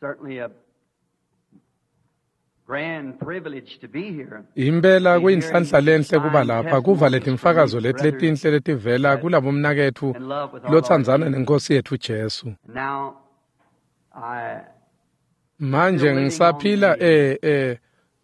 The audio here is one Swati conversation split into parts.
Certainly a grand privilege to be here. Impela kuyinhlanhla lenhle kuba lapha kuva letimfakazo leti letinhle letivela kulabomnaketfu lotsandzana nenkosi yetfu Jesu. Now, I Manje ngisaphila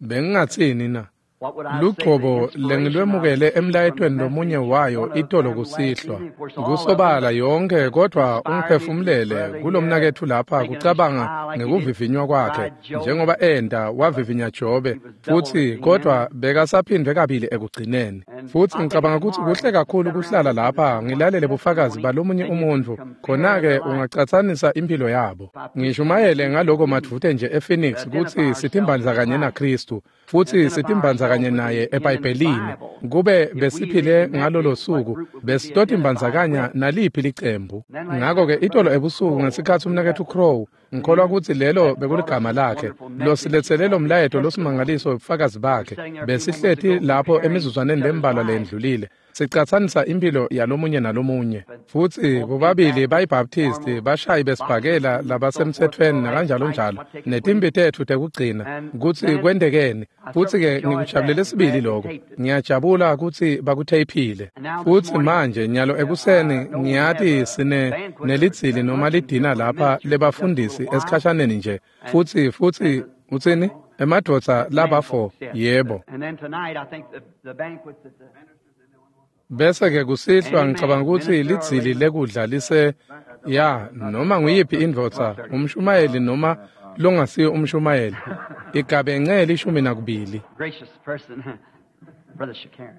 bengingatsini na? what would I say? Lugcobo The inspiration lengilwemukele I received from the emlayetweni lomunye message, wayo one of itolo them last kusihlwa. evening, of course, all of them Kusobala yonke kodwa inspired me to this ungiphefumulele brother here, kulomnaketfu lapha thinking of his kucabanga trial like he did ngekuvivinywa kwakhe tried Job. njengoba enta wavivinya Jobe He was double futsi at the kodwa end. bekasaphindwe kabili ekugcineni. And Futsi I think ngicabanga it's kutsi kuhle marvelous to kakhulu sit around kuhlala and listen to lapha someone's ngilalele bufakazi testimony balomunye and you umuntfu compare khona-ke their life. ungacatsanisa impilo yabo. If I preach on Ngishumayele this ngaloko evening, madvute nje ePhoenix to kutsi identify ourselves sitimbandza with kanye Christ, naKristu futsi identify sitimbandza ourselves kanye with naye Him in the eBhayibhelini. Bible. Kube If we lived besiphile in that ngalolo day, what suku group would we be identified besitotimbandzakanya with? naliphi licembu. And then last Ngako-ke night, itolo Brother ebusuku Crowe, ngesikhatsi who umnaketfu got Crow ngikholwa news kutsi lelo that brought us bekuligama this lakhe wonderful message losiletsele of lo his mlayeto testimony. losimangaliso webufakazi We were bakhe sitting there a few moments besihleti ago lapho comparing emizuzwaneni each other's lembalwa lives. leyendlulile sicatsanisa impilo yalomunye nalomunye But futsi both being bobabili Baptist, bayibaptisti formal, bashayi boxers, besibhakela and so forth, labasemtsetfweni all that nakanjalo fight, njalo what taken netimpi place. tetfu tekugcina And kutsi then kwentekeni I futsi certainly ke enjoyed ngikujabulele that and sibili glad they lokho taped it. ngiyajabula kutsi bakutheyiphile And now this futsi morning, manje nyalo ekuseni I know we have ngiyati a sine banquet or nelidzili a noma luncheon lidina for the lapha ministers in just a lebafundisi little while. esikhashaneni nje And futsi futsi and the utsini emadvodza men labafo folks, yes. yebo And then tonight, I think the banquet's at the bese ke kusihlwa ngicabanga Amen. kutsi Minister or lidzili lady. lekudla lise ya noma nguyiphi indvodza 12:30. umshumayeli noma longasiyo umshumayeli igabence 12. Gracious person, Brother Shakarian.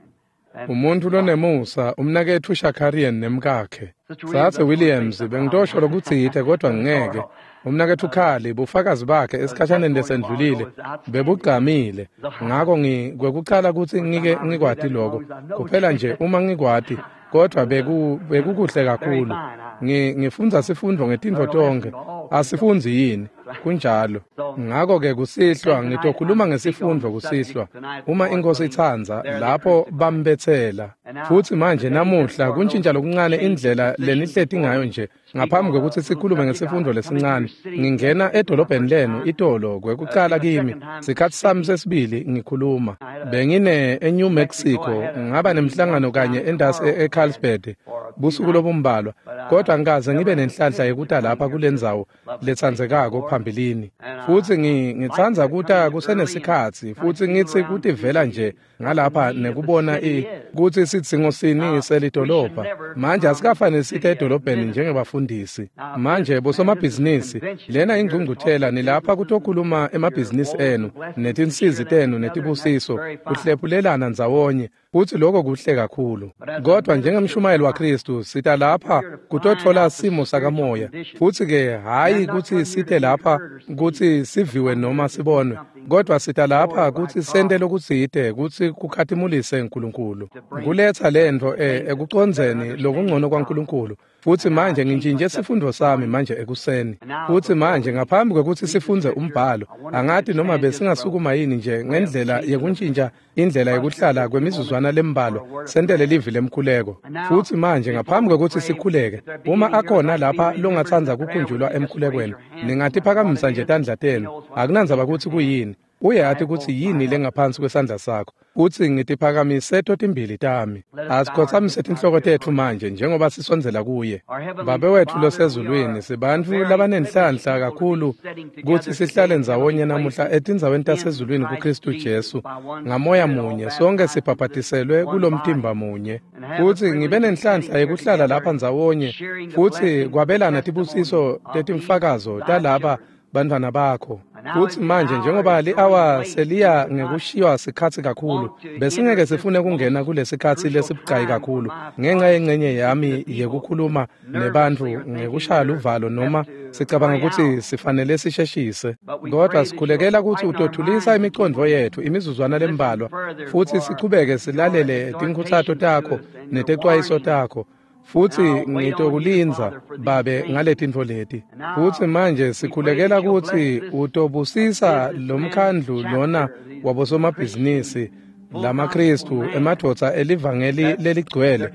And Umuntu wife. lonemusa umnaketfu Shakarian nemkakhe. Sister Williams, Sathe I just want to say Williams something. bengitosho lokutsite kodwa Brother ngeke. Carl, Umnaketfu Khali bufakazi bakhe the esikhashaneni testimony a while ago lesendlulile was outstanding. bebugqamile. The Ngako ngikwekucala kutsi first time ngike I ever did ngikwati that, as lokho. long as I know Kuphela nje uma ngikwati kodwa bekukuhle Very kakhulu. fine. I Ngifundza sifundvo ngetintfo learn a lesson tonkhe. to all things. don't Asifundzi yini? Kunjalo. So Ngako ke kusihlwa then tonight I'm ngitokhuluma to speak on ngesifundvo the subject kusihlwa. tonight, the Uma Lord inkosi willing, itsandza there they lapho crucified. bambetsela. And now Futsi manje today, just namuhla for a little kuntjintja lokuncane change of indlela position lenihleti before ngayo we nje speak ngaphambi on a kwekutsi little sikhulume subject, ngesifundvo I come into your lesincane. city Ngingena yesterday for my edolobheni first lenu time. itolo kwekucala Be my kimi second time sikhatsi sami speaking. sesibili ngikhuluma. I had a Bengine eNew Mexico. I Mexico had a ngaba meeting once nemhlangano down kanye in entasi Carlsbad eCarlsbad for a few busuku nights, lobumbalwa but kodwa I ngikaze ngibe never had the nenhlanhla privilege of yekuta coming lapha here to kule this ndzawo lovely place letsandzekako before. phambilini. And Futsi I like ngitsandza to come kuta in early and kusenesikhatsi kind of futsi feel ngitsi around and see kutivela nje what the ngalapha need of the nekubona city is. kutsi sidzingo sini Now, we should selidolobha. never Manje come to asikafanele the site city as edolobheni ministers. njengebafundisi. Now, Manje businessmen, this is a bosomabhizinisi convention. lena We're here to talk ingcungcuthela nilapha businesses and kutokhuluma your emabhizinisi woes and enu blessings and netinsizi share that tenu together, and that's netibusiso very fine. kuhlephulelana ndzawonye futsi lokho kuhle kakhulu. But as a Kodwa minister of njengemshumayeli Christ, waKristu sita we're lapha here to find kutotfola out the simo spiritual sakamoya condition. futsi ke And hhayi I'm not kutsi come here to site be lapha heard or seen. kutsi siviwe I'm noma here to do sibonwe something kodwa to sita lapha glorify kutsi sente God, lokutsite kutsi kukhatimulise uNkulunkulu to bring kuletsa lentfo things to better ekucondzeni understanding lokungcono of God. kwaNkulunkulu. Futsi And now I manje change my ngintjintje subject sifundvo this sami morning. manje ekuseni. And now, Futsi before manje we ngaphambi kwekutsi read the sifundze scripture, umbhalo I wonder if angati you'd noma stand just for a besingasukuma yini nje way of ngendlela changing the yekuntjintja indlela posture yekuhlala for a few moments kwemizuzwana for lembalwa a word of sentele prayer. livi lemkhuleko. And now, Futsi manje before ngaphambi we kwekutsi pray, sikhuleke if there be uma any here akhona like to be lapha remembered in longatsandza the prayer, would kukhunjulwa you just raise emkhulekweni your hand no matter what ningatiphakamisa it nje is? tandla He tenu knows what's akunandzaba beneath your kutsi hand. kuyini I uyati have kutsi both my yini arms. lengaphansi kwesandla sakho utsi ngitiphakamise totimbili tami. Let us bow our Asikhotsamise heads now tinhloko as we tetfu approach. manje njengoba sisondzela kuye. Our Heavenly Babe wetfu Father, we losezulwini are a sibantfu very privileged labanenhlanhla people to be kakhulu sitting kutsi together sihlale today in ndzawonye heavenly namuhla places etindzaweni in tasezulwini Christ kuKristu Jesus Jesu by one ngamoya Spirit, all munye sonke baptized into this sibhabhatiselwe one body, kulomtimba munye. and have the Futsi ngibe privilege of nenhlanhla sitting here yekuhlala together lapha and ndzawonye sharing the futsi blessings and the kwabelana testimony tibusiso of these tetimfakazo thy talaba children. bantfwana bakho. And now, as Futsi the manje hour njengoba is growing li-awa late, we seliya would not ngekushiywa sikhatsi kakhulu want to enter besingeke this sifune kungena most kulesikhatsi crucial lesibucayi time for kakhulu my ngenxa part yengcenye to speak to yami the people yekukhuluma nebantfu nervously or thinking ngekushaya we're luvalo noma have to sicabanga hurry kutsi out. sifanele sisheshise. But we Kodwa pray that you'll sikhulekela kutsi quieten our utothulisa minds a few imicondvo moments yetfu imizuzwana to listen lembalwa further futsi for sichubeke your silalele tinkhutsato exhortations to takho us and your netecwayiso warnings. takho. And Futsi I'll wait on you, ngitokulindza Father, for these Babe things. ngaletintfo leti. And now Futsi manje we pray sikhulekela that you'll bless kutsi this utobusisa businessman lomkhandlu lona chapter, these Christian wabosomabhizinisi lamaKristu emadvodza elivangeli leligcwele,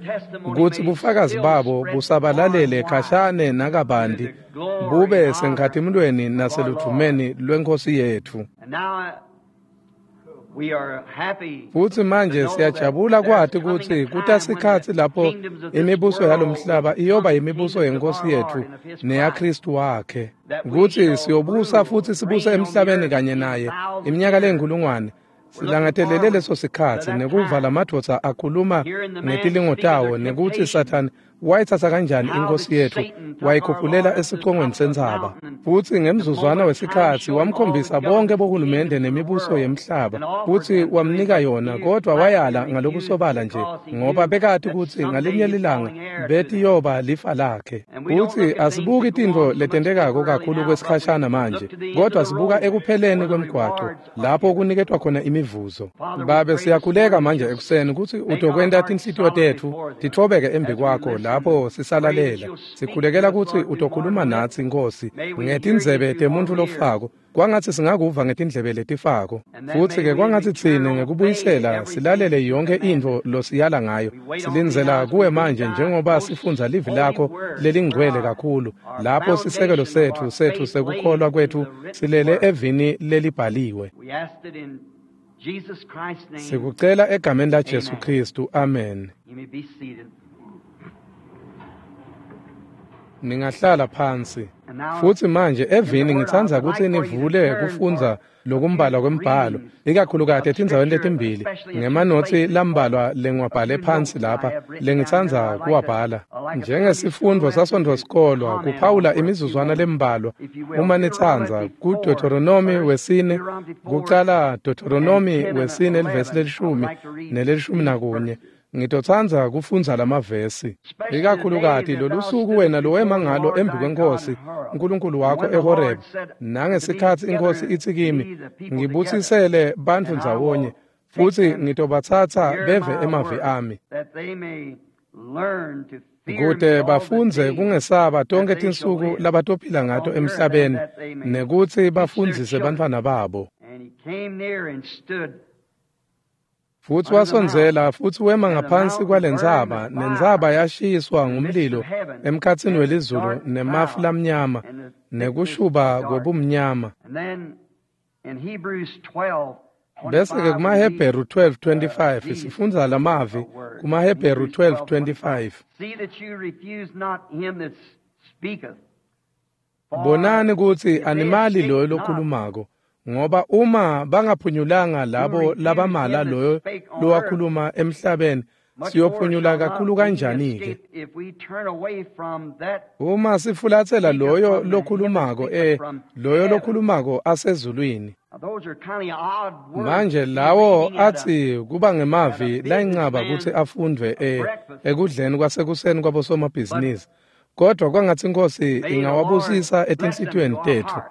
kutsi bufakazi babo busabalalele khashane nakabanti, bube senkhatimulweni naseludvumeni lweNkhosi yetfu. Futsi manje siyajabula kwati kutsi kutasikhatsi lapho imibuso yalomhlaba iyoba imibuso yeNkhosi yetfu neyaKristu wakhe, kutsi siyobusa futsi sibuse emhlabeni kanye naye iminyaka leyinkhulungwane. Silangatelele leso sikhatsi nekuva lamadvodza akhuluma ngetilingo tawo, nekutsi Sathane wayitsatsa kanjani iNkhosi yetfu wayikhuphulela esicongweni sentsaba, futsi ngemzuzwana wesikhatsi wamkhombisa bonke bohulumende nemibuso yemhlaba, futsi wamnika yona, kodvwa wayala ngalokusobala nje, ngoba bekati kutsi ngalinye lilanga betiyoba lifa lakhe. Futsi asibuki tintfo letentekako kakhulu kwesikhashana manje, kodvwa sibuka ekupheleni kwemgwaco lapho kuniketwa khona imivuzo. Babe, siyakhuleka manje ekuseni kutsi utokwenta tinhlitiyo tetfu titfobeke embi kwakho lapho sisalalela. Sikhulekela kutsi utokhuluma natsi, Nkhosi, ngetindzebe temuntfu lofako, kwangatsi singakuva ngetindlebe letifako. Futsi-ke kwangatsi tsine ngekubuyisela silalele yonke intfo losiyala ngayo. Silindzela kuwe manje njengoba sifundza livi lakho lelingcwele kakhulu, lapho sisekelo setfu sekukholwa kwetfu silele evini lelibhaliwe. Sikucela egameni la Jesu Kristu, amen. Ningahlala phansi. Futsi manje evini ngitsandza kutsi nivule kufundza lokumbalwa kwembhalo, ikakhulukati etindzaweni letimbili, ngemanotsi lambalwa lengiwabhale phansi lapha lengitsandza kuwabhala. Njengesifundvo saSontfo-sikolwa, kuphawula imizuzwana lembalwa uma nitsandza, kuDeuteronomi wesine, kucala Deuteronomi wesine livesi lelishumi nelelishumi nakunye. Ngitotsandza kufundza lamavesi, ikakhulukati lolusuku wena lowema ngalo embi kweNkhosi uNkulunkulu wakho eHorebe, nangesikhatsi iNkhosi itsi kimi, ngibutsisele bantfu ndzawonye, futsi ngitobatsatsa beve emavi ami, kute bafundze kungesaba tonkhe tinsuku labatophila ngato emhlabeni, nekutsi bafundzise bantfwana babo. Futsi wasondzela futsi wema ngaphansi kwalentsaba, nentsaba yashiswa ngumlilo emkhatsini welizulu nemafu lamnyama nekushuba kwebumnyama. Bese-ke kumaHebheru 12:25 sifundza lamavi kumaHebheru 12:25. Bonani kutsi animali loyo lokhulumako, ngoba uma bangaphunyulanga labo labamala loyo lowakhuluma emhlabeni, siyophunyula kakhulu kanjani-ke? Uma sifulatsela loyo lokhulumako, loyo lokhulumako asezulwini. Manje lawo atsi kuba ngemavi layincaba kutsi afundvwe ekudleni kwasekuseni kwabosomabhizinisi, kodvwa kwangatsi iNkhosi ingawabusisa etinhlitiyweni tetfu.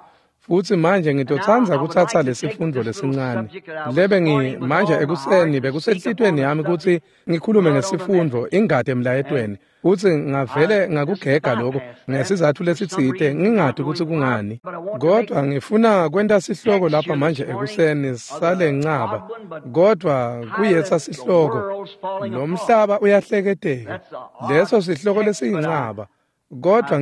Futsi manje ngitotsandza kutsatsa lesifundvo lesincane lebe manje ekuseni bekusenhlitiyweni yami kutsi ngikhulume ngesifundvo ingati emlayetweni, futsi ngavele ngakugega lokho ngesizatfu lesitsite, ngingati kutsi kungani, kodvwa ngifuna kwenta sihloko lapha manje ekuseni salencaba, kodvwa kuyetsa sihloko lomhlaba uyahleketeka, leso sihloko lesiyincaba, kodvwa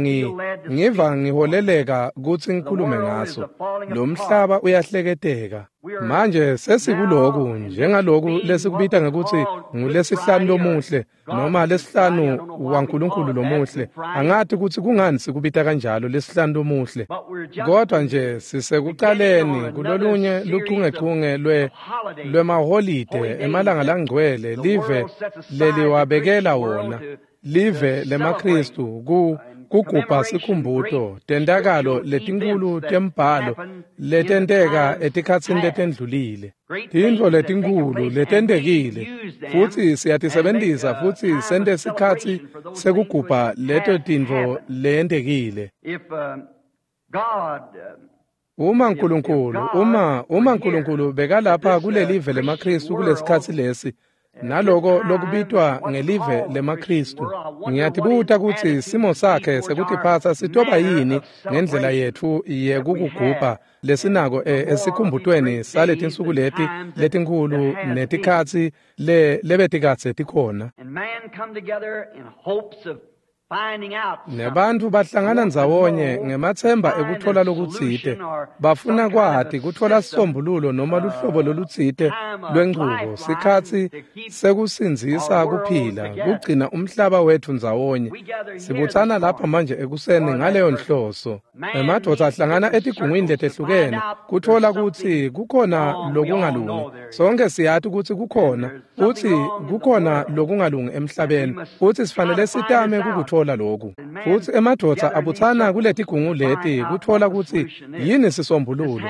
ngiva ngiholeleka kutsi ngikhulume ngaso. Lomhlaba uyahleketeka. Manje sesikuloku njengaloku lesikubita ngekutsi ngulesihlanu lomuhle noma lesihlanu waNkulunkulu lomuhle. Angati kutsi kungani sikubita kanjalo lesihlanu lomuhle, kodvwa nje sisekucaleni kulolunye luchungechunge lwemaholide emalanga langcwele live leliwabekela wona, live lemaKristu kugubha sikhumbuto tentakalo letinkhulu tembhalo letenteka etikhatsini letendlulile, tintfo letinkhulu letentekile, futsi siyatisebentisa futsi sente sikhatsi sekugubha leto tintfo leyentekile. Uma Nkulunkulu, uma Nkulunkulu bekalapha kulelive lemaKristu kulesikhatsi lesi, naloko lokubitwa ngelive lemaKhristu. Ngiyatibuta kutsi simo sakhe sekutiphatsa sitoba yini ngendlela yetfu yekukugubha lesinako esikhumbutweni saletinsuku leti letinkhulu netikhatsi lebetikadze tikhona. Nebantfu bahlangana ndzawonye ngematsemba ekutfola lokutsite, bafuna kwati kutfola sisombululo noma luhlobo lolutsite lwenchubo, sikhatsi sekusindzisa kuphila, kugcina umhlaba wetfu ndzawonye. Sibutsana lapha manje ekuseni ngaleyo nhloso. Emadvodza ahlangana etigungwini letehlukene kutfola kutsi kukhona lokungalungi. Sonke siyati kutsi kukhona, futsi kukhona lokungalungi emhlabeni, futsi sifanele sitame kukutfola lokhu. Futsi emadvodza abutsana kuletigungu leti kutfola kutsi yini sisombululo.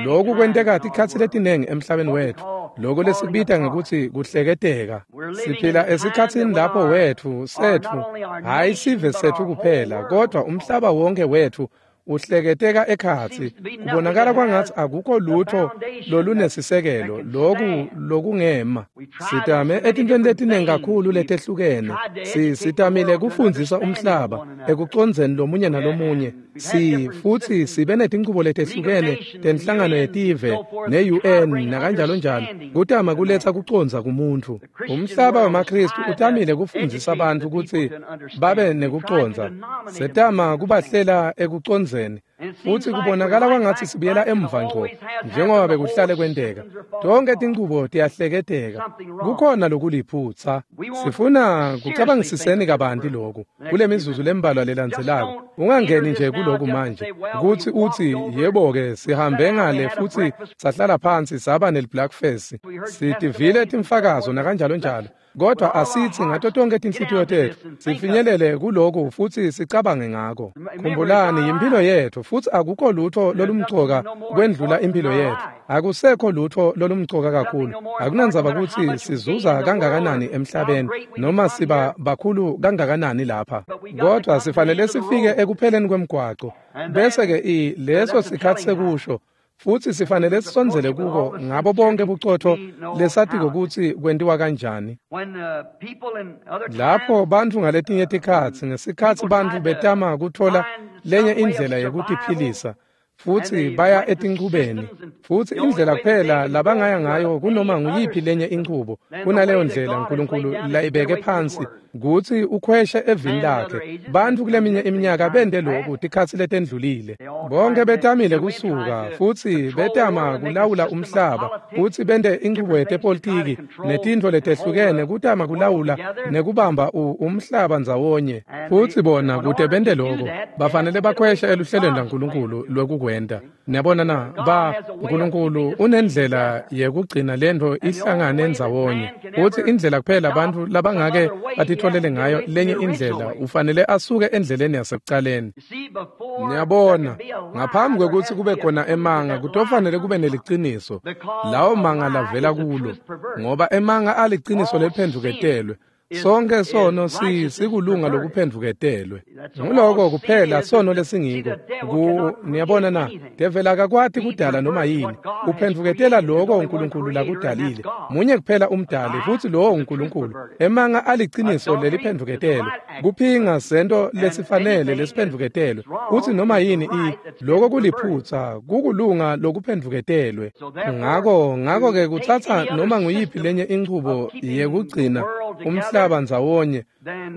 Lokhu kwenteka tikhatsi letinengi emhlabeni wetfu, lokhu lesikubita ngekutsi kuhleketeka. Siphila esikhatsini lapho wetfu, setfu, hhayi sive setfu kuphela, kodvwa umhlaba wonke wetfu uhleketeka ekhatsi. Kubonakala kwangatsi akukho lutho lolunesisekelo loku lokungema. Sitame etintweni letinengi kakhulu letehlukene. Sitamile kufundzisa umhlaba ekucondzeni lomunye nalomunye. Futsi sibe netinchubo letehlukene tenhlangano yetive ne-UN nakanjalo njalo kutama kuletsa kucondza kumuntfu. Umhlaba wemaKhristu utamile kufundzisa bantfu kutsi babe nekucondza. Setama kubahlela ekucondzeni, futsi kubonakala kwangatsi sibuyela emva ngco njengoba bekuhlale kwenteka. Tonke tinchubo tiyahleketeka, kukhona lokuliphutsa. Sifuna kucabangisiseni kabanti loku kule mizuzu lembalwa lelandzelako. Ungangeni nje kuloku manje kutsi utsi yebo-ke sihambe ngale futsi sahlala phansi saba neliblackface, sitivile timfakazo nakanjalo njalo, kodwa asithi ngato tonke tinhlitiyo tetfu sifinyelele kuloku futsi sicabange ngako. Khumbulani, yimphilo yetfu, futsi akukho lutho lolumcoka kwendlula imphilo yetfu. Akusekho lutho lolumcoka kakhulu. Akunandzaba kutsi sizuza kangakanani emhlabeni noma siba bakhulu kangakanani lapha, kodwa sifanele sifike ekupheleni kwemgwaco, bese-ke leso sikhatsi sekusho, futsi sifanele sisondzele kuko ngabo bonke bucotfo lesatiko kutsi kwentiwa kanjani. Lapho bantfu ngaletinye tikhatsi, ngesikhatsi bantfu betama kutfola lenye indlela yekutiphilisa, futsi baya etinchubeni, futsi indlela kuphela labangaya ngayo kunoma nguyiphi lenye inchubo kunaleyo ndlela Nkulunkulu layibeke phansi kutsi ukhweshe evini lakhe. Bantfu kuleminye iminyaka bente loku tikhatsi letendlulile. Bonke betamile kusuka futsi betama kulawula umhlaba, futsi bente inchubo yetepolitiki netintfo letehlukene kutama kulawula nekubamba umhlaba ndzawonye. Futsi bona kute bente loko bafanele bakhweshe eluhlelweni lwaNkulunkulu lwekukwenta. Niyabona na, Nkulunkulu unendlela yekugcina lentfo ihlangane ndzawonye, futsi indlela kuphela bantfu labangake batitfolele ngayo lenye indlela ufanele asuke endleleni yasekucaleni. Niyabona, ngaphambi kwekutsi kube khona emanga kutofanele kube neliciniso, lawo manga lavela kulo, ngoba emanga aliciniso lephendvuketelwe. Sonke sono sikulunga lokuphendvuketelwe. Nguloko kuphela sono lesingiko. Niyabona na, devela akakwati kudala noma yini. Uphendvuketela loko uNkulunkulu lakudalile. Munye kuphela umdali, futsi lowo uNkulunkulu. Emanga aliciniso leliphendvuketelwe. Kuphinga sento lesifanele lesiphendvuketelwe. Futsi noma yini loko kuliphutsa, kukulunga lokuphendvuketelwe. Ngako-ke kutsatsa noma nguyiphi lenye inchubo yekugcina umhlaba ndzawonye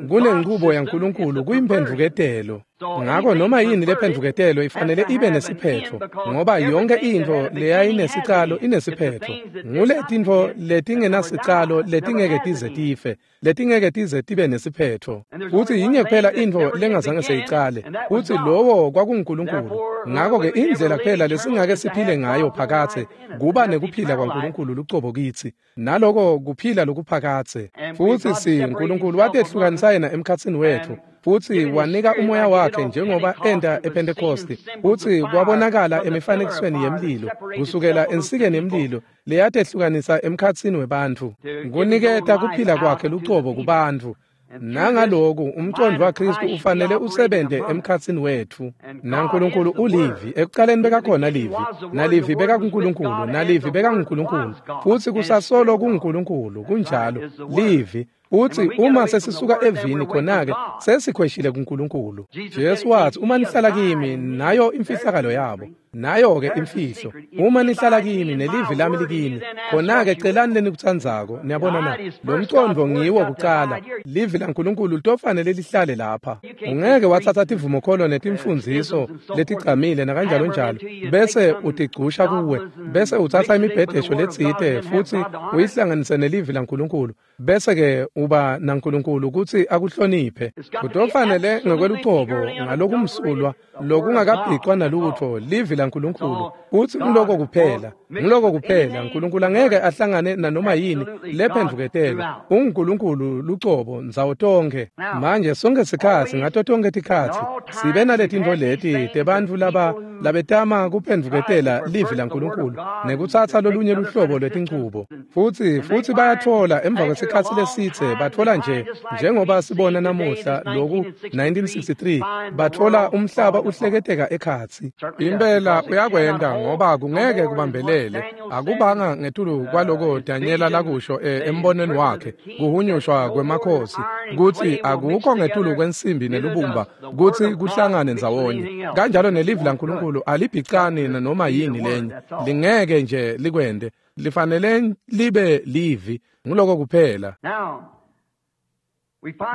kunenchubo yaNkulunkulu kuyimphendvuketelo. Ngako noma yini lephendvuketelo ifanele ibe nesiphetfo, ngoba yonke intfo leyayinesicalo inesiphetfo. Nguletintfo letingenasicalo letingeke tize tife, letingeke tize tibe nesiphetfo. Futsi yinye kuphela intfo lengazange seyicale, futsi lowo kwakunguNkulunkulu. Ngako-ke indlela kuphela lesingake siphile ngayo phakatse kuba nekuphila kwaNkulunkulu lucobo kitsi, naloko kuphila lokuphakatse. Futsi Nkulunkulu watehlukanisa yena emkhatsini wetfu, futsi wanika umoya wakhe njengoba enta ePhentekosti, futsi kwabonakala emifanekisweni yemlilo kusukela ensikeni yemlilo leyatehlukanisa emkhatsini webantfu, kuniketa kuphila kwakhe lucobo kubantfu. Nangaloku umcondvo waKristu ufanele usebente emkhatsini wetfu. NaNkulunkulu ulivi, ekucaleni bekakhona livi, nalivi bekakuNkulunkulu, nalivi bekanguNkulunkulu, futsi kusasolo kunguNkulunkulu, kunjalo, livi. Uthi uma sesisuka evini khona-ke sesikhweshile kuNkulunkulu. Jesu wathi uma nihlala kimi nayo imfihlakalo yabo, nayo-ke imfihlo. Uma nihlala kimi nelivi lami likini, khona-ke celani lenikutsandzako. Niyabona na? Lo mcondvo ngiwo kucala. Livi laNkulunkulu litofanele lihlale lapha. Ungeke watsatsa tivumokholo netimfundziso letigcamile nakanjalo njalo, bese utigcusha kuwe, bese utsatsa imibhedesho letsite futsi uyihlanganise nelivi laNkulunkulu, bese-ke uba naNkulunkulu kutsi akuhloniphe. Kutofanele ngekwelucobo ngalokumsulwa lokungakabhicwa nalutfo livi laNkulunkulu, kutsi ngiloko kuphela, ngiloko kuphela. Nkulunkulu angeke ahlangane nanoma yini lephendvuketele. UnguNkulunkulu lucobo ndzawo tonkhe. Manje sonke sikhatsi, ngato tonkhe tikhatsi, sibe naletintfo leti tebantfu laba labetama kuphendvuketela livi laNkulunkulu nekutsatsa lolunye luhlobo lwetinchubo. Futsi bayatfola emva kwesikhatsi lesitse, batfola nje njengoba sibona namuhla loku 1963, batfola umhlaba uhleketeka ekhatsi. Impela uyakwenta ngoba kungeke kubambelele. Akubanga ngetulu kwaloko Danyela lakusho embonweni wakhe, kuhunyushwa kwemakhosi, kutsi akukho ngetulu kwensimbi nelubumba kutsi kuhlangane ndzawonye. Kanjalo nelivi laNkulunkulu alibhicani nanoma yini lenye, lingeke nje likwente, lifanele libe livi, nguloko kuphela.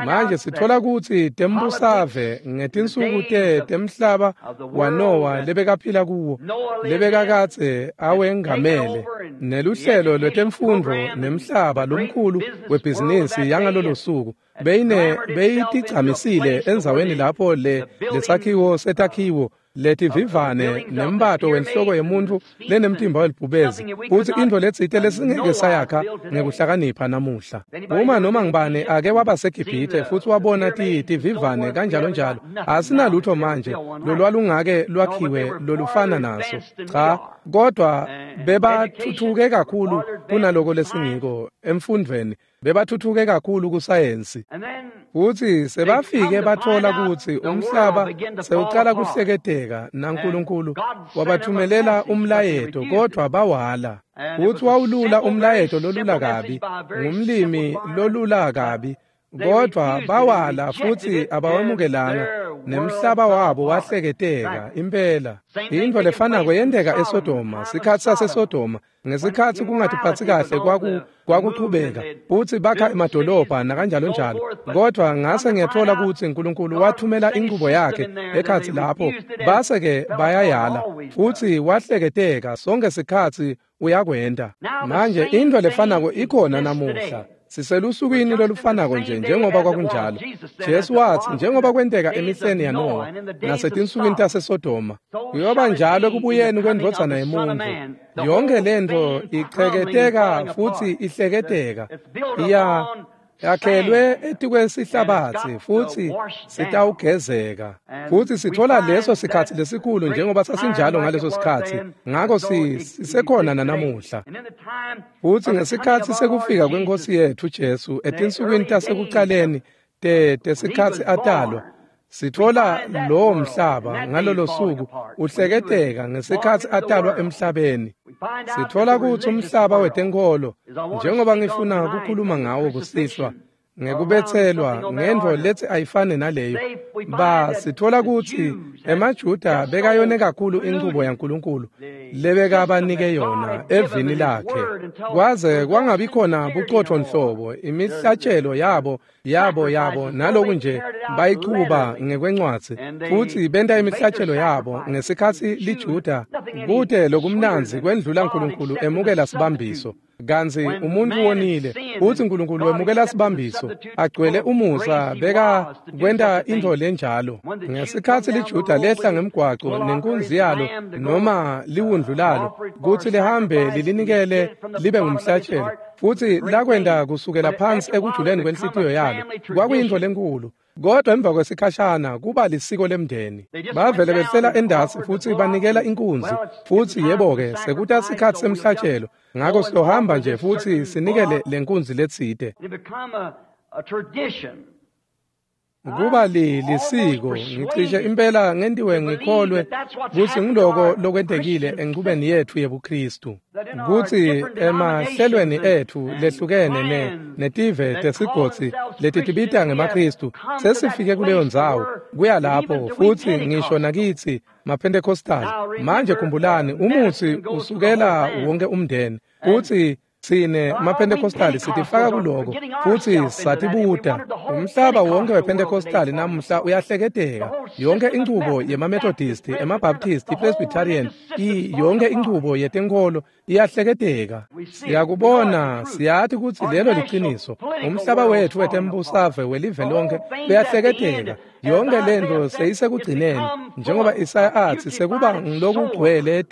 Manje sitfola kutsi tembusave ngetinsuku temhlaba waNowa lebekaphila kuwo, lebekakadze awengamele, neluhlelo lwetemfundvo nemhlaba lomkhulu webhizinisi yangalolo suku, beyitigcamisile endzaweni lapho lesakhiwo setakhiwo letivivane nembato wenhloko yemuntfu lenemtimba welibhubezi, futsi intfo letsite lesingeke sayakha ngekuhlakanipha namuhla. Uma noma ngibani ake waba seGibhithe futsi wabona tivivane kanjalo njalo, asinalutho manje lolwalungake lwakhiwe lolufana naso. Cha, kodwa bebathuthuke kakhulu kunaloko lesingiko emfundvweni, bebathuthuke kakhulu kusayensi. Futsi sebafike batfola kutsi umhlaba sewucala kuhleketeka, naNkulunkulu wabathumelela umlayeto kodvwa bawala. Futsi wawulula umlayeto lolula kabi, ngumlimi lolula kabi, kodvwa bawala futsi abawemukelanga, nemhlaba wabo wahleketeka impela. Intfo lefanako yenteka eSodoma, sikhatsi saseSodoma, ngesikhatsi kungatiphatsi kahle kwakuchubeka, futsi bakha emadolobha nakanjalo njalo. Kodvwa ngase ngiyatfola kutsi Nkulunkulu wathumela inchubo yakhe ekhatsi lapho, base-ke bayayala, futsi wahleketeka sonke sikhatsi uyakwenta. Manje intfo lefanako ikhona namuhla. Siselusukwini lolufanako nje njengoba kwakunjalo. Jesu watsi njengoba kwenteka emihleni yaNowa nasetinsukwini taseSodoma, kuyoba njalo ekubuyeni kwendvodzana yemuntfu. Yonke lentfo icheketeka futsi ihleketeka, yakhelwe etikwesihlabatsi futsi sitawugezeka. Futsi sitfola leso sikhatsi lesikhulu njengoba sasinjalo ngaleso sikhatsi, ngako sisekhona nanamuhla. Futsi ngesikhatsi sekufika kweNkhosi yetfu Jesu etinsukwini tasekucaleni tesikhatsi atalwa, sitfola lowo mhlaba ngalolo suku uhleketeka ngesikhatsi atalwa emhlabeni. Sitfola kutsi umhlaba wetenkholo, njengoba ngifuna kukhuluma ngawo kusihlwa, ngekubetselwa ngentfo letsi ayifane naleyo, sitfola kutsi emaJuda bekayone kakhulu inchubo yaNkulunkulu lebekabanike yona evini lakhe, kwaze kwangabi khona bucotfo nhlobo. Imihlatshelo yabo naloku nje bayichuba ngekwencwadzi, futsi benta imihlatshelo yabo ngesikhatsi liJuda kute lokumnandzi kwendlula Nkulunkulu emukela sibambiso. Kantsi umuntfu wonile, futsi Nkulunkulu wemukela sibambiso, agcwele umusa beka kwenta intfo lenjalo. Ngesikhatsi liJuda lehla ngemgwaco nenkunzi yalo noma liwundlu lalo kutsi lihambe lilinikele libe ngumhlatshelo, futsi lakwenta kusukela phansi ekujuleni kwenhlitiyo yalo, kwakuyintfo lenkhulu. Kodwa emva kwesikhashana kuba lisiko lemndeni. Bavele behlela endasi futsi banikela inkunzi, futsi yebo-ke sekuta sikhatsi semhlatshelo, ngako sizohamba nje futsi sinikele lenkunzi letsite. Kuba lisiko, ngicishe impela ngentiwe ngikholwe kutsi ngiloko lokwentekile enchubeni yetfu yebuKhristu, kutsi emahlelweni etfu lehlukene netive tesigodzi letitibita ngemaKhristu sesifike kuleyo ndzawo kuya lapho, futsi ngisho nakitsi maPentecostal. Manje khumbulani, umutsi usukela wonke umndeni, kutsi tsine maPentecostal sitifaka kuloko futsi satibuta. Umhlaba wonke wePentecostal namuhla uyahleketeka. Yonke inchubo yemaMethodist, emaBaptist, iPresbyterian, yonke inchubo yetenkholo iyahleketeka. Siyakubona, siyati kutsi lelo liciniso. Umhlaba wetfu wetembusave welive lonke uyahleketeka. Yonke lento seyisekugcineni, njengoba Isaya atsi sekuba ngilokugcwele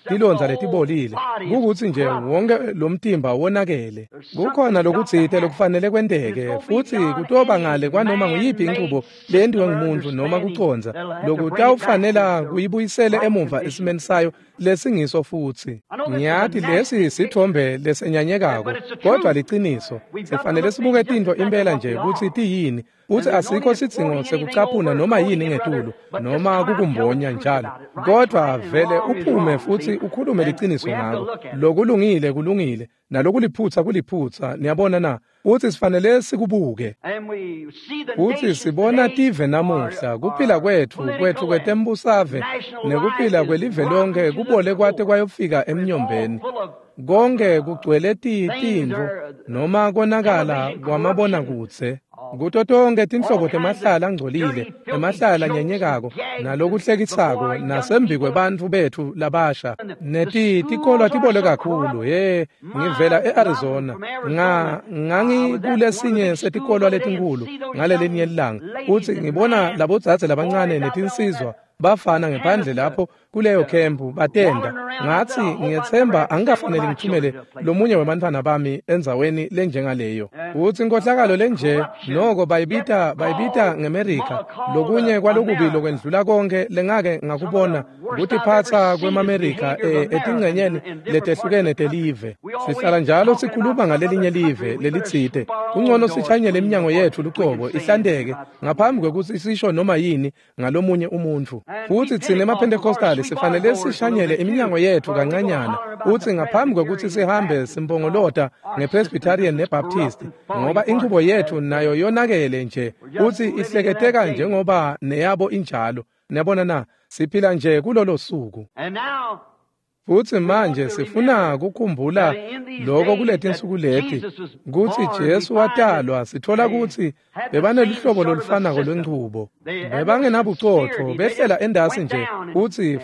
tilondza letibolile, kukutsi nje wonke lomtimba wonakele. Kukhona lokutsite lokufanele kwenteke, futsi kutoba ngale kwanoma nguyiphi inchubo leyentiwe ngumuntu noma kucondza, lokutawufanela kuyibuyisele emuva esimeni sayo lesingiso futsi. Ngiyati lesi sithombe lesenyanyekako, kodvwa liciniso. Sifanele sibuke tintfo impela nje kutsi tiyini, futsi asikho sidzingo sekucaphuna noma yini ngetulu noma kukumbonya njalo, kodvwa vele uphume futsi ukhulume liciniso ngako. Lokulungile kulungile, nalokuliphutsa kuliphutsa, niyabona na? Futsi sifanele sikubuke. Futsi sibona tive namuhla, kuphila kwetfu kwetembusave nekuphila kwelive lonke kubole kwate kwayofika emnyombeni. Konke kugcwele tintfo noma konakala kwamabonakudze. Kuto tonke tinhlobo temahlala angcolile, emahlala anyenyekako, nalokuhlekisako, nasembikwebantfu betfu labasha. Netikolwa tibole kakhulu. He, ngivela e-Arizona. Ngangikulesinye setikolwa letinkhulu ngalelinye ilanga, futsi ngibona labodzadze labancane netinsizwa bafana ngephandle lapho kuleyo khempu batenda. Ngatsi ngiyetsemba angikafanele ngithumele lomunye webantfwana bami endzaweni lenjengaleyo. Utsi inkohlakalo lenje noko bayibita ngeMerika. Lokunye kwalokubi lokwendlula konke lengake ngakubona kutiphatsa kwemaMerika etingcenyeni letehlukene telive. Sihlala njalo sikhuluma ngalelinye live lelitsite. Kungcono sichanyele iminyango yetfu lucobo ihlanteke ngaphambi kwekutsi sisho noma yini ngalomunye umuntfu. Futsi tsine emaPentecostal sifanele sishanyele iminyango yetfu kancanyana, utsi ngaphambi kwekutsi sihambe simpongolota ngePresbyterian neBaptist, ngoba inchubo yetfu nayo yonakele nje, utsi ihleketeka njengoba neyabo injalo. Niyabona na? Siphila nje kulolo suku. Futsi manje sifuna kukhumbula lokho kuletinsuku leti, kutsi Jesu watalwa. Sithola kutsi bebaneluhlobo lolufanako lwenchubo. Bebangenabucotfo, behlela endasi nje,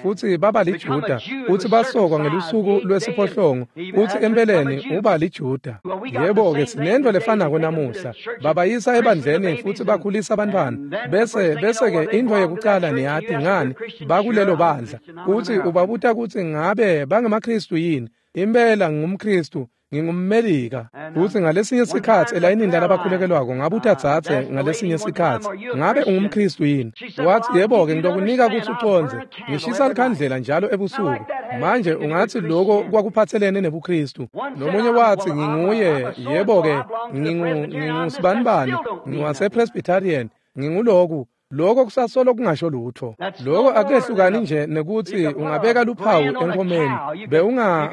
futsi baba liJuda, futsi basokwa ngelusuku lwesiphohlongo, futsi empeleni uba liJuda. Yebo-ke, sinento lefanako namuhla. Babayisa ebandleni futsi bakhulisa abantwana, bese-ke intfo yekucala niyati ngani, bakulelo bandla. Futsi ubabuta kutsi ngabe bangemaKhristu yini? Impela ngingumKhristu, ngingumMelika. Futsi ngalesinye sikhatsi elayinini lalabakhulekelwako ngabuta dzadze ngalesinye sikhatsi, ngabe ungumKhristu yini? Watsi, yebo-ke, ngitokunika kutsi ucondze. Ngishisa likhandlela njalo ebusuku. Manje ungatsi loko kwakuphatselene nebuKhristu. Nomunye watsi, nginguye, yebo-ke, ngingusibanibani, ngiwasePresbyterian, nginguloku. Lokho kusasolo kungasho lutho. Lokho akukehlukani nje nekutsi ungabeka luphawu enkomeni,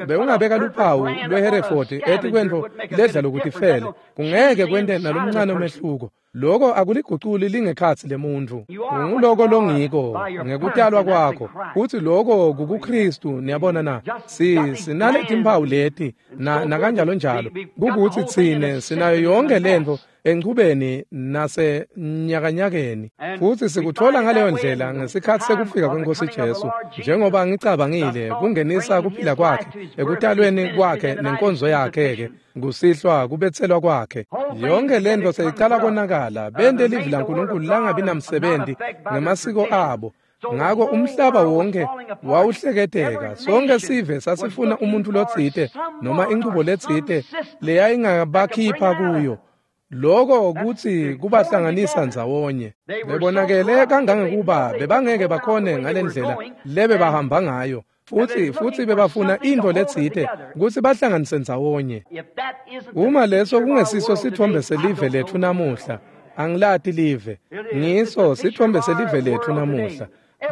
bewungabeka luphawu lweHereford etikwentfo ledla lokutifele. Kungeke kwente nalomncane umehluko. Lokho akuliguculi lingekhatsi lemuntfu. Unguloko longiko ngekutalwa kwakho, futsi lokho kukuKhristu. Niyabona na? Sinaletimphawu leti na kanjalo njalo. Kukutsi tsine sinayo yonke lentfo enchubeni nasenyakanyakeni, futsi sikuthola ngaleyo ndlela ngesikhatsi sekufika kweNkosi Jesu, njengoba ngicabangile kungenisa kuphila kwakhe ekutalweni kwakhe nenkonzo yakhe-ke kusihlwa kubetselwa kwakhe. Yonke lentfo seyicala konakala, bente livi laNkulunkulu langabi namsebenti ngemasiko abo. Ngako umhlaba wonke wawuhleketeka. Sonke sive sasifuna umuntfu lotsite noma inchubo letsite leyayingabakhipha kuyo. Lokho kutsi kubahlanganisa ndzawonye. Bebonakele kangangekuba bebangeke bakhone ngalendlela lebebahamba ngayo, futsi bebafuna intfo letsite kutsi bahlanganise ndzawonye. Uma leso kungesiso sithombe selive letfu namuhla, Angilati live. Ngiso sitfombe selive letfu namuhla.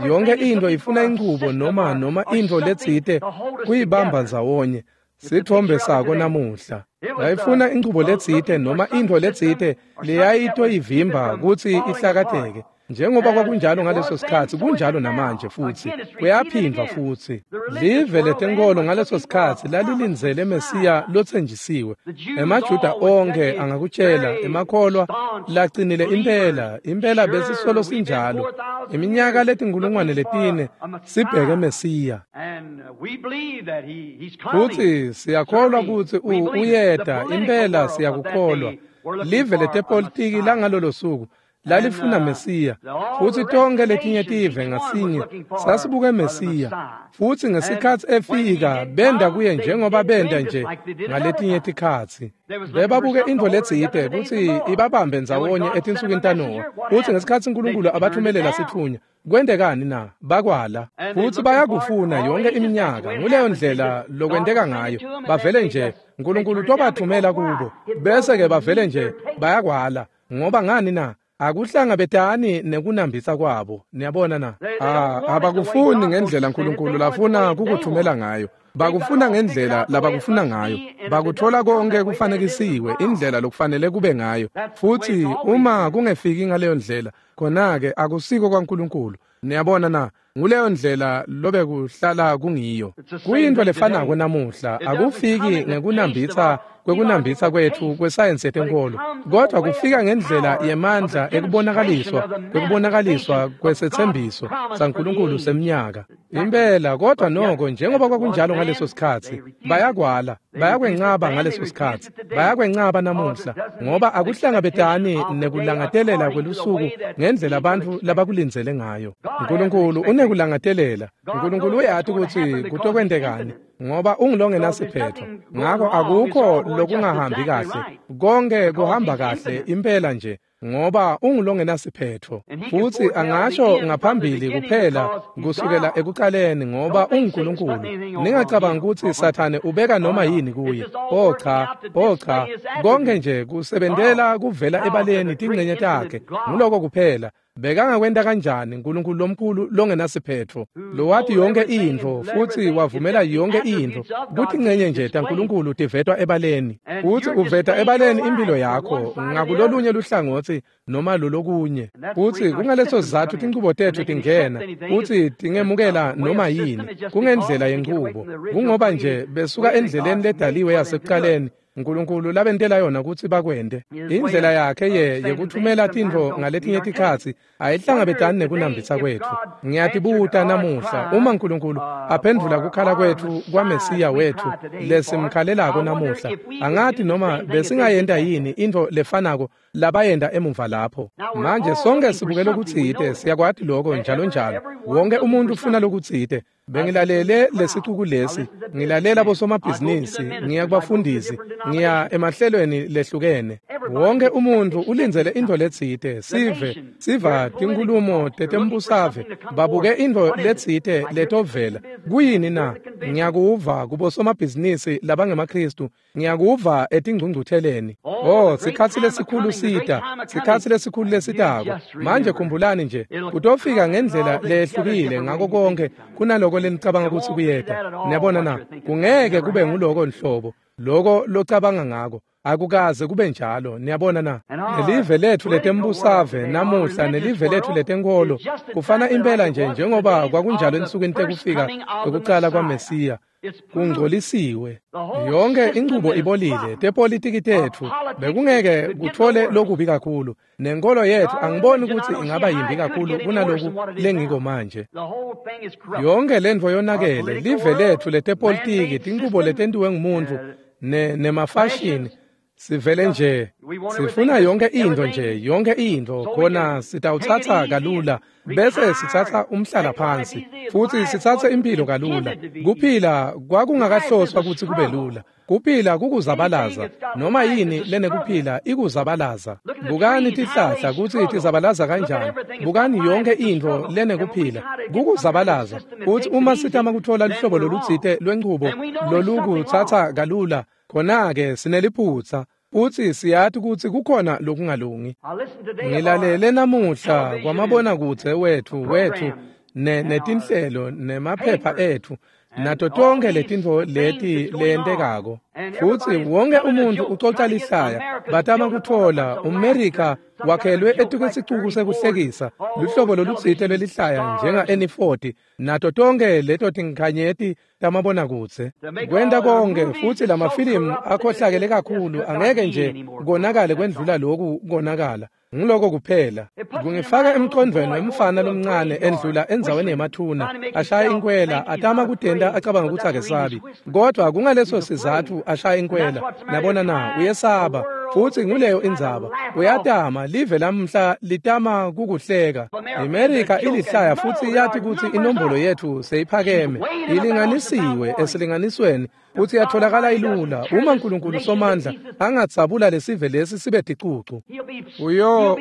Yonke into ifuna inchubo noma into letsite kuyibamba ndzawonye. Sitfombe sako namuhla. Yayifuna inchubo letsite noma into letsite leyayitoyivimba kutsi ihlakateke. Njengoba kwakunjalo ngaleso sikhatsi, kunjalo namanje futsi kuyaphindwa futsi. Live letenkolo ngaleso sikhatsi lalilindzele Mesiya lotsenjisiwe. EmaJuda onkhe angakutshela, emakholwa lacinile impela, impela besisolo sinjalo. Iminyaka letinkulungwane 4 sibheke Mesiya. Futsi siyakholwa kutsi uyeta, impela siyakukholwa. Live letepolitiki langalolo suku lalifuna Mesiya, futsi tonke letinye tive ngasinye sasibuke Mesiya. Futsi ngesikhatsi efika benda kuye njengoba benda nje ngaletinye tikhatsi. Bebabuke intfo letsite kutsi ibabambe ndzawonye etinsukwini taNowa. Futsi ngesikhatsi uNkulunkulu abathumelela sitfunywa, kwentekani na? Bakwala. Futsi bayakufuna yonke iminyaka. Nguleyo ndlela lokwenteka ngayo. Bavele nje uNkulunkulu tobathumela kubo, bese ke bavele nje bayakwala. Ngoba ngani na? Akuhlangabetani nekunambitsa kwabo. Niyabona na? Abakufuni ngendlela uNkulunkulu lafuna kukuthumela ngayo. Bakufuna ngendlela labakufuna ngayo. Bakuthola konke kufanekisiwe indlela lokufanele kube ngayo. Futsi uma kungefiki ngaleyo ndlela, khona-ke akusiko kwaNkulunkulu. Niyabona na? Nguleyo ndlela lobe kuhlala kungiyo. Kuyintfo lefanako namuhla. Akufiki ngekunambitsa kwekunambitsa kwetfu kwesayensi yetenkolo, kodwa kufika ngendlela yemandla ekubonakaliswa kwekubonakaliswa kwesetsembiso saNkulunkulu semnyaka. Impela, kodwa noko njengoba kwakunjalo ngaleso sikhatsi, bayakwala, bayakwencaba ngaleso sikhatsi, bayakwencaba namuhla, ngoba akuhlangabetani nekulangatelela kwelusuku ngendlela bantfu labakulindzele ngayo. uNkulunkulu unekulangatelela. uNkulunkulu uyati kutsi kutokwentekani, ngoba ungulongenasiphetho. Ngako akukho lokungahambi kahle, konke kuhamba kahle impela nje, ngoba ungulongenasiphetho. Futsi angasho ngaphambili kuphela kusukela ekuqaleni, ngoba unguNkulunkulu. Ningacabangi kutsi Sathane ubeka noma yini kuye. Oh cha, oh cha, konke nje kusebentela kuvela ebaleni tingcenye takhe. Nguloko kuphela. Bekangakwenta kanjani uNkulunkulu lomkhulu longenasiphetho, lowati yonke intfo futsi wavumela yonke intfo kutsi incenye nje taNkulunkulu tivetwa ebaleni? Futsi uveta ebaleni impilo yakho ngakulolunye luhlangotsi noma lolokunye. Futsi kungaleso sizatfu tinchubo tetfu tingena futsi tingemukela noma yini kungendlela yenchubo. Kungoba nje besuka endleleni ledaliwe yasekuqaleni uNkulunkulu labentela yona kutsi bakwente. Indlela yakhe yekuthumela tintfo ngaletinye tikhatsi ayihlangabetani nekunambitsa kwetfu. Ngiyatibuta namuhla, uma uNkulunkulu aphendvula kukhala kwetfu kwaMesiya wetfu lesimkhalelako namuhla, angati noma besingayenta yini intfo lefanako labayenta emuva lapho. Manje sonke sibuke lokutsite, siyakwati loko njalo njalo. Wonke umuntu ufuna lokutsite. Bengilalele lesicuku lesi, ngilalela bosomabhizinisi, ngiya kubafundisi, ngiya emahlelweni lehlukene. Wonke umuntu ulindzele intfo letsite. Sive siva tinkhulumo tetembusave, babuke intfo letsite letovela. Kuyini na? Ngiyakuva kubosomabhizinisi labangemaKhristu, ngiyakuva etingcungcutheleni. Oh, sikhatsi lesikhulu sita, sikhatsi lesikhulu lesitako. Manje khumbulani nje, kutofika ngendlela lehlukile ngako konke kunaloko lenicabanga kutsi kuyeta. Niyabona na? Kungeke kube nguloko nhlobo, loko locabanga ngako. Akukaze kube njalo. Niyabona na? Nelive letfu letembusave namuhla nelive letfu letenkolo kufana impela nje njengoba kwakunjalo ensukwini tekufika kwekucala kwaMesiya. Kungcolisiwe. Yonke inchubo ibolile. Tepolitiki tetfu bekungeke kuthole lokubi kakhulu. Nenkolo yetfu angiboni kutsi ingaba yimbi kakhulu kunaloku lengiko manje. Yonke lentfo yonakele. Live letfu letepolitiki, tinchubo letentiwe ngumuntfu nemafashini, sivele nje sifuna yonke intfo nje, yonke intfo khona sitawutsatsa kalula, bese sitsatsa umhlala phansi futsi sitsatse impilo kalula. Kuphila kwakungakahloswa kutsi kube lula. Kuphila kukuzabalaza. Noma yini lenekuphila ikuzabalaza. Bukani tihlahla kutsi tizabalaza kanjani. Bukani yonke intfo lenekuphila kukuzabalaza. Futsi uma sitama kutfola luhlobo lolutsite lwenchubo lolukutsatsa kalula, khona-ke sineliphutsa. Futsi siyati kutsi kukhona lokungalungi. Ngilalele namuhla kwamabonakudze wethu netinhlelo nemaphepha etfu nato tonke letintfo leti leyentekako. Futsi wonke umuntfu ucoca lihlaya, batama kutfola umMerika wakhelwe etikwesicuku sekuhlekisa, luhlobo lolutsite lwelihlaya njenga-N40 nato tonke leto tinkhanyeti tamabonakudze. Kwenta konke futsi lamafilimu akhohlakele kakhulu angeke nje konakale kwendlula loku konakala. Ngiloko kuphela. Kungifaka emqondweni wemfana lomncane endlula endzaweni yemathuna, ashaya inkwela, atama kutenta acabanga kutsi akesabi. Kodwa kungaleso sizatfu ashaya inkwela. Nabona na, uyesaba. Futsi nguleyo indzaba. Uyatama, live lamhla litama kukuhleka. IMerika ilihlaya futsi iyati kutsi inombolo yetfu seyiphakeme, ilinganisiwe esilinganisweni, futsi yatholakala ilula. Uma uNkulunkulu Somandla angatsabula lesive lesi sibe ticucu,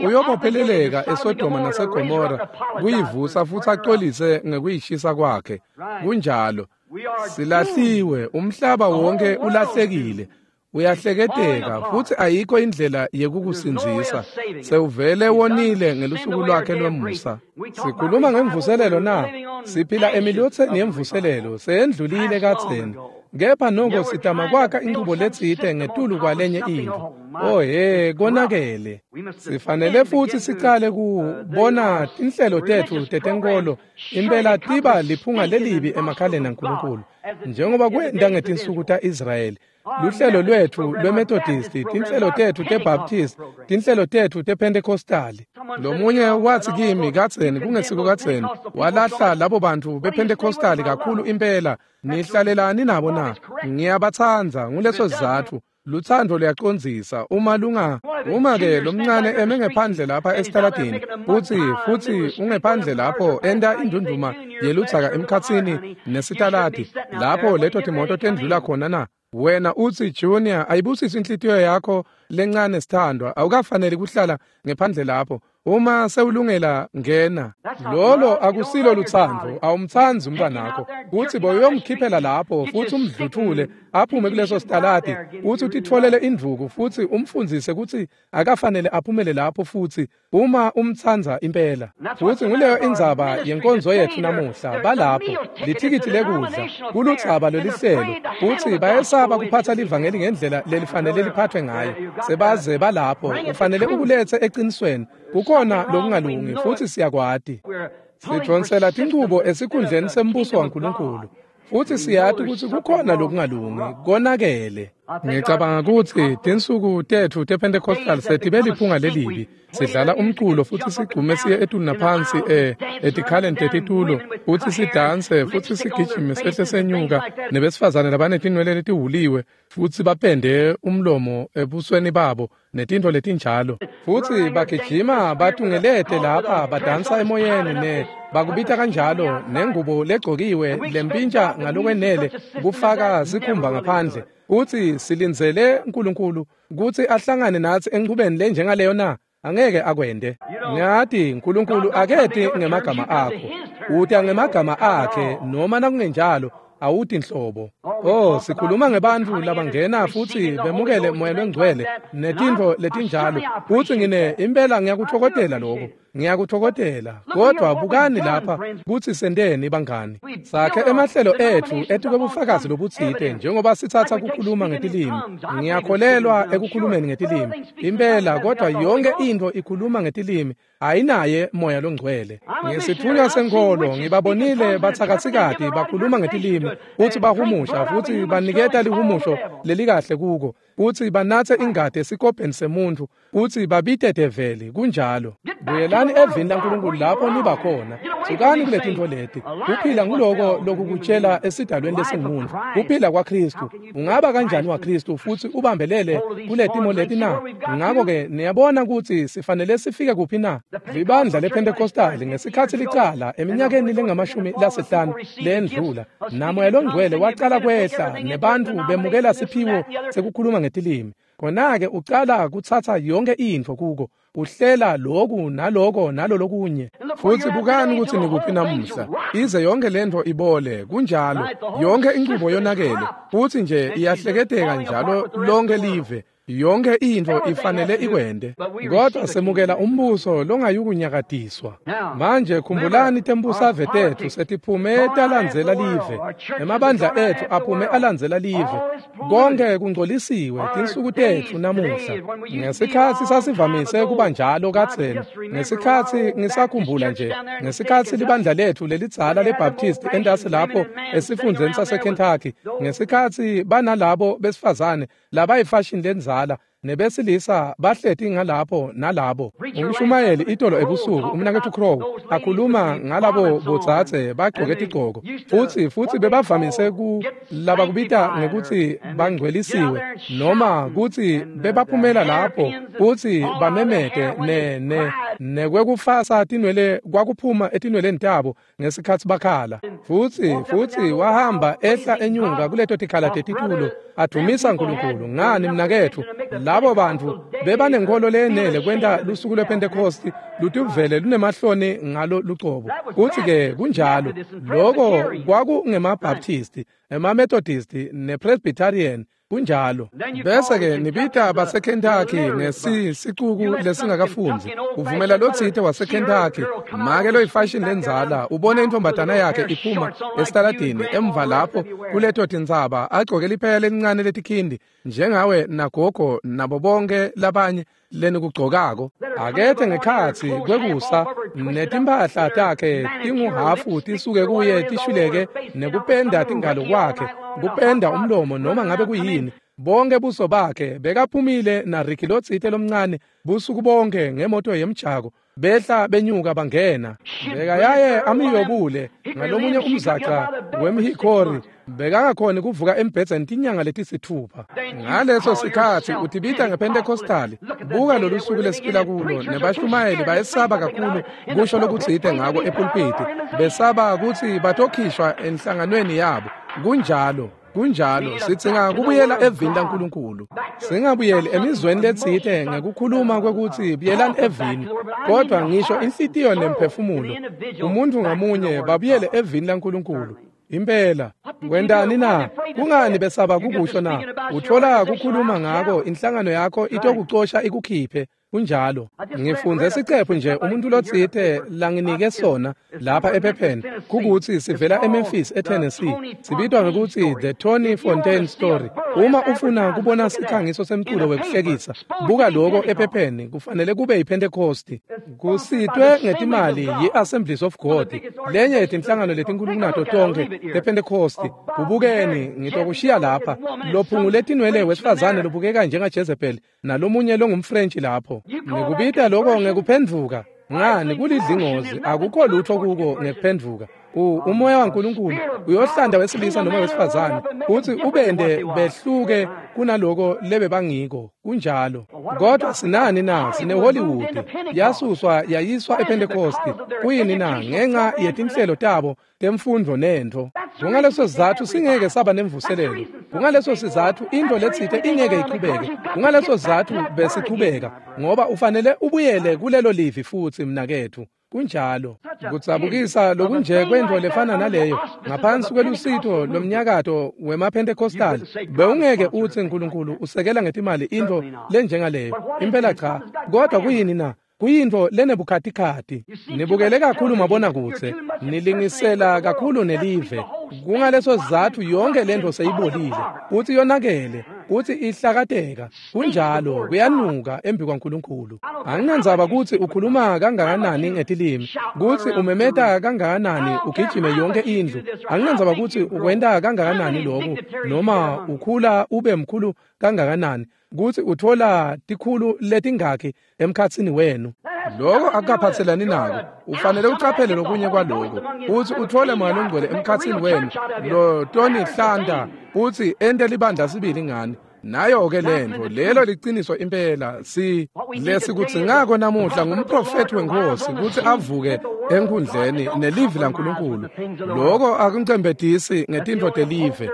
uyobopheleleka eSodoma naseGomora kuyivusa futsi acolise ngekuyishisa kwakhe. Kunjalo. Silahliwe, umhlaba wonke ulahlekile. Uyahleketeka futsi ayikho indlela yekukusindzisa. Sewuvele wonile ngelusuku lwakhe lwemusa. Sikhuluma ngemvuselelo na? Siphila emilotseni yemvuselelo, seyendlulile kadzeni. Kepha noko sitama kwakha inchubo letsite ngetulu kwalenye intfo. Oh he, konakele. Sifanele futsi sicale kubona tinhlelo tetfu tetenkolo impela tiba liphunga lelibi emakhaleni aNkulunkulu, njengoba kwenta ngetinsuku ta-Israyeli. Luhlelo lwetfu lweMethodist, tinhlelo tetfu teBaptist, tinhlelo tetfu tePentecostali. Lomunye watsi kimi kadzeni, kungesiko kadzeni, walahla labo bantfu bePentecostali kakhulu impela. Nihlalelani nabo na? Ngiyabatsandza, nguleso sizatfu. Lutsandvo luyacondzisa uma lunga. Uma-ke lomncane eme ngephandle lapha esitaladini futsi ungephandle lapho enta indunduma yeludzaka emkhatsini nesitaladi lapho leto timoto tendlula khona na? Wena utsi, Junior, ayibusise inhlitiyo yakho lencane sithandwa, awukafaneli kuhlala ngephandle lapho. Uma sewulungela ngena. Lolo akusilo lutsandvo, awumtsandzi umntwanakho. Kutsi boyomkhiphela lapho futsi umdluthule aphume kuleso sitaladi, utsi utitfolele indvuku futsi umfundzise kutsi akafanele aphumele lapho futsi uma umtsandza impela. Futsi nguleyo indzaba yenkonzo yetfu namuhla, balapho lithikithi lekudla kuludzaba lwelihlelo, futsi bayesaba kuphatsa livangeli ngendlela lelifanele liphathwe ngayo. Sebaze balapho, ufanele ukulethe eqinisweni. Kukhona lokungalungi futsi siyakwati. Sidvonsela tinchubo esikhundleni sembuso waNkulunkulu. Futsi siyati kutsi kukhona lokungalungi, konakele. Ngicabanga kutsi tinsuku tetfu tePentecostal setibe liphunga lelibi. Sidlala umculo futsi sigcume siye etulu naphansi etikhaleni tetitulo, futsi sidanse futsi sigijime sehle senyuka nebesifazane labanetinwele letihuliwe futsi bapende umlomo ebusweni babo netintfo letinjalo. Futsi bagijima batungelete lapha badansa emoyeni ne bakubita kanjalo nengubo legcokiwe lempintsha ngalokwenele kufaka sikhumba ngaphandle. Utsi silindzele uNkulunkulu kutsi ahlangane natsi enchubeni lenjengaleyo na? Angeke akwente. Ngiyati uNkulunkulu aketi ngemagama akho, uta ngemagama akhe, noma nakungenjalo awuti nhlobo. Oh, sikhuluma ngebantfu labangena futsi bemukele moya longcwele netintfo letinjalo. Futsi ngine impela ngiyakutfokotela lokho. Ngiyakutfokotela. Kodwa bukani lapha kutsi senteni bangani. Sakhe emahlelo etfu etikwebufakazi lobutsite njengoba sitsatsa kukhuluma ngetilimi. Ngiyakholelwa ekukhulumeni ngetilimi. Impela kodwa yonke intfo ikhuluma ngetilimi ayinaye moya longcwele. Ngesitfunywa senkholo ngibabonile batsakatsikati bakhuluma ngetilimi futsi bahumusha futsi baniketa lihumusho lelikahle kuko, futsi banatse ingati esikobheni semuntfu futsi babite develi. Kunjalo. Buyelani evini laNkulunkulu lapho niba khona. Sukani kuletintfo leti. Kuphila nguloko lokukutshela esidalweni lesingumuntu, kuphila kwaKristu. Ungaba kanjani waKristu futsi ubambelele kuletimo leti na? Ngakho-ke niyabona kutsi sifanele sifike kuphi na? Libandla lePentecostali ngesikhatsi licala eminyakeni lengamashumi lasihlanu lendlula, namoya longcwele wacala kwehla nebantfu bemukela siphiwo sekukhuluma ngetilimi. Khona-ke ucala kutsatsa yonke intfo kuko. Uhlela loku naloko nalolokunye. Futhi bukani ukuthi nikuphi namuhla. Ize yonke lento ibole, kunjalo. Yonke inqubo yonakele, futhi nje iyahleketeka njalo lonke live. Yonke into ifanele ikwende. Kodwa semukela umbuso longayukunyakadiswa. Manje khumbulani tembusave tethu setiphume talandzela live. Emabandla ethu aphume alandzela live. Konke kungcolisiwe tinsuku tethu namuhla. Ngesikhatsi sasivamise kuba njalo kadzeni. Ngesikhatsi ngisakhumbula nje, ngesikhatsi libandla lethu lelidzala leBaptist entasi lapho esifundzeni saseKentucky, ngesikhatsi banalabo besifazane labayifashion lenzala nebesilisa bahleti ngalapho nalabo. Umshumayeli itolo ebusuku umnaketfu Crow akhuluma ngalabo bodzadze bagcoke tigcoko, futhi bebavamise ku labakubita ngekuthi bangcwelisiwe noma kuthi bebaphumela lapho futhi bamemete ne nekwekufasa tinwele kwakuphuma etinweleni tabo ngesikhatsi bakhala. Futhi wahamba ehla enyuka kuleto tikhala tetitulo adumisa uNkulunkulu. Ngani mnaketfu, labo bantu bebanenkholo lenele kwenta lusuku lwePentecost lutuvele lunemahloni ngalo lucobo. Kuthi-ke kunjalo, loko kwakungemabaptisti, emaMethodist nePresbyterian, kunjalo. Bese-ke nibita baseKentucky ngesisicuku lesingakafundzi. Uvumela lotsite waseKentucky, make loyifashion lenzala, ubone intombatana yakhe iphuma esitaladini emva lapho kuleto tintsaba agcoke liphela lelincane letikhindi njengawe nagogo nabo bonke labanye lenikugcokako. Akethe ngekhatsi kwekusa netimphahla takhe tinguhafu tisuke kuye tishwileke nekupenda tingalo kwakhe, kupenda umlomo noma ngabe kuyini. Bonke buso bakhe bekaphumile na Ricky lotsite lomncane busuku bonke ngemoto yemjako, behla benyuka bangena. Bekayaye amiyobule ngalomunye umzaca wemhikori, bekangakhoni kuvuka embhedzeni tinyanga letisithupha. Ngaleso sikhatsi utibita ngePentecostal. Buka lolu suku lesiphila kulo, nebashumayeli bayesaba kakhulu kusho lokutsite ngako epulpiti, besaba kutsi batokhishwa enhlanganweni yabo. Kunjalo. Kunjalo, sidzinga kubuyela evini laNkulunkulu. Singabuyeli emizweni letsite ngekukhuluma kwekutsi buyelani evini, kodwa ngisho inhlitiyo nemphefumulo, umuntu ngamunye babuyele evini laNkulunkulu. Impela, kwentani na? Kungani besaba kukusho na? Uthola kukhuluma ngako, inhlangano yakho itokucosha ikukhiphe. Kunjalo. Ngifunze sicephu nje umuntu lotsite langinike sona lapha ephepheni kukuthi sivela eMemphis eTennessee. Sibitwa ngekuthi The Tony Fontaine Story. Uma ufuna kubona sikhangiso semculo wekuhlekisa, buka lokho ephepheni, kufanele kube yiPentecost. Kusitwe ngetimali yi-Assemblies of God, lenye yetinhlangano letinkulu kunato tonke tePentecost. Kubukeni, ngitokushiya lapha. Lophungule tinwele wesifazane lobukeka njengaJezebel nalomunye longumFrench lapho. Ngikubita lokho ngekuphendvuka. Ngani kulidlingozi, akukho lutho kuko ngekuphendvuka. Umoya waNkulunkulu uyohlanda wesilisa noma wesifazane uthi ubende behluke kunaloko lebebangiko. Kunjalo. Kodwa sinani na? Sine Hollywood yasuswa yayiswa ePentecost. Kuyini na? Ngenxa yetinhlelo tabo temfundvo nentfo. Kungaleso sizatfu singeke saba nemvuselelo. Kungaleso sizatfu into letsite ingeke ichubeke. Kungaleso sizatfu besichubeka, ngoba ufanele ubuyele kulelo livi futsi mnaketfu. Kunjalo. Kudzabukisa lokunje kwentfo lefana naleyo ngaphansi kwelusito lomnyakato wemaPentecostal, bewungeke utsi uNkulunkulu usekela ngetimali intfo lenjengaleyo. Impela cha. Kodwa kuyini na? Kuyintfo lenebukhatikhathi. Nibukele kakhulu mabonakudze, nilingisela kakhulu nelive. Kungaleso sizatfu yonke lentfo seyibolile, kutsi yonakele, kutsi ihlakateka. Kunjalo, kuyanuka embi kwaNkulunkulu. Anginandzaba kutsi ukhuluma kangakanani ngetilimi, kutsi umemeta kangakanani ugijime yonke indlu. Anginandzaba kutsi ukwenta kangakanani loku, noma ukhula ube mkhulu kangakanani, kutsi uthola tikhulu letingakhi emkhatsini wenu. Lokho akukaphatselani nako. Ufanele ucaphele lokunye kwaloko, utsi uthole Moya Longcwele emkhatsini wenu lo Tony Hlanta, utsi ente libandla sibili ngani. Nayo-ke lentfo, lelo liciniso impela. Si lesikudzingako namuhla ngumprofethi weNkhosi kutsi avuke enkhundleni nelivi laNkulunkulu. Loko akuncembetisi ngetintfo telive.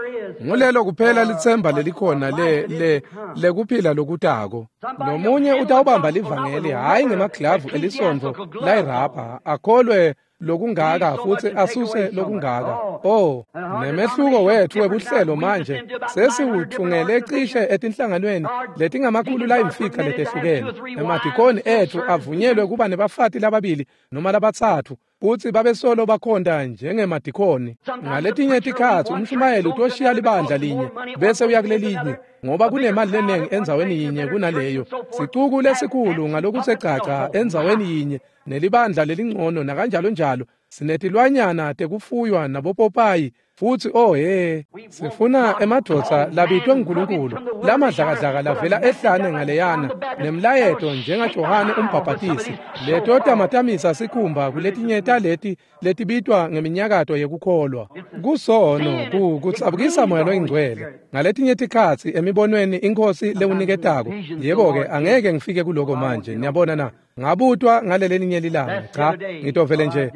Ngulelo kuphela litsemba lelikhona le lekuphila lokutako. Lomunye utawubamba livangeli hhayi ngemaglavu elisondvo layirabha akholwe lokungaka futsi asuse lokungaka. Oh, nemehluko wethu webuhlelo manje sesiwuthungele cishe etinhlanganweni letingamakhulu layimfica letehlukene. Emadikoni ethu avunyelwe kuba nebafati lababili noma labatsatfu futsi babesolo bakhonta njengemadikoni. Ngaletinye tikhatsi umshumayeli utoshiya libandla linye bese uya kulelinye ngoba kunemali lenengi endzaweni yinye kunaleyo. Sicuku lesikhulu ngalokusecaca endzaweni yinye nelibandla lelingcono nakanjalo njalo. Sinetilwanyana tekufuywa nabopopayi futsi oh he, sifuna emadvodza labitwe nguNkulunkulu lamadlakadlaka lavela ehlane ngaleyana nemlayeto njengaJohane umbhabhatisi letotamatamisa sikhumba kuletinye taleti letibitwa ngeminyakato yekukholwa. Kusono kutsabukisa moya loyingcwele. Ngaletinye tikhatsi emibonweni iNkhosi lewuniketako. Yebo-ke angeke ngifike kuloko manje, niyabona na? Ngabutwa ngalelelinye lilanga. Cha, ngitovele nje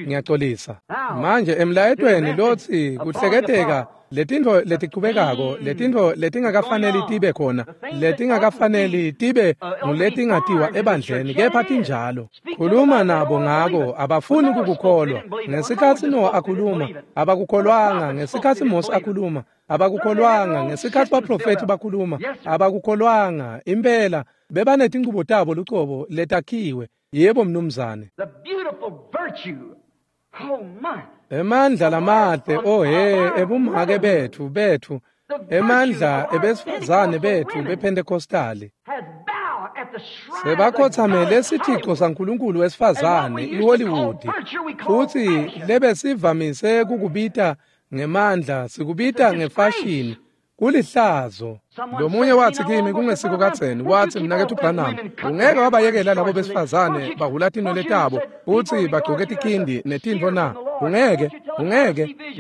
ngiyaxolisa. Manje emlayetweni lotsi kuhleketeka letintfo letichubekako, letintfo letingakafaneli tibe khona, letingakafaneli tibe nguletingatiwa ebandleni, kepha tinjalo. Khuluma nabo ngako, abafuni kukukholwa. Ngesikhatsi Noah akhuluma, abakukholwanga. Ngesikhatsi Mose akhuluma, abakukholwanga. Ngesikhatsi baprofethi bakhuluma, abakukholwanga. Impela bebanetinchubo tabo lucobo letakhiwe. Yebo mnumzane. Emandla lamahle, oh he, ebumake bethu, emandla ebesifazane bethu bePentecostali. Sebakhothamele sithixo saNkulunkulu wesifazane iHollywood, futsi lebesivamise kukubita ngemandla sikubita ngefashini. Kulihlazo. Lomunye wathi kimi kungesiko kadzeni, wathi mnaketfu Branham, ungeke wabayekela labo besifazane bahula tinwele tabo futsi bagcoke tikhindi netintfo na? Ungeke.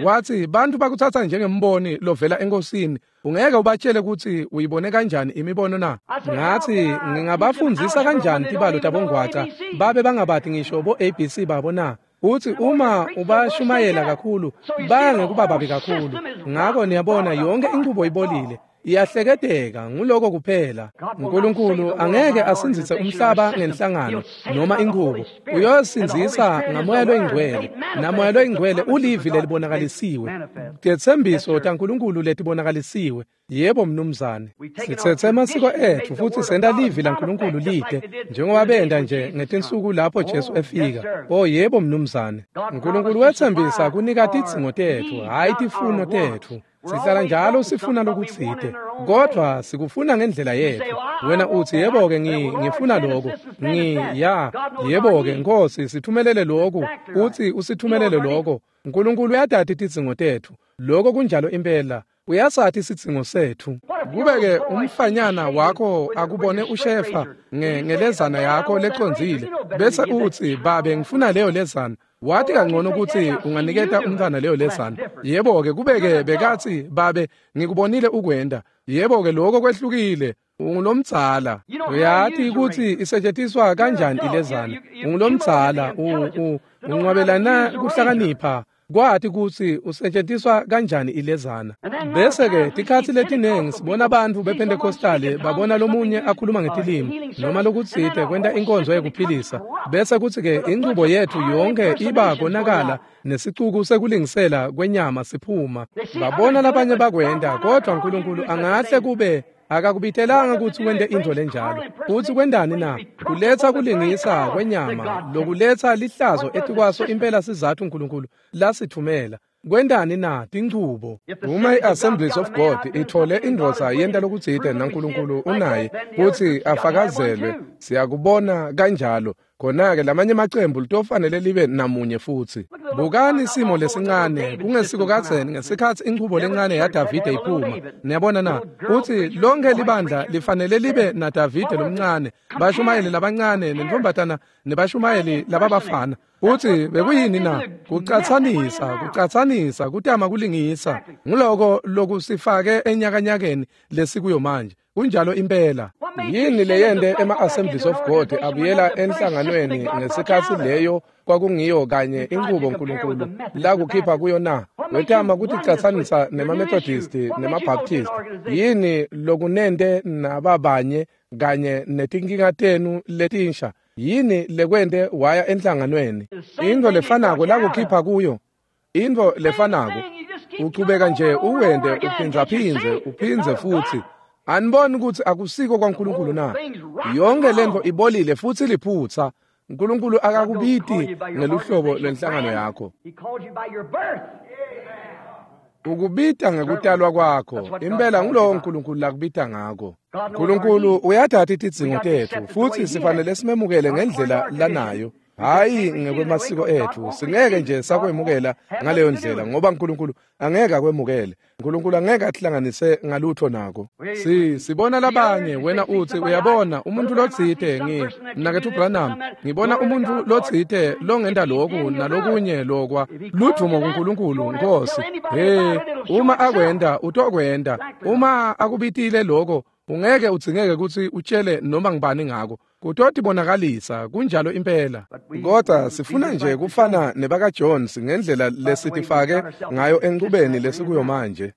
Wathi bantfu bakutsatsa njengemboni lovela enkosini. Ungeke ubatshele kutsi uyibone kanjani imibono na? Ngathi ngingabafundzisa kanjani tibalo tabongwaca babe bangabati ngisho bo ABC babo na? Uthi uma ubashumayela kakhulu baya ngekuba babi kakhulu. Ngako niyabona yonke inchubo ibolile, iyahleketeka. Nguloko kuphela. uNkulunkulu angeke asindzise umhlaba ngenhlangano noma inchubo. Uyosindzisa ngamoya loyingcwele, namoya loyingcwele ulivi lelibonakalisiwe, tetsembiso taNkulunkulu letibonakalisiwe. Yebo mnumzane. Sitsetse emasiko etfu futsi senta livi laNkulunkulu lide njengoba benta nje ngetinsuku lapho Jesu efika. Oh yebo mnumzane. uNkulunkulu wetsembisa kunika tidzingo tetfu, hhayi tifuno tetfu. Sihlala njalo sifuna lokutsite, kodvwa sikufuna ngendlela yetfu. Wena uthi yebo-ke ngifuna lokhu, yebo-ke Nkosi sithumelele lokhu, uthi usithumelele lokho. uNkulunkulu uyatati tidzingo tetfu. Lokho kunjalo impela. Uyasathi sidzingo setfu. Kube-ke umfanyana wakho akubone ushefa ngelezana yakho lecondzile, bese utsi babe ngifuna leyo lezana. Wathi kangcono ukuthi unganiketa umntwana leyo lezana. Yebo-ke kube-ke bekathi babe ngikubonile ukwenda. Yebo-ke lokho kwehlukile. Ungulomdzala. Uyati ukuthi isetshentiswa kanjani ilezana. Ungulomdzala, unqwabelana kuhlakanipha. Kwati kutsi usetjentiswa kanjani ilezana. Bese-ke tikhatsi letinengi sibona bantfu bePentecostali babona lomunye akhuluma ngetilimi noma lokutsite kwenta inkonzo yekuphilisa, bese kutsi-ke inchubo yetfu yonke iba konakala nesicuku sekulingisela kwenyama siphuma. Babona labanye bakwenta, kodvwa uNkulunkulu angahle kube akakubitelanga kutsi wente intfo lenjalo. Futsi kwentani na? Kuletsa kulingisa kwenyama lokuletsa lihlazo etikwaso impela sizatfu uNkulunkulu lasithumela. Kwentani na? Tinchubo. Uma i-Assemblies of God ithole indvodza yenta lokutsite naNkulunkulu unaye kutsi afakazelwe, siyakubona kanjalo. Khona-ke lamanye emacembu litofanele libe namunye futsi. Bukani simo lesincane kungesiko kadzeni ngesikhatsi inchubo lencane yaDavide iphuma. Niyabona na? Kutsi lonke libandla lifanele libe naDavide lomncane, bashumayeli labancane nentfombatana nebashumayeli lababafana. Utsi bekuyini na? Kucatsanisa, kutama kulingisa. Nguloko lokusifake enyakanyakeni lesikuyo manje. Kunjalo impela. Yini leyente ema-Assemblies of God abuyela enhlanganweni ngesikhatsi leyo kwakungiyo kanye inqubo uNkulunkulu lakukhipha kuyo na? Wetama kuticatsanisa nemaMethodist nemaBaptist. Yini lokunente nababanye kanye netinkinga tenu letinsha? Yini lekwente waya enhlanganweni? Into lefanako lakukhipha kuyo, into lefanako uchubeka nje uwende uphindzaphindze uphindze futhi. Aniboni ukuthi akusiko kwaNkulunkulu na? Yonke lento ibolile futhi liphutha. uNkulunkulu akakubiti ngeluhlobo lwenhlangano yakho. Ukubita ngekutalwa kwakho. Impela ngulowo uNkulunkulu lakubita ngako. uNkulunkulu uyathatha itidzingo tetfu futhi sifanele simemukele ngendlela lanayo. Hayi ngekwemasiko ethu, singeke nje sakwemukela ngaleyo ndlela ngoba uNkulunkulu angeke akwemukele. uNkulunkulu angeke atihlanganise ngalutho nako. Sibona labanye, wena uthi uyabona umuntu lotsite mnaketfu Branham, ngibona umuntu lotsite longenta lokhu nalokunye lokwa ludvumo kuNkulunkulu Nkosi. Hey, uma akwenda utokwenda, uma akubitile lokho ungeke udzingeke kutsi utshele noma ngibani ngako. Kutotibonakalisa kunjalo impela. Kodwa sifuna nje kufana nebaka Jones ngendlela lesitifake ngayo enqubeni lesikuyo manje.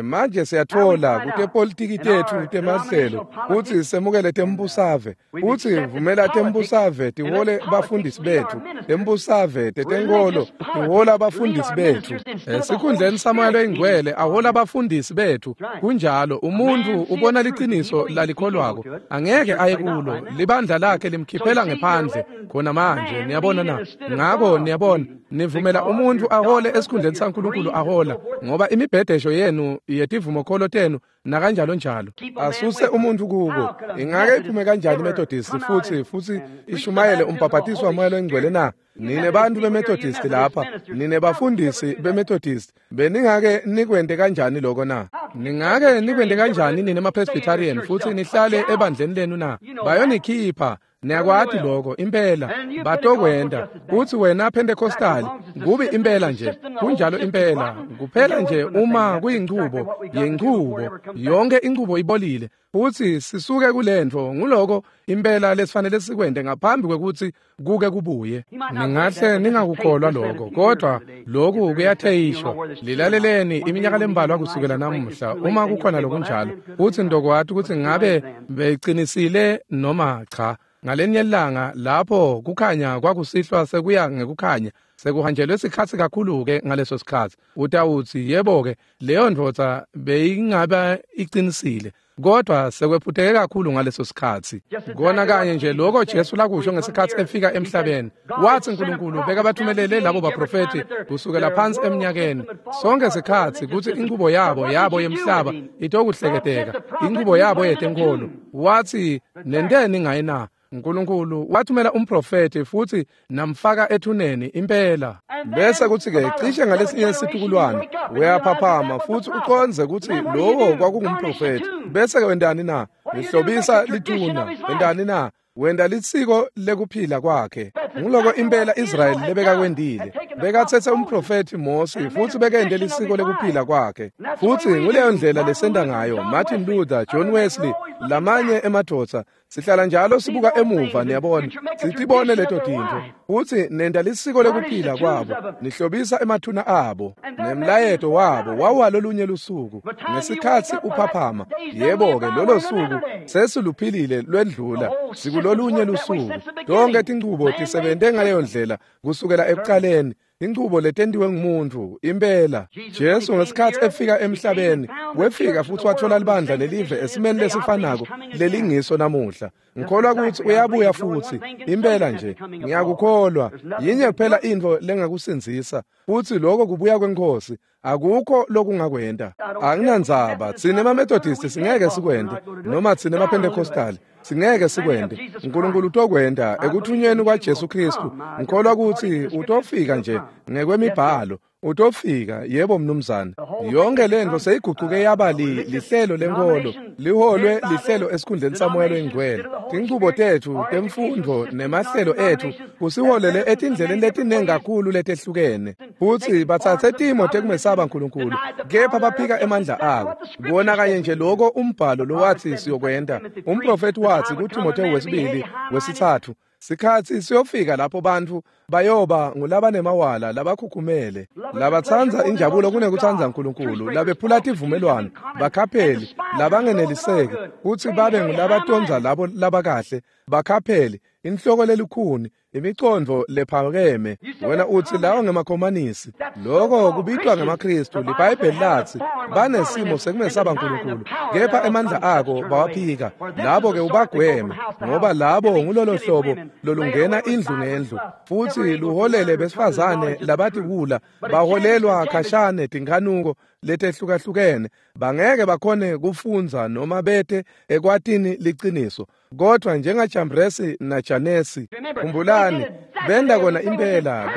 Manje siyathola kutepolitiki tetfu temahlelo kutsi semukele tembusave, kutsi vumela tembusave tihole bafundisi betfu, tembusave tetenkolo tihola abafundisi betfu. Esikhundleni saMoya loyiNgcwele ahola abafundisi betfu. Kunjalo, umuntu ubona liciniso lalikholwako angeke aye kulo. Libandla lakhe limkhiphela ngephandle khona manje, niyabona na? Ngako niyabona, nivumela umuntu ahole esikhundleni saNkulunkulu ahola, ngoba imibhedesho yenu yetivumokholo tenu nakanjalo njalo asuse umuntu kubo. Ingake iphume kanjani iMethodist futhi ishumayele umbhaphathiso waMoya loyiNgcwele na? Nine bantu beMethodist lapha, nine bafundisi beMethodist, beningake nikwente kanjani lokho na? Ningake nikwente kanjani nine maPresbyterian futhi nihlale ebandleni lenu na? Bayonikhipha. Niyakwati lokho impela batokwenda. Uthi wena Pentecostal, kubi impela nje, kunjalo impela, kuphela nje uma kuyinchubo yenchubo, yonke inchubo ibolile futhi sisuke kulento. Nguloko impela lesifanele sikwente ngaphambi kwekuthi kuke kubuye. Ningahle ningakukholwa lokho, kodwa lokhu kuyatheyishwa. Lilaleleni iminyaka lembalwa kusukela namuhla uma kukhona lokunjalo, uthi ndokwati ukuthi ngabe beqinisile noma cha. Ngalenye ilanga lapho kukhanya kwakusihlwa sekuya ngekukhanya, sekuhanjelwe sikhatsi kakhulu-ke ngaleso sikhatsi, utawutsi yebo-ke leyo ndvodza beyingaba iqinisile, kodwa sekwephuteke kakhulu ngaleso sikhatsi. Kona kanye nje lokho Jesu lakusho ngesikhatsi efika emhlabeni, wathi uNkulunkulu bekabathumelele labo baprofethi kusukela phansi eminyakeni sonke sikhatsi kutsi inqubo yabo yemhlaba itokuhleketeka, inqubo yabo yetenkolo. Wathi nenteni ngaye na? uNkulunkulu wathumela umprofethi futhi namfaka ethuneni impela. Bese kuthi-ke cishe ngalesinye situkulwane uyaphaphama futhi uconze kutsi lowo kwakungumprofethi. Bese-ke wentani na? Nihlobisa lithuna. Wentani na? Wenta lisiko lekuphila kwakhe. Nguloko impela Israyeli lebekakwendile. Bekatsetse umprofethi Mose futhi bekente lisiko lekuphila kwakhe. Futhi nguleyo ndlela lesenta ngayo Martin Luther, John Wesley, lamanye emadvodza. Sihlala njalo sibuka emuva, niyabona, sitibone leto tintfo. Futhi nenta lisiko lekuphila kwabo, nihlobisa emathuna abo nemlayeto wabo wawalolunye lusuku. Ngesikhatsi uphaphama, yebo-ke lolo suku sesiluphilile lwendlula, sikulolunye lusuku. Tonke tinchubo tisebente ngaleyo ndlela kusukela ekuqaleni. Inchubo letentiwe ngumuntu impela. Jesu ngesikhatsi efika emhlabeni wefika futhi wathola libandla lelive esimeni lesifanako lelingiso namuhla. Ngikholwa ukuthi uyabuya futhi impela nje, ngiyakukholwa. Yinye kuphela intfo lengakusindzisa, futhi lokho kubuya kweNkosi. Akukho lokungakwenta. Anginandzaba, tsine emaMethodist singeke sikwente, noma tsine emaPentecostal singeke sikwente. uNkulunkulu utokwenta ekuthunyweni kwaJesu Kristu. Ngikholwa ukuthi utofika nje ngekwemibhalo. Utofika, yebo mnumzane. Yonke lento seyiguquke yaba lihlelo lenkolo, liholwe lihlelo esikhundleni saMoya loyiNgcwele. Tinchubo tetfu temfundvo nemahlelo etfu kusiholele etindleleni letiningi kakhulu letehlukene. Futhi batsatse timo tekumesaba uNkulunkulu, kepha baphika emandla abo. Kona kanye nje lokho umbhalo lowathi siyokwenta. Umprofethi wathi kuTimotheo wesibili wesithathu, Sikhatsi siyofika lapho bantfu bayoba ngulabanemawala labakhukhumele, labatsandza injabulo kunekutsandza Nkulunkulu, labephula tivumelwano, bakhapheli, labangeneliseki, kutsi babe ngulabatondza labo labakahle, bakhapheli, inhloko lelukhuni, imicondvo lephakeme. Wena utsi lawo ngemakhomanisi. Loko kubitwa ngemaKristu. LiBhayibheli latsi banesimo sekumesaba Nkulunkulu, kepha emandla ako bawaphika. Labo-ke ubagweme, ngoba labo ngulolo hlobo lolungena indlu ngendlu, futsi luholele besifazane labatiwula, baholelwa khashane tinkhanuko letehlukahlukene. Bangeke bakhone kufundza noma bete ekwatini liciniso. Kodwa njengaJambresi naJanesi, khumbulani, benda kona impela,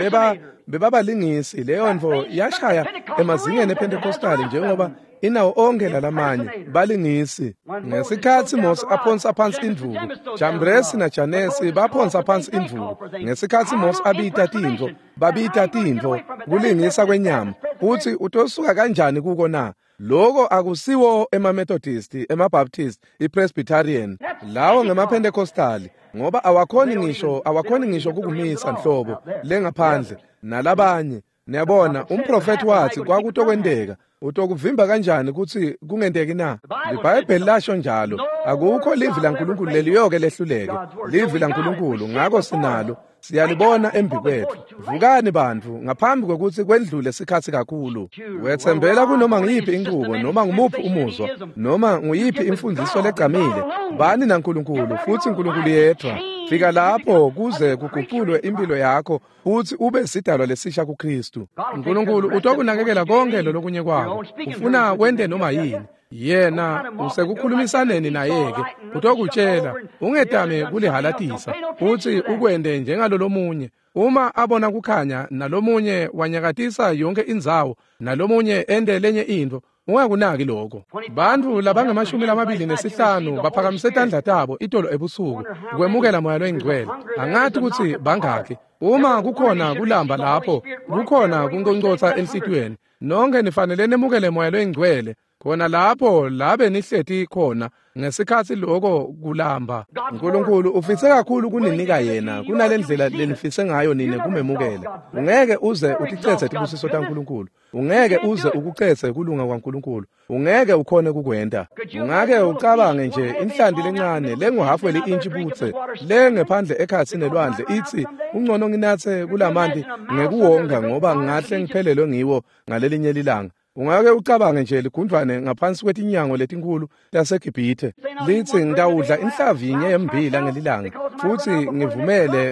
bebabalingisi. Leyo ntfo yashaya emazingeni ePentecostali njengoba inawo onke lalamanye balingisi. Ngesikhatsi Mose aphonsa phansi indvuku, Jambresi naJanesi baphonsa phansi indvuku. Ngesikhatsi Mose abita tintfo, babita tintfo kulingisa kwenyama. Utsi utosuka kanjani kuko na? Loko akusiwo emaMethodist, emaBaptist, iPresbyterian. Lawo ngemaPentecostali, ngoba awakhoni ngisho kukumisa nhlobo lengaphandle nalabanye. Niyabona, umprofethi wathi kwakutokwenteka. Utokuvimba kanjani kutsi kungenteki na? LiBhayibheli lasho njalo. Akukho livi laNkulunkulu leliyoke lehluleke. Livi laNkulunkulu, ngako sinalo. Siyalibona embikwethu. Vukani bantfu, ngaphambi kwekutsi kwendlule sikhatsi kakhulu. Wetsembela kunoma nguyiphi inchubo, noma ngumuphi umuzwa, noma nguyiphi imfundiso legcamile. Bani naNkulunkulu, futsi Nkulunkulu yedvwa. Fika lapho kuze kuguculwe impilo yakho, futsi ube sidalwa lesisha kuKristu. Nkulunkulu utokunakekela konke lolokunye kwakho. Ufuna wente noma yini. Yena usekukhulumisaneni naye-ke, utokutshela, ungetami kulihalatisa, futsi ukwente njengalolomunye. Uma abona kukhanya nalomunye wanyakatisa yonke indzawo, nalomunye ente lenye intfo, ungakunaki lokho. Bantfu labangama-25 baphakamise tandla tabo itolo ebusuku kwemukela Moya loyiNgcwele. Angati kutsi bangakhi. Uma kukhona kulamba lapho, kukhona kunconcotsa enhlitiyweni, nonke nifanele nemukele Moya loyiNgcwele. Khona lapho labe nihleti khona ngesikhatsi loko kulamba. Nkulunkulu ufise kakhulu kuninika yena kunalendlela lenifise ngayo nine kumemukela. Ungeke uze uticetse tibusiso taNkulunkulu. Ungeke uze ukucetse kulunga kwaNkulunkulu. Ungeke ukhone kukwenta. Ungake ucabange nje inhlanti lencane lenguhafu weli-intshi butse lengephandle ekhatsi nelwandle itsi ungcono nginatse kulamanti ngekuwonga ngoba ngingahle ngiphelelwe ngiwo ngalelinye lilanga. Ungake ucabange nje ligundvwane ngaphansi kwetinyango letinkulu taseGibhithe litsi ngitawudla inhlavu yinye yemmbila ngelilanga, futsi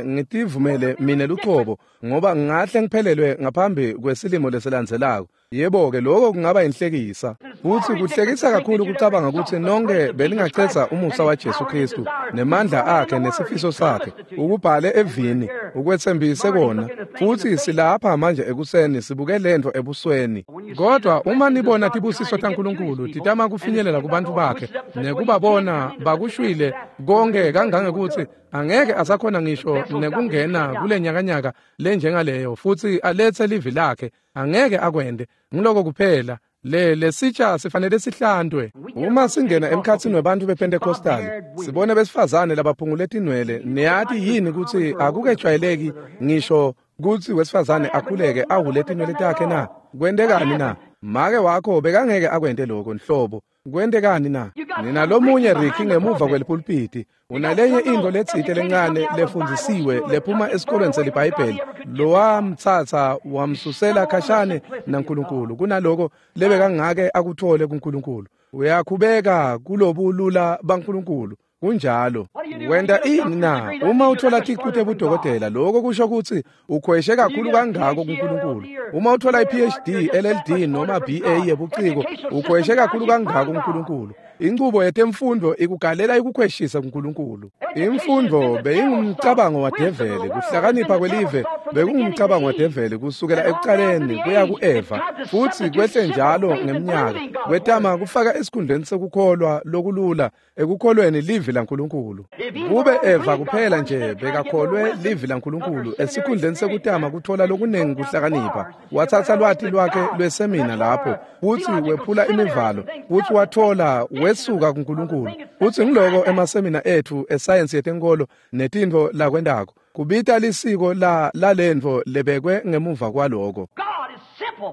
ngitivumele mine lucobo ngoba ngingahle ngiphelelwe ngaphambi kwesilimo lesilandzelako. Yebo-ke, lokho kungaba inhlekisa. Futsi kuhlekisa kakhulu kucabanga kutsi nonke belingacetsa umusa waJesu Kristu nemandla akhe nesifiso sakhe, ukubhale evini, ukwetsembise kona. Futsi silapha manje ekuseni sibuke lentfo ebusweni. Kodwa uma nibona tibusiso taNkulunkulu titama kufinyelela kubantfu bakhe nekubabona bakushwile konke kangangekutsi angeke asakhona ngisho nekungena kule nyakanyaka lenjengaleyo futsi aletse livi lakhe, angeke akwente. Ngiloko kuphela. Lesitsha sifanele sihlantwe. Uma singena emkhatsini webantfu bePentecostali, sibone besifazane labaphungule tinwele. Niyati yini kutsi akukejwayeleki ngisho kutsi wesifazane akhuleke ahule tinwele takhe na? Kwentekani na? Make wakho bekangeke akwente lokho nhlobo. Kwentekani na? Nina lomunye Ricky ngemuva kwelipulpiti, unalenye intfo letsite lencane lefundzisiwe lephuma esikolweni seliBhayibheli, lowamtsatsa wamsusela khashane naNkulunkulu kunaloko lebekangake akuthole kuNkulunkulu. Uyakhubeka kulobulula baNkulunkulu. Kunjalo. Wenta ini na? Uma uthola ticu tebudokotela, lokho kusho kutsi ukhweshe kakhulu kangako kuNkulunkulu. Uma uthola i-PhD, LLD noma BA yebuciko, ukhweshe kakhulu kangako kuNkulunkulu. Inchubo yetemfundo ikugalela ikukhweshisa kuNkulunkulu. Imfundo beyingumcabango wadeveli, kuhlakanipha kwelive bekungumcabango wadeveli kusukela ekucaleni kuya ku-Eva, futsi kwehle njalo ngeminyaka kwetama kufaka esikhundleni sekukholwa lokulula ekukholweni livi laNkulunkulu. Kube Eva kuphela nje bekakholwe livi laNkulunkulu esikhundleni sekutama kuthola lokunengi kuhlakanipha, watsatsa lwati lwakhe lwesemina lapho futsi wephula imivalo, futsi wathola Wesuka kuNkulunkulu. Futsi ngiloko emasemina etfu esayensi yetenkolo netintfo lakwentako. Kubita lisiko lalentfo lebekwe ngemuva kwaloko.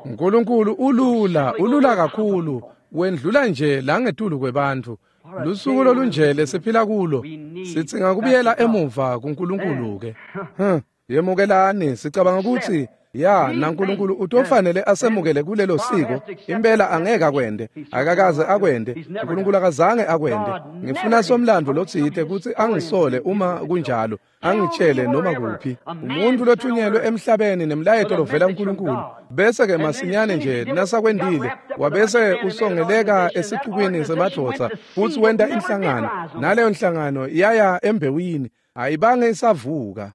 uNkulunkulu ulula, ulula kakhulu, wendlula nje langetulu kwebantfu. Lusuku lolunje lesiphila kulo, sidzinga kubuyela emuva kuNkulunkulu ke. Yemukelani, sicabanga kutsi ya naNkulunkulu utofanele asemukele kulelo siko. Impela angeke akwende, akakaze akwende, uNkulunkulu akazange akwende. Ngifuna somlandvo lotsite kutsi angisole uma kunjalo, angitshele noma kuphi. Umuntu lothunyelwe emhlabeni nemlayeto lovela kuNkulunkulu, bese ke masinyane nje nasakwendile wabese usongeleka esicukwini semadvodza futsi wenta inhlangano, naleyo nhlangano yaya embewini. Ayibange isavuka.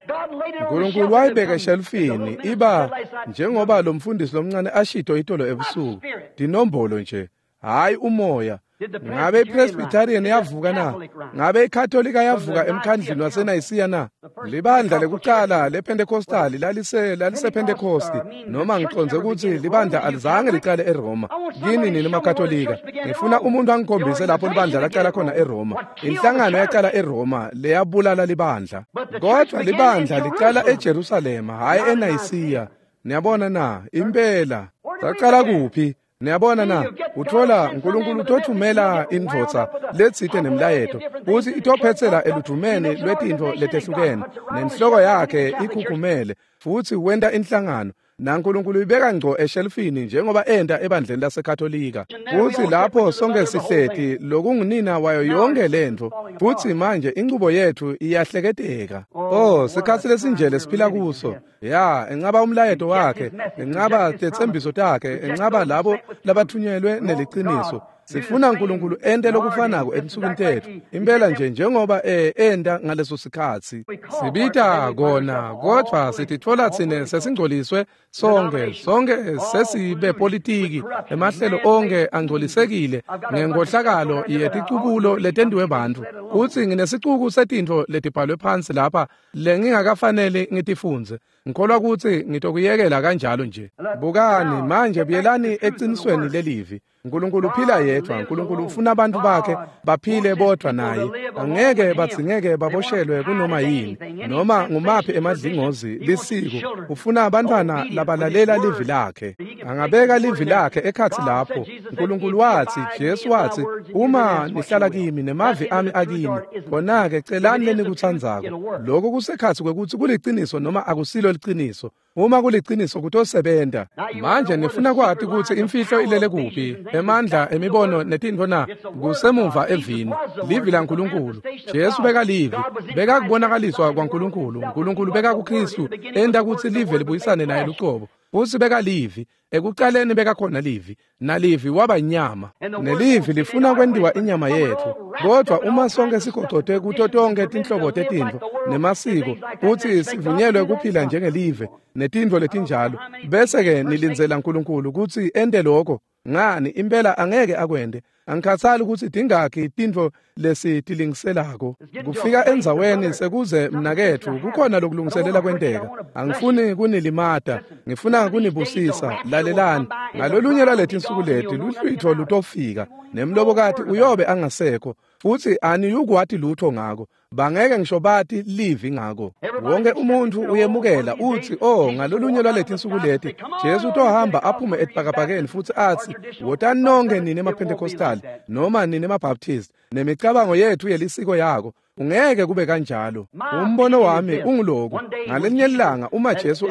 uNkulunkulu wayibeka eshelufini iba njengoba lo mfundisi lomncane ashito itolo ebusuku, dinombolo nje, hayi umoya. Ngabe iPresbyterian yavuka na? Ngabe iKatolika yavuka emkhandlini waseNayisiya na? Libandla lekucala lePentecostali lalisePentecosti, noma ngiconze kutsi libandla alizange licale eRoma. Kini nini maKatolika, ngifuna umuntu angikhombise lapho libandla lacala khona eRoma. Inhlangano yacala eRoma leyabulala libandla. Kodwa libandla licala eJerusalema, hhayi eNayisiya. Niyabona na? Impela. Sacala kuphi? Niyabona na? Uthola uNkulunkulu utothumela indvodza letsite nemlayeto kutsi itophetsela eludvumeni lwetintfo letehlukene, nenhloko yakhe ikhukhumele, futsi wenta inhlangano. NaNkulunkulu ibeka ngco eshelufini njengoba enta ebandleni laseKatolika. Futsi lapho sonke sihleti lokungunina wayo yonke lentfo, futsi manje inchubo yetfu iyahleketeka. Oh, sikhatsi lesinje lesiphila kuso. Ya, encaba umlayeto wakhe, encaba tetsembiso takhe, encaba labo labathunyelwe neliciniso. Sifuna uNkulunkulu ente lokufanako etinsukwini tetfu. Impela nje njengoba enta ngaleso sikhatsi. Sibita kona, kodvwa sititfola tsine sesingcoliswe sonke, sonke sesibe politiki, emahlelo onke angcolisekile ngenkohlakalo yeticubulo letentiwe bantfu. Kutsi nginesicuku setintfo letibhalwe phansi lapha lengingakafaneli ngitifundze. Ngikholwa kutsi ngitokuyekela kanjalo nje. Bukani manje, buyelani ecinisweni lelivi. uNkulunkulu uphila yedwa. uNkulunkulu ufuna abantu bakhe baphile bodwa naye. Angeke badzingeke baboshelwe kunoma yini, noma ngumaphi emadlingozi lisiko. Ufuna abantwana labalalela livi lakhe. Angabeka livi lakhe ekhatsi lapho. uNkulunkulu watsi, Jesu watsi, uma nihlala kimi nemavi ami akini, khona-ke celani lenikutsandzako. Lokhu kusekhatsi kwekutsi kuliciniso noma akusilo liciniso. Uma kuliciniso kutosebenta. Manje nifuna kwati kutsi imfihlo ilele kuphi, emandla emibono netintfo na? Kusemuva evini, livi laNkulunkulu. Jesu bekalivi, bekakubonakaliswa kwaNkulunkulu. uNkulunkulu bekakuKristu, enta kutsi live libuyisane naye lucobo. Futsi bekalivi, ekucaleni bekakhona livi, nalivi waba inyama. Nelivi lifuna kwentiwa inyama yetfu. Kodvwa uma sonke sigocote kuto tonke tinhlobo tetintfo nemasiko, futsi sivunyelwe kuphila njengelive netintfo letinjalo, bese-ke nilindzela uNkulunkulu kutsi ente lokho. Ngani, impela angeke akwente. Angikhathali kutsi tingakhi tintfo lesitilingiselako. Kufika endzaweni sekuze mnaketfu kukhona lokulungiselela kwenteka. Angifuni kunilimata, ngifuna kunibusisa. Lalelani, ngalolunye lwaletinsuku leti luhlwitho lutofika, nemlobokati uyobe angasekho, futsi aniyukwati lutho ngako. Bangeke ngisho bati livi ngako. Wonke umuntu uyemukela utsi, oh, ngalolunye lwaletinsuku leti Jesu utohamba aphume etibhakabhakeni futsi atsi, wotani nonke nine emaPentecostal noma nine emaBaptist nemicabango yetfu yelisiko yako. Ungeke kube kanjalo. Umbono wami unguloku. Ngalinye ilanga uma Jesu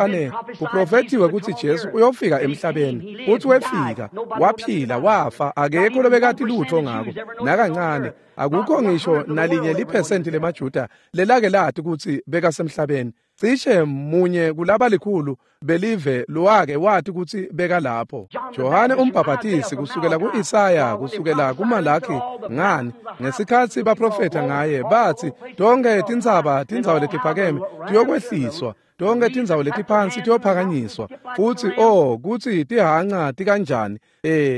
kuprofethiwe kutsi Jesu uyofika emhlabeni, futsi wefika, waphila, wafa, akekho lobekati lutho ngako nakancane. Akukho ngisho nalinye liphesenti lemaJuda lelake lati kutsi bekasemhlabeni. Cishe munye kulabalikhulu belive lowake wati kutsi bekalapho. Johane umbhabhatisi kusukela ku-Isaya, kusukela kuMalaki, ngani ngesikhatsi baprofetha ngaye bathi tonke tintsaba, tindzawo letiphakeme tiyokwehliswa, tonke tindzawo letiphansi tiyophakanyiswa. Futsi oh, kutsi tihanca tikanjani,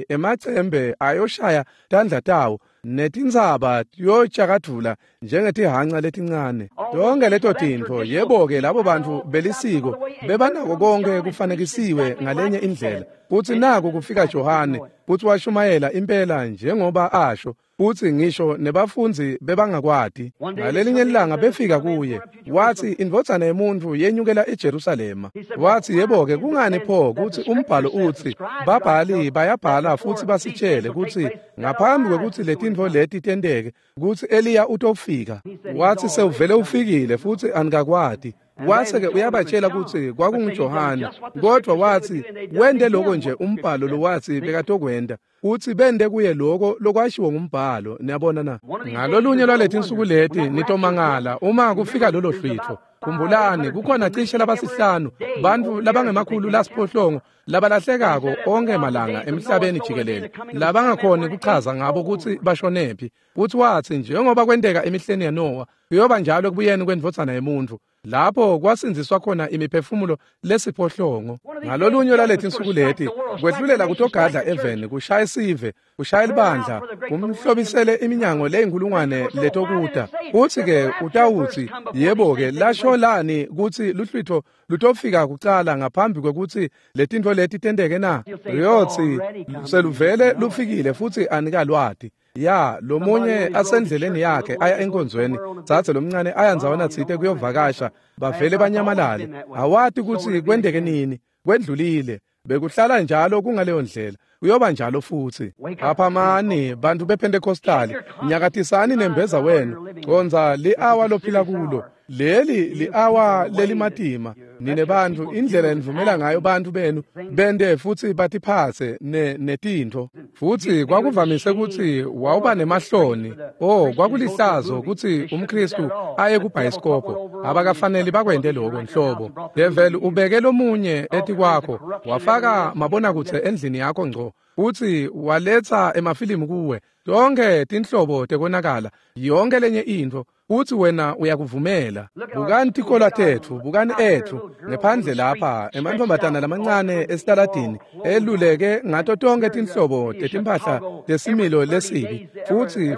emacembe ayoshaya tandla tawo, netintsaba tiyotshakadvula njengetihanca letincane. Tonke leto tintfo, yebo-ke, labo bantfu belisiko bebanako konke kufanekisiwe ngalenye indlela. Futsi naku kufika Johane, futsi washumayela impela njengoba asho. Futsi ngisho nebafundzi bebangakwati. Ngalelinye ilanga befika kuye, watsi indvodzana yemuntfu yenyukela eJerusalema. Watsi yebo-ke kungani pho kutsi umbhalo utsi babhali bayabhala futsi basitshele kutsi ngaphambi kwekutsi letintfo leti tenteke kutsi Eliya utofika. Watsi sewuvele ufikile futsi anikakwati. Wase-ke uyabatshela kutsi kwakunguJohane, kodvwa watsi wente loko nje umbhalo lowatsi bekatokwenta, utsi bente kuye loko lokwashiwo ngumbhalo. Niyabona na? Ngalolunye lwaletinsuku leti nitomangala uma kufika lolo hlwitfo. Khumbulani, kukhona cishe labasihlanu bantfu labangema-700 labalahlekako onkhe malanga emhlabeni jikelele, labangakhoni kuchaza ngabo kutsi bashonephi. Futsi watsi njengoba kwenteka emihleni yaNowa, kuyoba njalo ekubuyeni kwendvodzana yemuntfu, lapho kwasindziswa khona imiphefumulo lesiphohlongo. Ngalolunye lwaletinsuku leti kwehlulela kutogadla eveni, kushaya sive, kushaya libandla, kumhlobisele iminyango leyinkulungwane letokuta. Futsi-ke utawutsi yebo-ke lasho lani kutsi luhlwitfo lutofika kucala ngaphambi kwekutsi letintfo leti tenteke na? Uyotsi seluvele lufikile futsi anikalwati. Ya, lomunye asendleleni yakhe aya enkonzweni, dzadze lomncane aya ndzawana tsite kuyovakasha, bavele banyamalale. Awati kutsi kwenteke nini, kwendlulile. Bekuhlala njalo kungaleyo ndlela, kuyoba njalo futsi. Phaphamani bantfu bePentecostali, nyakatisani nembeza wenu, condza li-awa lophila kulo. Leli li-awa lelimatima. Nine bantfu, indlela enivumela ngayo bantfu benu bente futsi batiphatse netintfo. Futsi kwakuvamise kutsi wawuba nemahloni. Oh, kwakulihlazo kutsi umKhristu aye kubhayisikobho. Abakafaneli bakwente loko nhlobo. Develi ubeke lomunye etikwakho, wafaka mabonakudze endlini yakho ngco, futsi waletsa emafilimu kuwe. Tonkhe tinhlobo tekonakala, yonke lenye intfo, futsi wena uyakuvumela. Bukani tikolwa tetfu, bukani etfu ngephandle lapha, emantfombatana lamancane esitaladini eluleke ngato tonkhe tinhlobo tetimphahla tesimilo lesibi.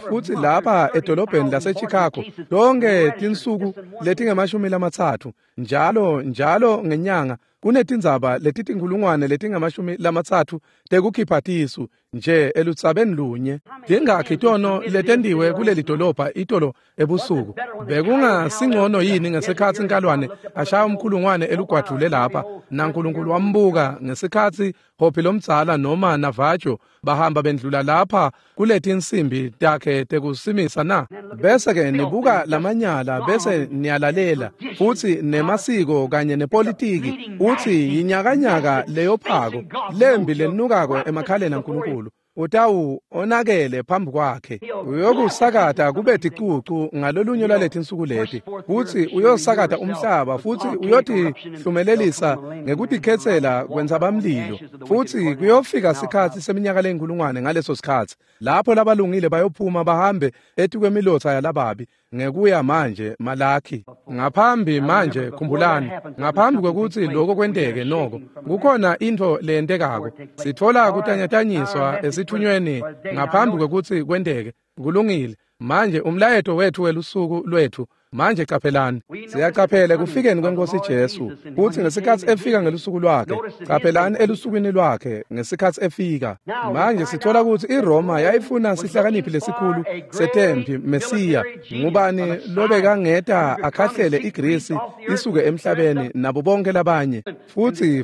Futsi lapha edolobheni laseChicago tonkhe tinsuku letingama-30 njalo ngenyanga kunetindzaba letitinkulungwane letingama-30 tekukhipha tisu nje elutsabeni lunye. Tingakhi tono letentiwe kuleli dolobha itolo ebusuku? Bekungasingcono yini ngesikhatsi Nkalwane ashaya umkhulungwane elugwadvule lapha, naNkulunkulu wambuka ngesikhatsi Hopi lomdzala noma Navajo bahamba bendlula lapha kuletinsimbi takhe tekusimisa na? Bese-ke nibuka lamanyala bese niyalalela futsi nemasiko kanye nepolitiki, utsi yinyakanyaka leyophako lembi lenukako emakhaleni aNkulunkulu. Utawu onakele phambi kwakhe, uyokusakata kube ticucu ngalolunye lwaletinsuku leti, futsi uyosakata umhlaba, futsi uyotihlumelelisa ngekutikhetsela kwentsabamlilo. Futsi kuyofika sikhatsi seminyaka leyinkulungwane ngaleso sikhatsi lapho labalungile bayophuma bahambe etikwemilotsa yalababi. Ngekuya manje Malakhi ngaphambi manje, khumbulani, ngaphambi kwekutsi lokho kwenteke noko kukhona intfo leyentekako. Sitfola kutanyatanyiswa esithunyweni ngaphambi kwekutsi kwenteke. Kulungile. Manje umlayeto wethu welusuku lwethu. Manje caphelani, siyacaphela kufikeni kweNkosi Jesu, kutsi ngesikhatsi efika ngelusuku lwakhe, caphelani elusukwini lwakhe ngesikhatsi efika. Manje sithola kutsi iRoma yayifuna sihlakaniphi lesikhulu setempi, Mesiya. Ngubani lobekangeta akhahlele iGrisi isuke emhlabeni nabo bonke labanye?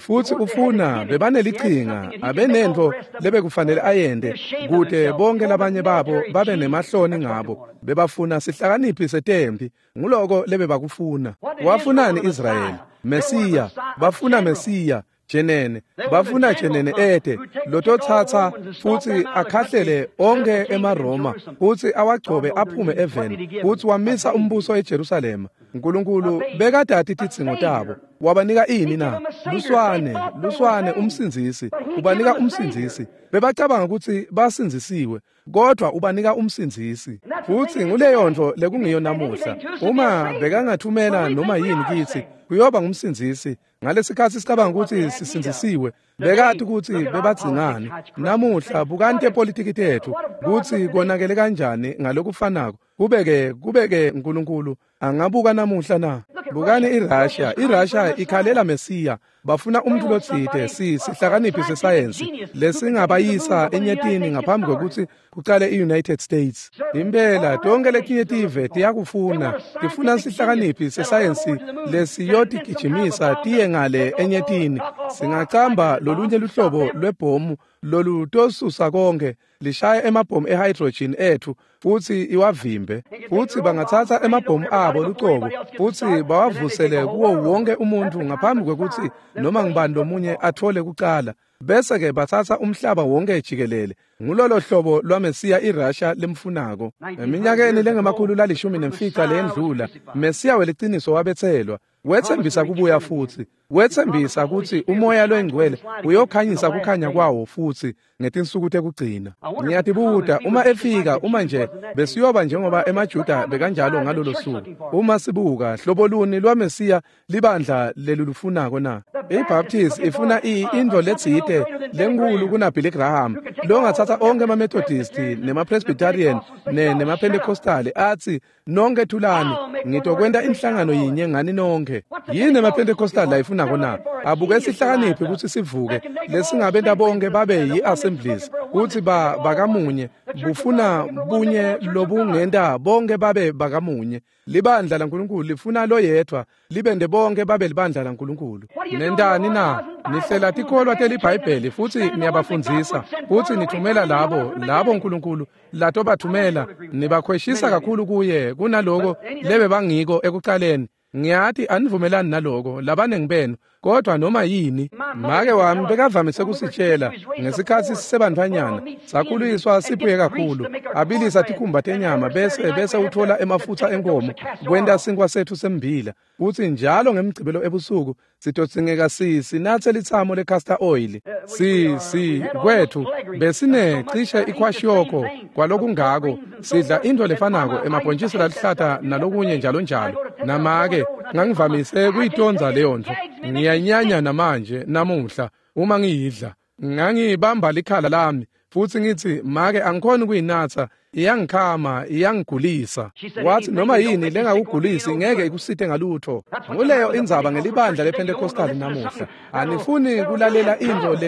Futsi ufuna bebanelichinga, abenentfo lebekufanele ayente kute bonke labanye babo babe nemahloni ngabo. Bebafuna sihlakaniphi setempi, nguloko lebebakufuna. Wafunani Israyeli? Mesiya. Bafuna Mesiya jenene, bafuna jenene ete lototsatsa futsi akhahlele onkhe emaRoma futsi awagcobe aphume eveni, futsi wamisa umbuso eJerusalema. Nkulunkulu bekadati tidzingo tabo. Wabanika ini na? Luswane umsindzisi. Ubanika umsindzisi. Bebacabanga kutsi basindzisiwe, kodwa ubanika umsindzisi. Futsi nguleyo ntfo lekungiyo namuhla. Uma bekangathumela noma yini kitsi, kuyoba ngumsindzisi. Ngalesikhatsi sicabanga kutsi sisindzisiwe, bekati kutsi bebadzingani. Namuhla bukani tepolitiki tetfu kutsi konakele kanjani ngalokufanako. Kubeke Nkulunkulu angabuka namuhla na? Bukani iRussia. iRussia ikhalela Mesiya. Bafuna umuntu lotsite sihlakaniphi sesayensi lesingabayisa enyetini ngaphambi kwekutsi kucale i-United States. Impela tonke letinye tive tiyakufuna, tifuna sihlakaniphi sesayensi lesiyotigijimisa tiye ngale enyetini. Singacamba lolunye luhlobo lwebhomu lolutosusa konke, lishaya emabhomu ehydrogen ethu futsi iwavimbe. Futsi bangatsatsa emabhomu abo lucobo futsi bawavusele kuwo wonke umuntu ngaphambi kwekutsi noma ngubani lomunye atfole kucala. Bese-ke batsatsa umhlaba wonke jikelele. Ngulolo hlobo lwaMesiya iRussia lemfunako. Eminyakeni lengama-115 leyendlula, Mesiya weliciniso wabetselwa. Wetsembisa kubuya futsi. Wetsembisa kutsi umoya loyingcwele uyokhanyisa kukhanya kwawo futsi ngetinsuku tekugcina. Ngiyatibuta uma efika, uma nje besiyoba njengoba emaJuda bekanjalo ngalolo suku. Uma sibuka hlobo luni lwaMesiya libandla lelulufunako na? IBaptist ifuna intfo letsite lenkulu kunaBilly Graham longatsatsa onke emaMethodist nemaPresbyterian nemaPentecostal atsi nonke thulani, ngitokwenta inhlangano yinye ngani nonke. Yini emaPentecostal layifunako na? Abuke sihlakaniphi kutsi sivuke lesingabenta bonke babe yi-assemblies kutsi bakamunye, bufuna bunye lobungenta bonke babe bakamunye. Libandla laNkulunkulu lifuna loyedvwa libende bonke babe libandla laNkulunkulu. Nentani na? Nihlela tikholwa teliBhayibheli futsi niyabafundzisa futsi nithumela labo Nkulunkulu latobathumela, nibakhweshisa kakhulu kuye kunaloko lebebangiko ekucaleni. Ngiyati anivumelani naloko labanengi benu, kodwa noma yini. Make wami bekavamise kusitshela ngesikhatsi sisebantfwanyana, sakhuliswa siphuye kakhulu, abilisa tikhumba tenyama bese uthola emafutsa enkomo kwenta sinkwa sethu sembila. Futsi njalo ngemgcibelo ebusuku sitodzingeka sinatse litsamo le-castor oil. Kwethu besine cishe ikwashiyoko kwalokungako, sidla intfo lefanako emabhontjisi lalihlata nalokunye njalo njalo. Namake ngangivamise kuyitondza leyo ntfo, ngiyanyanya namanje namuhla uma ngiyidla. Ngangibamba likhala lami futsi ngitsi make angikhoni kuyinatsa, iyangikhama, iyangigulisa. Wathi noma yini lengakugulisi ngeke ikusite ngalutho. Nguleyo indzaba ngelibandla lePentecostal namuhla. Anifuni kulalela intfo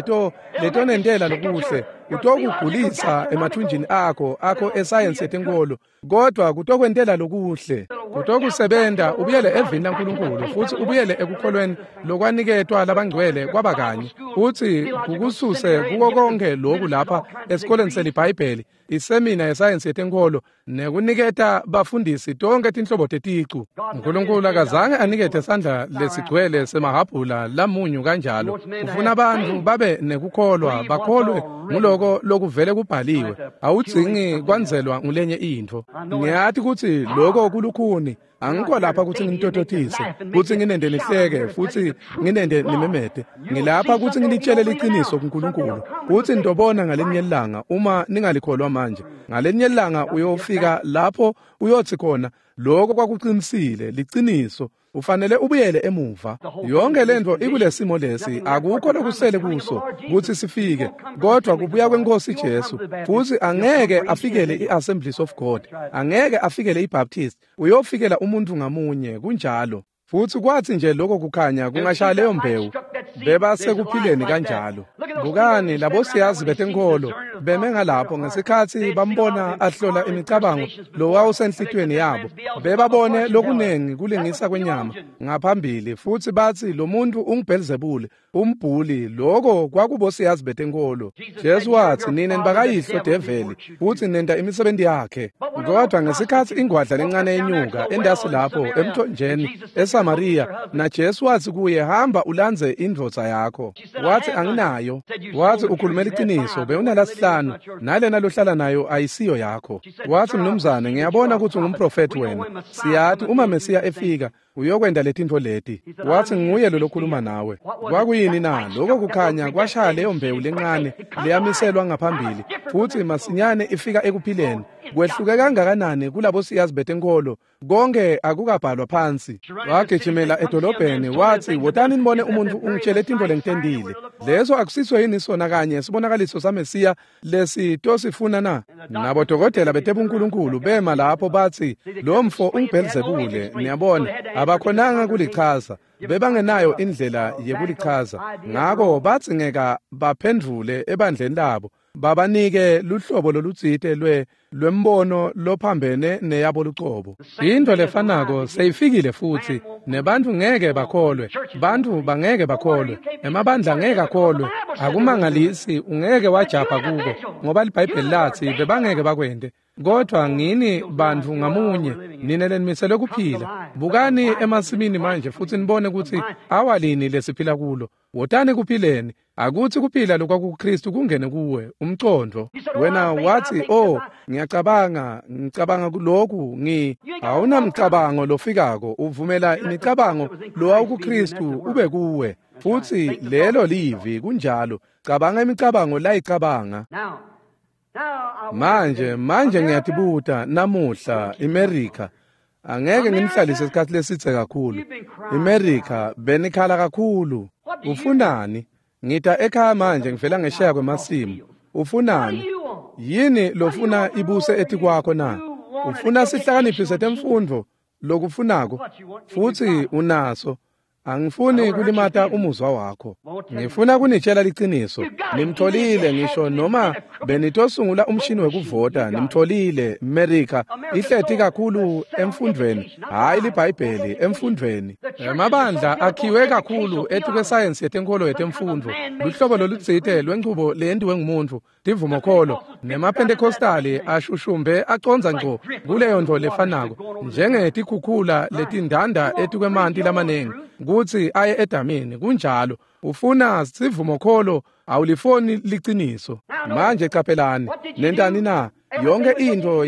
letonentela lokuhle, kutokugulisa emathunjini akho esayensi yetenkolo, kodwa kutokwentela lokuhle, kutokusebenta ubuyele evini laNkulunkulu futsi ubuyele ekukholweni lokwaniketwa labangcwele kwaba kanye, futsi kukususe kuko konke loku lapha esikoleni seliBhayibheli, isemina yesayensi yetenkolo nekuniketa bafundisi tonke tinhlobo teticu. Nkulunkulu akazange anikete sandla lesigcwele semahabhula lamunyu kanjalo. Ufuna abantu babe nekukholwa, bakholwe nguloko lokuvele kubhaliwe. Awudzingi kwandzelwa ngulenye intfo. Ngiyati kutsi loko kulukhuni. Angikho lapha kutsi nginitototise, kutsi nginende nihleke futsi nginende nimemete. Ngilapha kutsi nginitshele liciniso kuNkulunkulu, kutsi nitobona ngalinye ilanga uma ningalikholwa manje. Ngalinye ilanga uyofika lapho uyotsi khona lokho kwakuqinisile, liciniso. Ufanele ubuyele emuva. Yonke lentfo ikulesimo lesi, akukho lokusele kuso kutsi sifike, kodwa kubuya kweNkosi Jesu. Futsi angeke afikele i-Assemblies of God, angeke afikele iBaptist, uyofikela umuntu ngamunye, kunjalo. Futsi kwatsi nje lokho kukhanya kungashaya leyo mbewu, bebasekuphileni kanjalo. Bukani labo siyazi betenkholo beme ngalapho ngesikhatsi bambona ahlola imicabango lowawusenhlitiyweni yabo. Bebabone lokunengi kulingisa kwenyama ngaphambili, futsi batsi lo muntu unguBhelzebule, umbhuli. Lokho kwakubosiyazi betenkholo. Jesu watsi nine nibakayihlo develi futsi nenta imisebenti yakhe. Kodwa ngesikhatsi ingwadla lencane yenyuka endasi lapho emthonjeni eSamaria, na Jesu watsi kuye, hamba ulandze indvodza yakho. Watsi anginayo. Watsi ukhulumela iqiniso, bewunalasihlanu, nalena lohlala nayo ayisiyo yakho. Watsi mnumzane, ngiyabona kutsi ungumprofethi wena. Siyati uma Mesiya efika uyokwenta letintfo leti. Watsi nguye lo lokhuluma nawe. Kwakuyini na? Lokho kukhanya kwashaya leyo mbewu lencane leyamiselwa ngaphambili, futsi masinyane ifika ekuphileni. Kwehluke kangakanani kulabo siyazi betenkolo, konke akukabhalwa phansi. Wagijimela edolobheni wathi, "Wotani nibone umuntu ungitshele tintfo lengitentile. Leso akusiso yini sona kanye sibonakaliso saMesiya lesitosifuna na?" Nabodokotela betebunkulunkulu bema lapho bathi, "Lo mfo unguBhelzebule." Niyabona, abakhonanga kulichaza. Bebangenayo indlela yekulichaza. Ngako badzingeka baphendvule ebandleni labo, babanike luhlobo lolutsite lwembono lophambene neyabo lucobo. Into lefanako seyifikile futhi, nebantfu ngeke bakholwe, bantfu bangeke bakholwe, emabandla ngeke akholwe. Akumangalisi ungeke wajabha kuko, ngoba liBhayibheli lathi bebangeke bakwente. Kodwa ngini bantfu ngamunye, nine lenimiselwe kuphila. Bukani emasimini manje futhi nibone ukuthi awalini lesiphila kulo. Wotani kuphileni, akuthi kuphila lokwakuKristu kungene kuwe, umcondvo. Wena wathi, "Oh, ngiyacabanga, ngicabanga kulokhu, awunamcabango lofikako, uvumela imicabango lowawukuKristu ube kuwe." Futhi lelo livi kunjalo. Cabanga imicabango layicabanga. Manje ngiyatibuta namuhla iMerica, angeke nginihlalise isikhathi lesitse kakhulu. iMerica benikhala kakhulu. Ufunani? Ngita ekhaya manje ngivela ngesheya kwemasimu. Ufunani? Yini lofuna ibuse etikwakho na? Ufuna sihlakaniphi setemfundvo lokufunako? Futhi unaso. Angifuni kulimata umuzwa wakho. Ngifuna kunitshela liciniso. Nimtholile ngisho noma benitosungula umshini wekuvota. Nimtholile America ihleti kakhulu emfundvweni, hhayi liBhayibheli, emfundvweni. Emabandla akhiwe kakhulu etikwesayensi yetenkolo yetemfundvo, luhlobo lolutsite lwenchubo leyentiwe ngumuntfu, tivumokholo, nemaPentecostali ashushumbe acondza ngco kuleyo ntfo lefanako, njengetikhukhula letindanda etikwemanti lamaningi kutsi aye edamini. Kunjalo. Ufuna sivumokholo, awulifoni liciniso. Manje caphelani, nentani na? Yonke intfo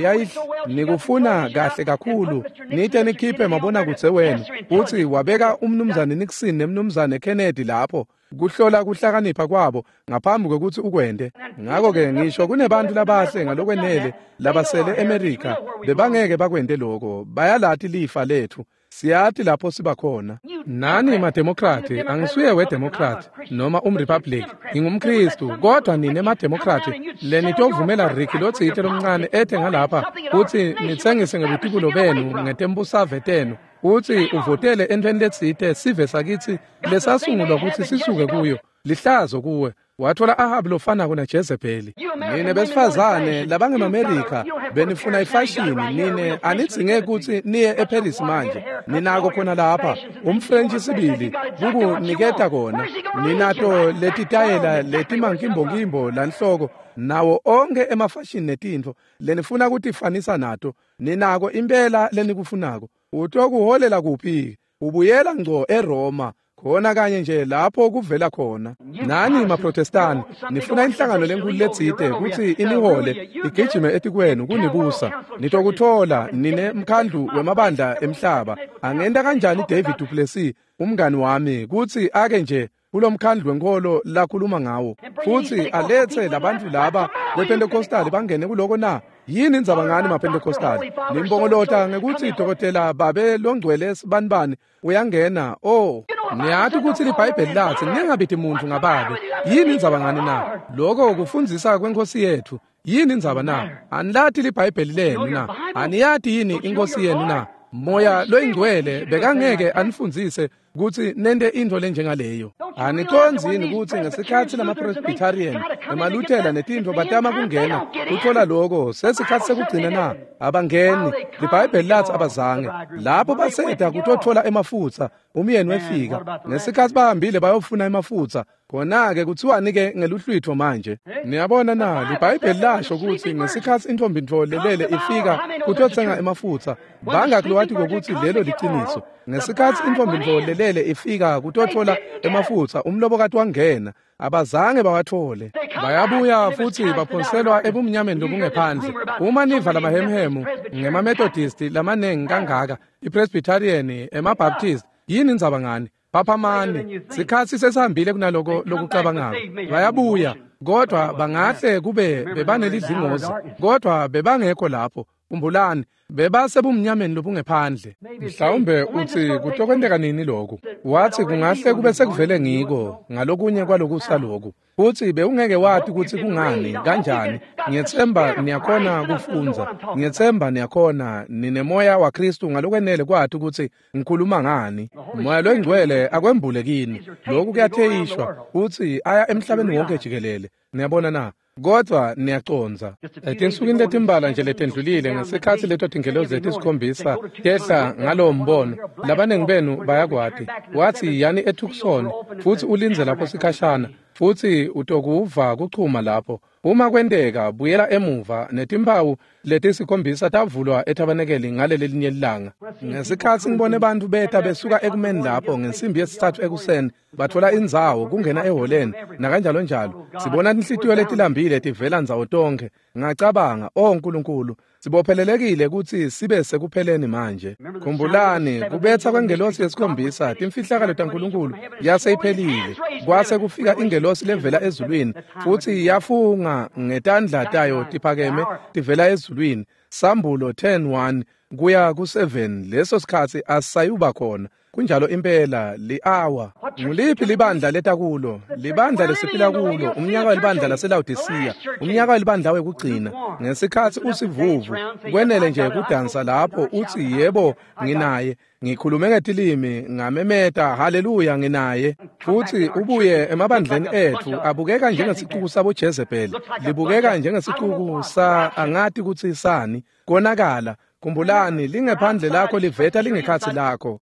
nikufuna kahle kakhulu, nite nikhiphe mabonakudze wenu kutsi wabeka umnumzane Nixon nemnumzane Kennedy lapho kuhlola kuhlakanipha kwabo ngaphambi kwekutsi ukwente. Ngako-ke ngisho kunebantu labahle ngalokwenele labasele eMerica bebangeke bakwente loko. Bayalati lifa lethu. Siyati lapho sibakhona. Nani maDemokrati, angisuye weDemokrat noma umRepublic, ngingumKristu, kodwa nine maDemokrati lenitovumela Ricky lotsite lomncane ethe ngalapha kutsi nitsengise ngebutibulo benu ngetembusave tenu, kutsi uvotele entfweni letsite sive sakitsi lesasungulwa kutsi sisuke kuyo. Lihlazo kuwe. Wathola Ahabi lofanako naJezebeli. Nine besifazane labangemaMerica benifuna ifashini, nine anidzinge kutsi niye eParis manje. Ninako khona lapha umFrench sibili kukuniketa kona. Ninato letitayela letimankimbokimbo lanhloko nawo onke emafashini netintfo lenifuna kutifanisa nato. Ninako impela lenikufunako. Utokuholela kuphi? Ubuyela ngco eRoma, khona kanye nje lapho kuvela khona. Nani maProtestani nifuna inhlangano lenkulu letsite kutsi inihole igijime etikwenu kunibusa. Nitokuthola nine mkhandlu wemabandla emhlaba. Angenta kanjani David Duplessis umngani wami kutsi ake nje kulomkhandlu wenkolo lakhuluma ngawo futhi alethe labantu laba bePentecostal bangene kuloko na? Yini indzaba ngani maPentecostal? Nimbongolota ngekuthi dokotela babe longcwele sibanibani uyangena. Oh, niyati kutsi liBhayibheli lathi ningabiti muntu ngababe. Yini indzaba ngani na? Lokho kufundzisa kwenkosi yethu. Yini indzaba na? Anilati liBhayibheli lenu na? Aniyati yini inkosi yenu na? Moya loyingcwele bekangeke anifundzise kutsi nente intfo lenjengaleyo. Anicondzi yini kutsi ngesikhatsi lamaPresbyterian, emaLuthela netintfo batama kungena kutfola loko sesikhatsi sekugcina na? Abangeni. LiBhayibheli lathi abazange. Lapho baseta kutotfola emafutsa, umyeni wefika. Ngesikhatsi bahambile bayofuna emafutsa, khona-ke kuthiwani-ke ngeluhlwitfo manje? Niyabona na, liBhayibheli lasho kutsi ngesikhatsi intfombi-ntfo lelele ifika kutotsenga emafutsa, bangaki lowatiko kutsi lelo liciniso? Ngesikhatsi intfombi-ntfo lelele ifika kutotfola emafutsa, umlobokati wangena. Abazange bawathole. Bayabuya futhi baphonselwa ebumnyameni lobungephandle. Uma niva lamahemhemu ngemaMethodist lamanengi kangaka, iPresbyterian, emaBaptist, yini indzaba ngani? Phaphamani, sikhatsi sesihambile kunaloko lokucabangako. Bayabuya. Kodwa bangahle kube bebanelidlingozi, kodwa bebangekho lapho. Khumbulani, bebasebumnyameni lobungephandle. Mhlawumbe uthi kutokwenteka nini lokhu? Wathi kungahle kube sekuvele ngiko ngalokunye kwalokusa lokhu. Futhi bewungeke wathi kutsi kungani, kanjani. Ngiyetsemba niyakhona kufundza. Ngiyetsemba niyakhona, ninemoya waKhristu ngalokwenele kwathi kutsi ngikhuluma ngani. Moya loyingcwele akwembule kini. Lokhu kuyatheyishwa futhi aya emhlabeni wonke jikelele. Niyabona na? Kodwa niyacondza. Etinsukwini letimbala nje letendlulile ngesikhatsi leto tingelosi letisikhombisa tehla ngalowo mbono, labaningi benu bayakwati. Wathi yani eTucson futhi ulindze lapho sikhashana, futhi utokuva kuchuma lapho. Uma kwenteka buyela emuva netimpawu letisikhombisa tavulwa ethabanekeli ngaleli linye ilanga. Ngesikhatsi ngibone bantfu beta besuka ekumeni lapho ngensimbi yesithathu ekuseni, batfola indzawo kungena eholeni nakanjalo njalo. Sibona tinhlitiyo letilambile tivela ndzawo tonkhe. Ngacabanga, "Oh Nkulunkulu, sibophelelekile kutsi sibe sekupheleni manje." Khumbulani, kubetha kwengelosi yesikhombisa, timfihlakalo taNkulunkulu yase iphelile. Kwase kufika ingelosi levela ezulwini futhi yafunga ngetandla tayo tiphakeme tivela ezulwini. Sambulo 10:1 kuya ku-7. Leso sikhatsi asisayuba khona. Kunjalo impela li-awa. Nguliphi libandla letakulo? Libandla lesiphila kulo, umnyaka welibandla laseLawodisiya, umnyaka welibandla wekugcina. Ngesikhatsi usivuvu, kwenele nje kudansa lapho uthi yebo nginaye, ngikhulume ngetilimi, ngamemeta haleluya nginaye. Futhi ubuye emabandleni ethu abukeka njengesicuku sabo Jezebel, libukeka njengesicuku sa angati kutsi sani, konakala. Khumbulani, lingephandle lakho liveta lingekhatsi lakho.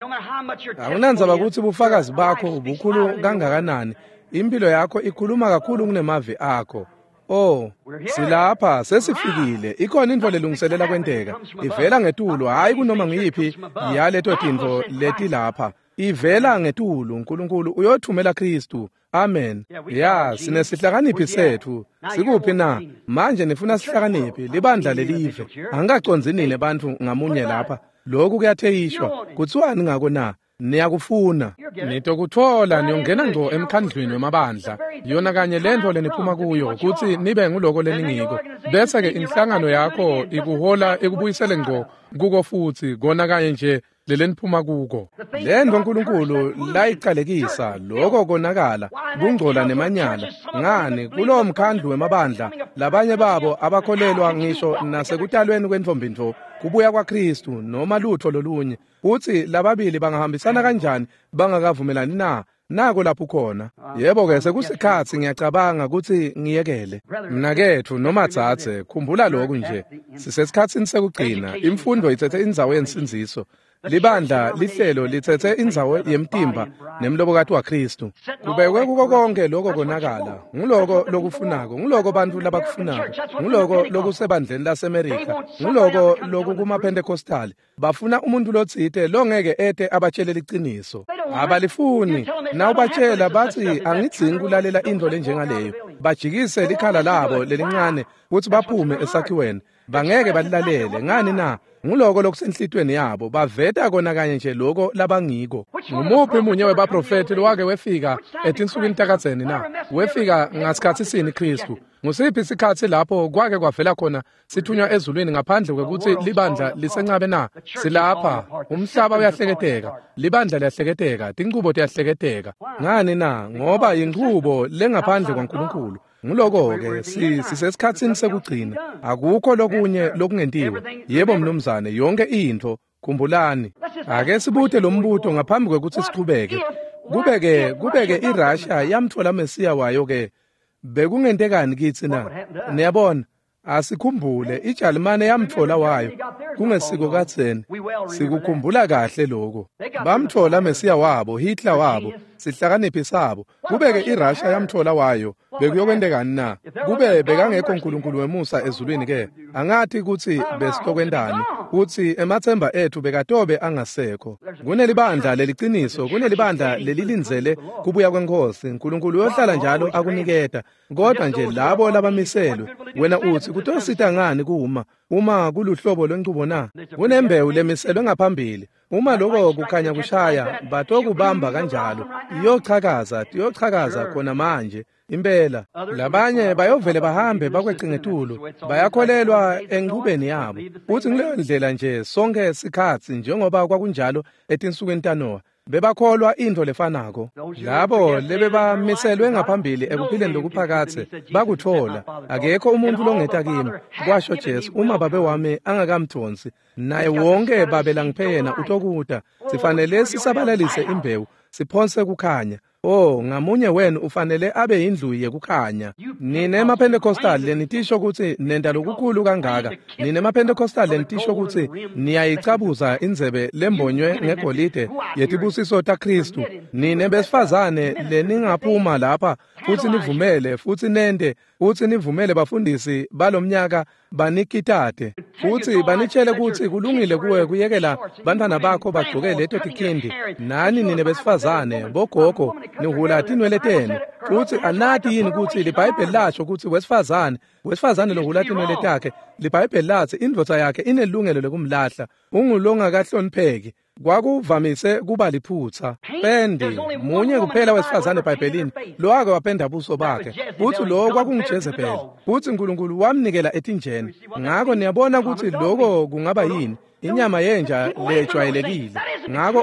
Akunandzaba kutsi bufakazi bakho bukhulu kangakanani, impilo yakho ikhuluma kakhulu kunemavi akho. Oh, silapha sesifikile. Ikhona intfo lelungiselela kwenteka. Ivela ngetulu, hhayi kunoma ngiyiphi yaleto tintfo letilapha. Ivela ngetulu, uNkulunkulu uyothumela Khristu. Amen. Ya, sinesihlakaniphi setfu. Sikuphi na? Manje nifuna sihlakaniphi, libandla lelive. Angikacondzi nine bantfu ngamunye lapha. Lokhu kuyatheyishwa. Kutsiwani ngako na? Niyakufuna. Nitokutfola niyongena ngco emkhandlwini wemabandla. Yona kanye lentfo leniphuma kuyo kutsi nibe nguloko leningiko. Bese-ke inhlangano yakho ikuhola ikubuyisele ngco kuko futsi kona kanye nje leleniphuma kuko. Lentfo uNkulunkulu layicalekisa, loko konakala, kungcola nemanyala. Ngani, kulowo mkhandlu wemabandla, labanye babo abakholelwa ngisho nasekutalweni kwentfombi-ntfo, kubuya kwaKhristu noma lutfo lolunye. Utsi lababili bangahambisana kanjani bangakavumelani na? Nako lapho khona. Yebo-ke, sekusikhatsi ngiyacabanga kutsi ngiyekele. Mnaketfu noma dzadze, khumbula lokhu nje. Sisesikhatsini sekugcina. Imfundo itsetse indzawo yensindziso. Libandla lihlelo litsetse indzawo yemtimba nemlobokati waKhristu. Kubekwe kuko konke loko konakala. Nguloko lokufunako, nguloko bantfu labakufunako, nguloko lokusebandleni laseMerika, nguloko lokukumaPentecostal. Bafuna umuntu lotsite longeke ete abatshele liciniso. Abalifuni. Nawubatshela batsi angidzingi kulalela intfo lenjengaleyo. Bajikise likhala labo lelincane kutsi baphume esakhiweni. Bangeke balilalele. Ngani na? Nguloko lokusenhlitweni yabo. Baveta kona kanye nje loko labangiko. Ngumuphi munye webaprofethi lowake wefika etinsukwini takadzeni na? Wefika ngasikhatsi sini Khristu? Ngusiphi sikhatsi lapho kwake kwavela khona sithunywa ezulwini ngaphandle kwekutsi libandla lisencabe na? Silapha. Umhlaba uyahleketeka, libandla liyahleketeka, tinchubo tiyahleketeka. Ngani na? Ngoba yinchubo lengaphandle kwaNkulunkulu. Nguloko-ke sisesikhatsini sekugcina. Akukho lokunye lokungentiwe. Yebo mnumzane, yonke intfo. Khumbulani, ake sibute lo mbuto ngaphambi kwekutsi sichubeke. Kubeke iRussia yamtfola Mesiya wayo ke. Bekungentekani kitsi na? Niyabona, asikhumbule iJalimane yamtfola wayo kungesiko kadzeni. Sikukhumbula kahle lokho. Bamtfola Mesiya wabo, Hitler wabo, sihlakaniphi sabo. Kubeke iRussia yamtfola wayo, bekuyokwentekani na? Kube bekangekho uNkulunkulu wemusa ezulwini ke, angathi kutsi besitokwentani, kutsi ematsemba etfu bekatobe angasekho. Kunelibandla leliciniso, kunelibandla lelilindzele kubuya kweNkhosi. uNkulunkulu uyohlala njalo akuniketa. Kodwa nje labo labamiselwe, wena utsi kutosita ngani kuma uma kuluhlobo lwenchubo na? Kunembewu lemiselwe ngaphambili. Uma lokho kukhanya kushaya, batokubamba kanjalo. Iyochakaza, iyochakaza khona manje. Impela labanye bayovele bahambe bakwecingetulu, bayakholelwa enchubeni yabo. Futhi ngileyo ndlela nje sonke sikhatsi njengoba kwakunjalo etinsukwini taNowa. Bebakholwa intfo lefanako. Labo lebebamiselwe ngaphambili ekuphileni lokuphakathe bakutfola. Akekho umuntu longeta kimi, kwasho Jesu, uma babe wami angakamdvonsi, naye wonke babe langiphe yena utokuta. Sifanele sisabalalise imbewu, siphonse kukhanya. Oh, ngamunye wenu ufanele abe indlu yekukhanya. Nine emaPentecostal lenitisho kutsi nenta lokukhulu kangaka. Nine emaPentecostal lenitisho kutsi niyayicabuza indzebe lembonywe ngegolide yetibusiso taKhristu. Nine besifazane leningaphuma lapha futsi nivumele futsi nente futsi nivumele bafundisi balomnyaka banikitate futsi banitshele kutsi kulungile kuwe kuyekela bantfwana bakho bagcoke leto tikhindi. Nani nine besifazane bogogo nihula tinwele tenu futsi anati yini kutsi liBhayibheli lasho kutsi wesifazane lohula tinwele takhe, liBhayibheli latsi indvodza yakhe inelungelo lekumlahla, ungulongakahlonipheki. Kwakuvamise kuba liphutsa. Pendi munye kuphela wesifazane eBhayibhelini lowake wapenda buso bakhe, futsi lo kwakunguJezebeli, futsi Nkulunkulu wamnikela etinjeni. Ngako niyabona kutsi loko kungaba yini inyama yenja lejwayelekile. Ngako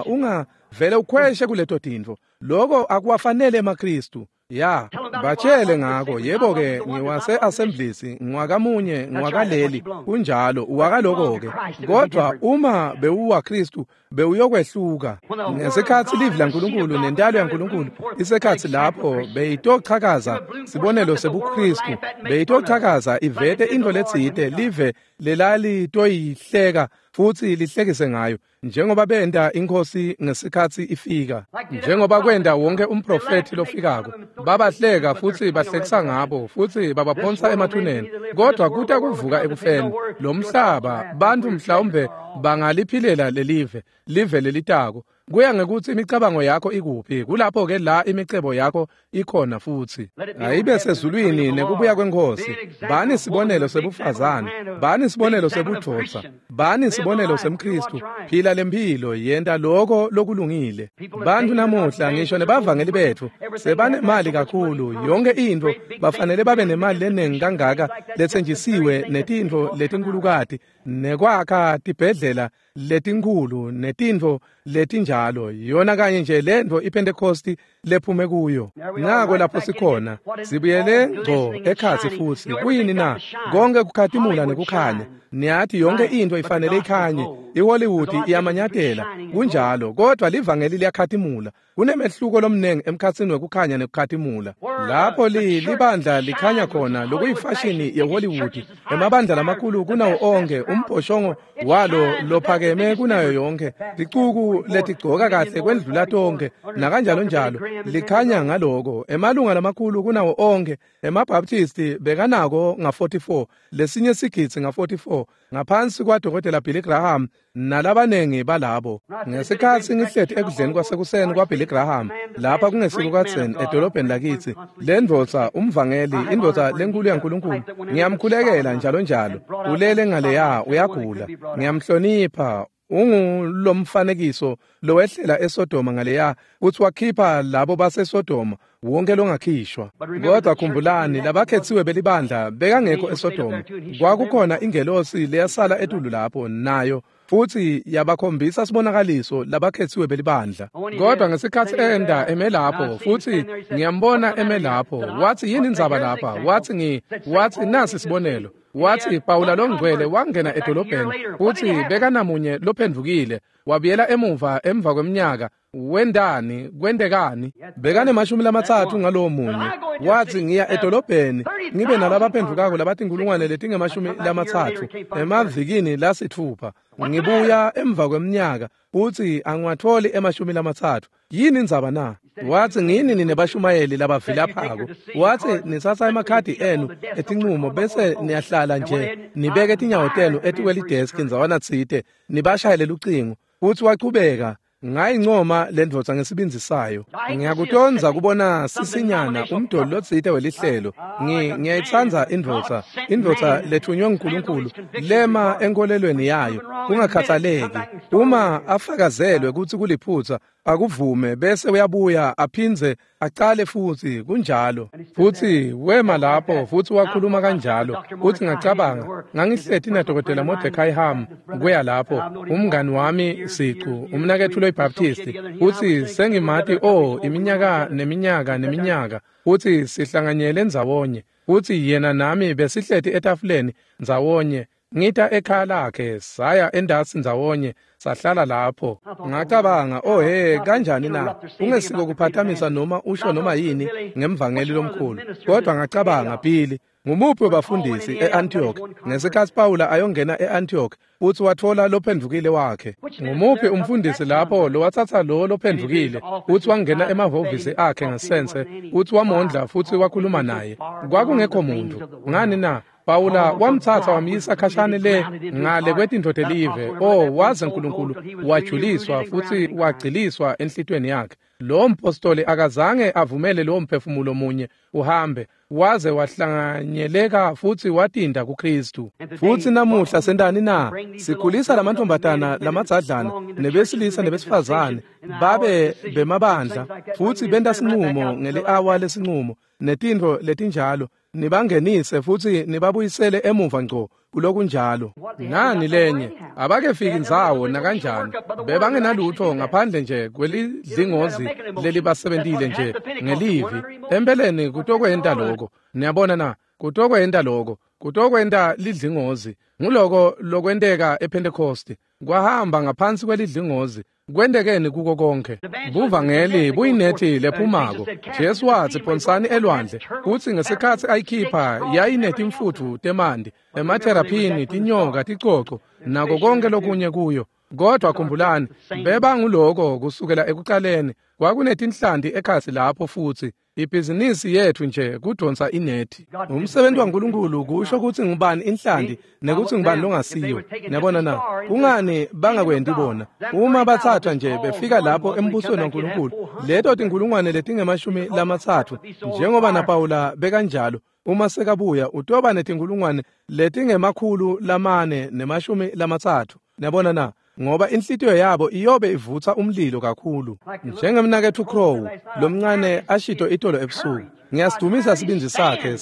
unga vele ukhweshe kuleto tintfo. Loko akuwafanele emaKhristu. Ya, batshele ngako. Yebo-ke, ngiwase-Assemblies, ngiwakamunye, ngiwakaleli, kunjalo, uwakaloko-ke. Kodwa uma bewuwaKhristu, bewuyokwehluka. Ngesikhatsi livi laNkulunkulu nentalo yaNkulunkulu isekhatsi lapho beyitochakaza sibonelo sebuKhristu, beyitochakaza ivete intfo letsite live lelalitoyihleka futsi lihlekise ngayo, njengoba benta inkhosi ngesikhatsi ifika, njengoba kwenta wonke umprofethi lofikako. Babahleka futsi bahlekisa ngabo futsi babaphonsa emathuneni. Kodwa kuta kuvuka ekufeni lo mhlaba, bantfu mhlawumbe bangaliphilela lelive, live lelitako. Kuya ngekutsi imicabango yakho ikuphi, kulapho-ke la imicebo yakho ikhona futsi. Ayibe sezulwini nekubuya kweNkhosi. Bani sibonelo sebufazane, bani sibonelo sebudvodza, bani sibonelo semKhristu. Phila lemphilo, yenta loko lokulungile. Bantfu namuhla ngisho nebavangeli betfu sebanemali kakhulu, yonke intfo bafanele babe nemali lenengi kangaka letsenjisiwe netintfo letinkhulukati nekwakha tibhedlela letinkhulu netintfo letinjalo. Yona kanye nje lentfo iPentecosti lephume kuyo. Nako lapho sikhona, sibuyele ngco ekhatsi futsi. Kuyini na? Konke kukhatimula nekukhanya. Niyathi yonke intfo ifanele ikhanye. IHollywood iyamanyatela, kunjalo, kodwa livangeli liyakhatimula. Kunemehluko lomnengi emkhatsini wekukhanya nekukhatimula. Lapho libandla likhanya khona lokuyifashini yeHollywood, emabandla lamakhulu kunawo onke, umbhoshongo walo lophakeme kunayo yonke, ticuku letigcoka kahle kwendlula tonke, nakanjalo njalo, likhanya ngaloko. Emalunga lamakhulu kunawo onke, emaBaptisti bekanako nga-44, lesinye sigidzi nga-44, ngaphansi kwaDokotela Billy Graham nalabanengi balabo. Ngesikhatsi ngihleti ekudleni kwasekuseni kwaBilly Graham lapha kungesiko kadzeni edolobheni lakitsi, le ndvodza umvangeli, indvodza lenkulu yaNkulunkulu, ngiyamkhulekela njalo njalo. Ulele ngaleya, uyagula, ngiyamhlonipha. Ungulomfanekiso lowehlela eSodoma ngaleya, kutsi wakhipha labo baseSodoma, wonke longakhishwa. Kodwa khumbulani, labakhetsiwe belibandla bekangekho eSodoma. Kwakukhona ingelosi leyasala etulu lapho nayo, futsi yabakhombisa sibonakaliso labakhetsiwe belibandla. Kodwa ngesikhatsi enda eme lapho, futsi ngiyambona eme lapho, wathi yini indzaba lapha? Wathi wathi nasi sibonelo. Wathi Pawula longcwele wangena edolobheni futsi bekanamunye lophendvukile, wabuyela emuva emva kweminyaka. Wendani? Kwentekani? Bekanemashumi lamatsatfu ngalowo munye. Wathi ngiya edolobheni ngibe nalabaphendvukako labatinkulungwane letingemashumi lamatsatfu emavikini lasitfupha. Ngibuya emva kweminyaka futsi angiwatholi emashumi lamatsatfu. Yini indzaba na? Wathi ngini nine bashumayeli labavilaphako. Wathi nitsatsa emakhadi enu etincumo bese niyahlala nje nibeke tinyawo tenu etikwelideski ndzawana tsite nibashayele lucingo. Futsi wachubeka. Ngayincoma lendvodza ngesibindzi sayo. Ngiyakutondza kubona sisinyana umdoli lotsite welihlelo. Ngiyayitsandza indvodza, indvodza lethunywe nguNkulunkulu lema enkolelweni yayo kungakhathaleki. Uma afakazelwe kutsi kuliphutsa, akuvume bese uyabuya aphindze acale futhi kunjalo. Futhi wema lapho futhi wakhuluma kanjalo. Futhi ngacabanga, ngangihleti na Dr. Mordecai Ham kuya lapho, umngani wami siqu, umnaketfu loyiBaptist. Futhi sengimati iminyaka neminyaka neminyaka. Futhi sihlanganyele ndzawonye. Futhi yena nami besihleti etafuleni ndzawonye. Ngita ekhaya lakhe, saya endasi ndzawonye, sahlala lapho. Ngacabanga, oh he, kanjani na? Ungesiko kuphathamisa noma usho noma yini ngemvangeli lomkhulu. Kodwa ngacabanga, Billy, ngumuphi wabafundisi e-Antioch ngesikhatsi Pawula ayongena e-Antioch futhi watfola lophendvukile wakhe? Ngumuphi umfundisi lapho lowatsatsa lo lophendvukile futhi wangena emahhovisi akhe ngasense futhi wamondla futhi wakhuluma naye? Kwakungekho muntu. Ngani na? Pawula wamtsatsa wamyisa khashane le ngale kwetintfo telive. Waze uNkulunkulu wajuliswa futhi wagciliswa enhlitiyweni yakhe. Lo mpostoli akazange avumele lo mphefumulo munye uhambe, waze wahlanganyeleka futhi watinda kuKristu. Futhi namuhla sentani na? Sikhulisa lamantombazana lamadzadlana nebesilisa nebesifazane babe bemabandla futhi benta sinqumo ngeli-awa lesinqumo netintfo letinjalo. Nibangenise futhi nibabuyisele emuva ngco kulokunjalo. Ngani lenye abakefiki ndzawo nakanjani, bebangenalutho ngaphandle nje kwelidlingozi lelibasebentile nje ngelivi. Empeleni kutokwenta lokho. Niyabona na? Kutokwenta lokho, kutokwenta lidlingozi. Nguloko lokwenteka ePentecost, kwahamba ngaphansi kwelidlingozi. Kwentekeni kuko konke? Buvangeli buyinethi lephumako. Jesu watsi phonsani elwandle, kutsi ngesikhatsi ayikhipha yayinetimfutfu temanti, emateraphini, tinyoka, ticoco, nako konke lokunye kuyo. Kodwa khumbulani, bebanguloko kusukela ekucaleni. Kwakunetinhlanti ekhatsi lapho futhi. Ibhizinisi yethu nje kudonsa inethi. Umsebenzi waNkulunkulu kusho kutsi ngubani inhlanti nekuthi ngubani longasiyo. Niyabona na? Kungani bangakwenti bona? Uma bathathwa nje befika lapho embusweni waNkulunkulu, leto tinkulungwane letingemashumi lamatsatfu, njengoba naPawula bekanjalo, uma sekabuya utoba netinkulungwane letingema-430. Niyabona na? Ngoba inhlitiyo yabo iyobe ivutsa umlilo kakhulu. Njengemnaketfu Crow lomncane ashito itolo ebusuku, ngiyasidumisa sibindzi sakhe.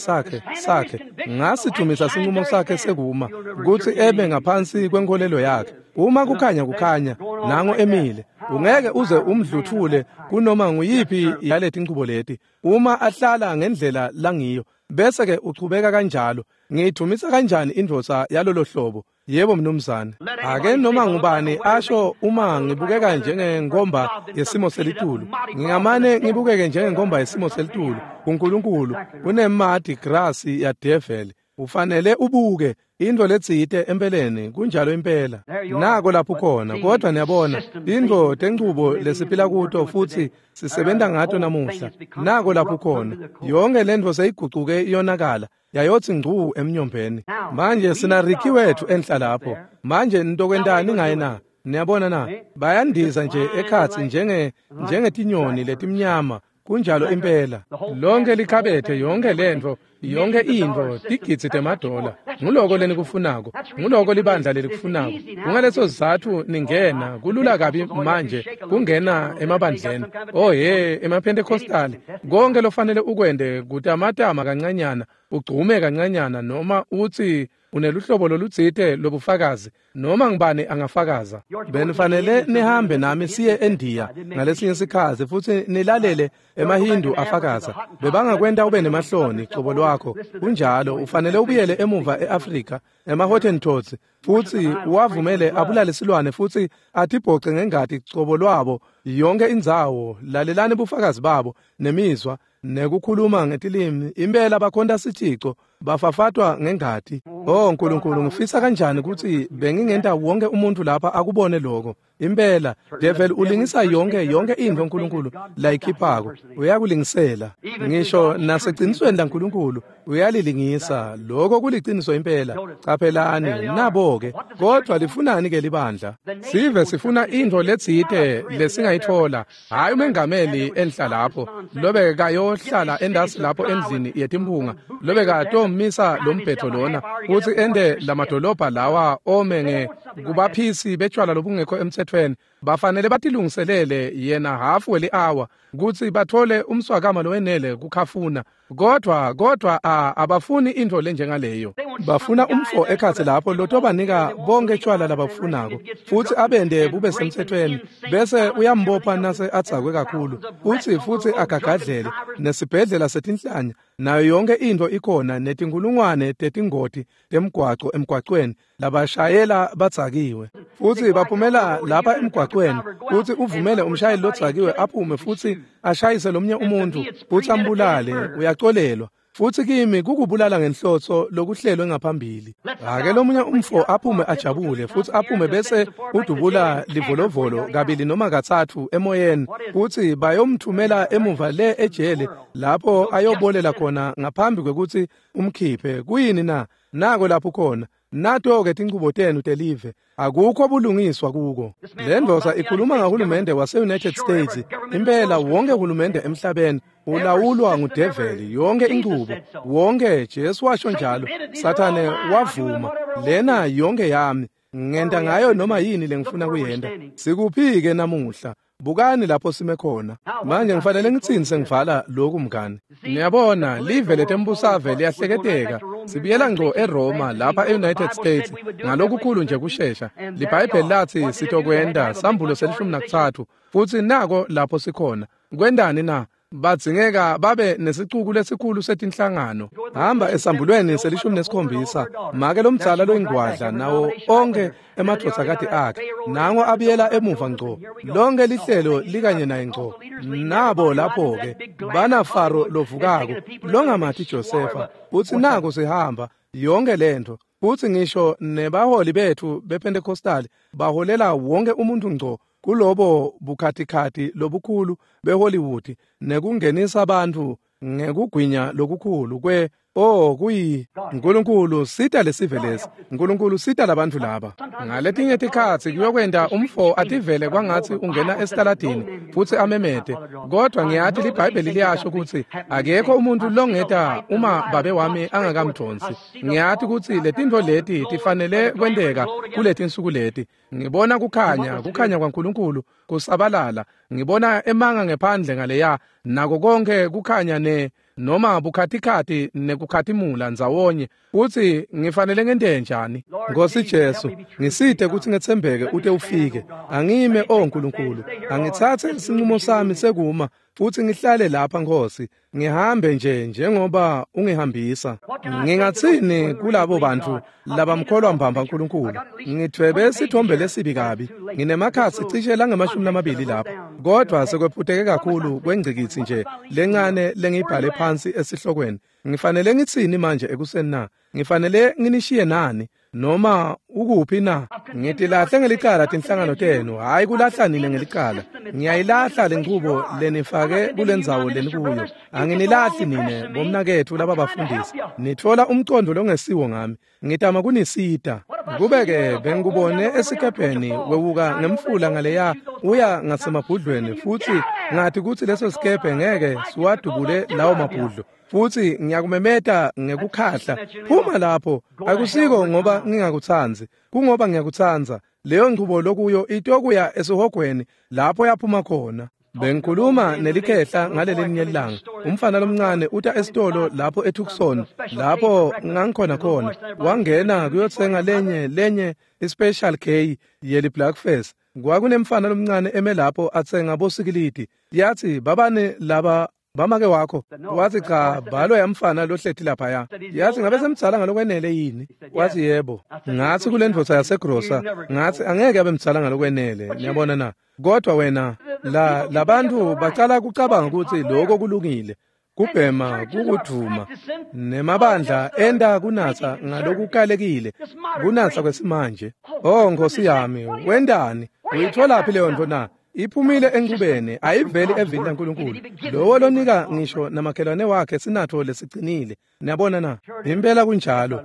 Ngasidumisa sinqumo sakhe sekuma kutsi ebe ngaphansi kwenkolelo yakhe. Uma kukhanya kukhanya, nango emile. Ungeke uze umdluthule kunoma nguyiphi yaletinchubo leti. Uma ahlala ngendlela langiyo, bese ke uchubeka kanjalo. Ngiyidumisa kanjani indvodza yalolo hlobo? Yebo mnumzane. Ake noma ngubani asho uma ngibukeka njengengomba yesimo selitulu, ngingamane ngibukeke njengengomba yesimo selitulu kuNkulunkulu kunemadi grasi ya devil. Ufanele ubuke intfo letsite empeleni, kunjalo impela. Nako lapho khona. Kodwa niyabona, tintfo tenchubo lesiphila kuto futhi sisebenta ngato namuhla. Nako lapho khona. Yonke lentfo seyigucuke iyonakala, yayotsi ngcu emnyombeni. Manje sina Ricky wethu enhla lapho. Manje nitokwentani ngaye na? Niyabona na? Bayandiza nje ekhatsi njengetinyoni letimnyama. Kunjalo impela. Lonke likhabethe, yonke lentfo, yonke intfo, tigidzi temadola. Nguloko lenikufunako, nguloko libandla lelikufunako. Kungaleso sizatfu ningena, kulula kabi manje kungena emabandleni. Oh he, emaPentecostali, konke lofanele ukwente kutamatama kancanyana, ugcume kancanyana, noma utsi uneluhlobo lolutsite lobufakazi, noma ngibani angafakaza. Benifanele nihambe nami siye eNdiya ngalesinye sikhatsi futhi nilalele emaHindu afakaza. Bebangakwenta ube nemahloni cobo lwakho. Kunjalo, ufanele ubuyele emuva eAfrika, emaHottentots, futhi uwavumele abulale silwane futhi atibhoce ngengati cobo lwabo yonke indzawo. Lalelani bufakazi babo nemizwa nekukhuluma ngetilimi. Impela bakhonta sithico, Bafafatwa ngengati. Oh Nkulunkulu, ngifisa kanjani ukuthi bengingenta wonke umuntu lapha akubone lokho. Impela devil ulingisa yonke into uNkulunkulu layikhiphako. Uyakulingisela. Ngisho naseqinisweni laNkulunkulu uyalilingisa. Lokho kuliqiniso impela. Qaphelani nabo ke. Kodwa lifunani ke libandla? Sive sifuna into letsite lesingayithola. Hayi umengameli enhla lapho lobe kayohlala endasi lapho endlini yetimphunga lobe katomisa lombhetho lona uthi ende lamadolobha lawa ome nge kubaphisi betshwala lobungekho emthethweni. Bafanele batilungiselele yena hafu weli-hour kutsi bathole umswakama lowenele kukhafuna. Kodwa abafuni into lenjengaleyo. Bafuna umfo ekhatsi lapho lotobanika bonke tshwala labafunako futhi abende bube semthethweni bese uyambopha nase adzakwe kakhulu futhi agagadlele nesibhedlela setinhlanya nayo yonke into ikhona netinkulungwane tetingoti temgwaco emgwacweni labashayela badzakiwe futhi baphumela lapha emgwacweni futhi uvumele umshayeli lodzakiwe aphume futhi ashayise lomnye umuntu futhi ambulale. Uyacolelwa futhi kimi kukubulala ngenhlotso lokuhlelwe ngaphambili. Ake lomunye umfo aphume ajabule futhi aphume bese udubula livolovolo kabili noma kathathu emoyeni futhi bayomthumela emuva le ejele lapho ayobolela khona ngaphambi kwekuthi umkhiphe. Kuyini na? Nako lapho khona. Nato-ke tinchubo tenu telive, akukho bulungiswa kuko. Le ndoda ikhuluma ngahulumende wase-United States. Impela wonke hulumende emhlabeni ulawulwa ngudeveli, yonke inchubo, wonke. Jesu washo njalo. Sathane wavuma, lena yonke yami, ngenta ngayo noma yini lengifuna kuyenta. Sikuphi-ke namuhla? Bukani lapho sime khona. Manje ngifanele ngitsini sengivala lokhu mngani. Niyabona live letembusave liyahleketeka. Sibuyela ngco eRoma lapha eUnited States ngalokukhulu nje kushesha. LiBhayibheli lathi sitokwenda sambulo se-13 futhi nako lapho sikhona. Kwendani na? Badzingeka babe nesicuku lesikhulu setinhlangano. Hamba esambulweni se-17 make lomdzala loyingwadla nawo onke emadvodzakati akhe nango abuyela emuva ngco. Lonke lihlelo likanye naye ngco. Nabo lapho-ke bana Faro lovukako longamati Josefa uthi nako sihamba yonke lento. Futhi ngisho nebaholi bethu bePentecostal baholela wonke umuntu ngco kulobo bukhatikhathi lobukhulu beHollywood nekungenisa abantu ngekugwinya lokukhulu kwe kuyi Nkulunkulu sita lesive lesi, Nkulunkulu sita labantu laba. Ngaletinye tikhatsi kuyokwenta umfo ativele kwangatsi ungena esitaladini futhi amemete, kodwa ngiyathi liBhayibheli liyasho ukuthi akekho umuntu longeta uma babe wami angakamdonsi. Ngiyathi ukuthi letintfo leti tifanele kwenteka kuletinsuku leti. Ngibona kukhanya kwaNkulunkulu kusabalala. Ngibona emanga ngephandle ngaleya nako konke kukhanya ne noma bukhatikhathi nekukhatimula ndzawonye. Uthi ngifanele ngente njani? Nkosi Jesu, ngisite ukuthi ngetsembeke ute ufike. Angime o Nkulunkulu, angitsatse isinqumo sami sekuma futhi ngihlale lapha Nkosi, ngihambe nje njengoba ungihambisa. Ngingatsini kulabo bantu labamkholwa mbamba uNkulunkulu? Ngithwebe isithombe lesibi kabi, nginemakhasi cishe langama-20 lapha, kodwa sekwephuteke kakhulu kwengcikitsi nje lencane lengiyibhale phansi esihlokweni. Ngifanele ngitsini manje ekuseni na? Ngifanele nginishiye nani noma ukuphi na? Ngitilahle ngelicala tinhlangano tenu, hayi kulahla nina ngelicala. Ngiyayilahla lenchubo lenifake kulendzawo lenikuyo. Anginilahli nine bomnaketfu laba bafundisi. Nitfola umcondo longesiwo ngami. Ngitama kunisita. Kube-ke bengikubone esikebheni wewuka ngemfula ngaleya uya ngasemabhudlweni futhi ngathi kutsi leso sikebhe ngeke siwadubule lawo mabhudlo. Futhi ngiyakumemeta ngekukhahla, phuma lapho. Akusiko ngoba ngingakutsandzi, kungoba ngiyakutsandza. Leyo nchubo lokuyo itokuya esihogweni lapho yaphuma khona. Bengikhuluma nelikhehla ngalelinye ilanga. Umfana lomncane uta esitolo lapho eTucson lapho ngangikhona khona. Wangena kuyotsenga lenye ispecial K yeli blackface. Kwakunemfana lomncane eme lapho atsenga bosikilidi. Yathi babane laba bamake wakho. Wathi cha, bhalo yamfana lohleti laphaya. Yathi ngabe semdzala ngalokwenele yini? Wathi yebo. Ngathi kule ndvodza yasegrosa, ngathi angeke abe mdzala ngalokwenele. Niyabona na? Kodwa wena labantu bacala kucabanga ukuthi lokho kulungile. Kubhema kukudvuma nemabandla enta kunatsa ngalokukalekile, kunatsa kwesimanje. Oh Nkosi yami, wentani? Uyitholaphi leyo nto na? Iphumile enqubeni, ayiveli evini laNkulunkulu. Lowo lonika ngisho namakhelwane wakhe sinatfo lesicinile. Niyabona na? Impela kunjalo.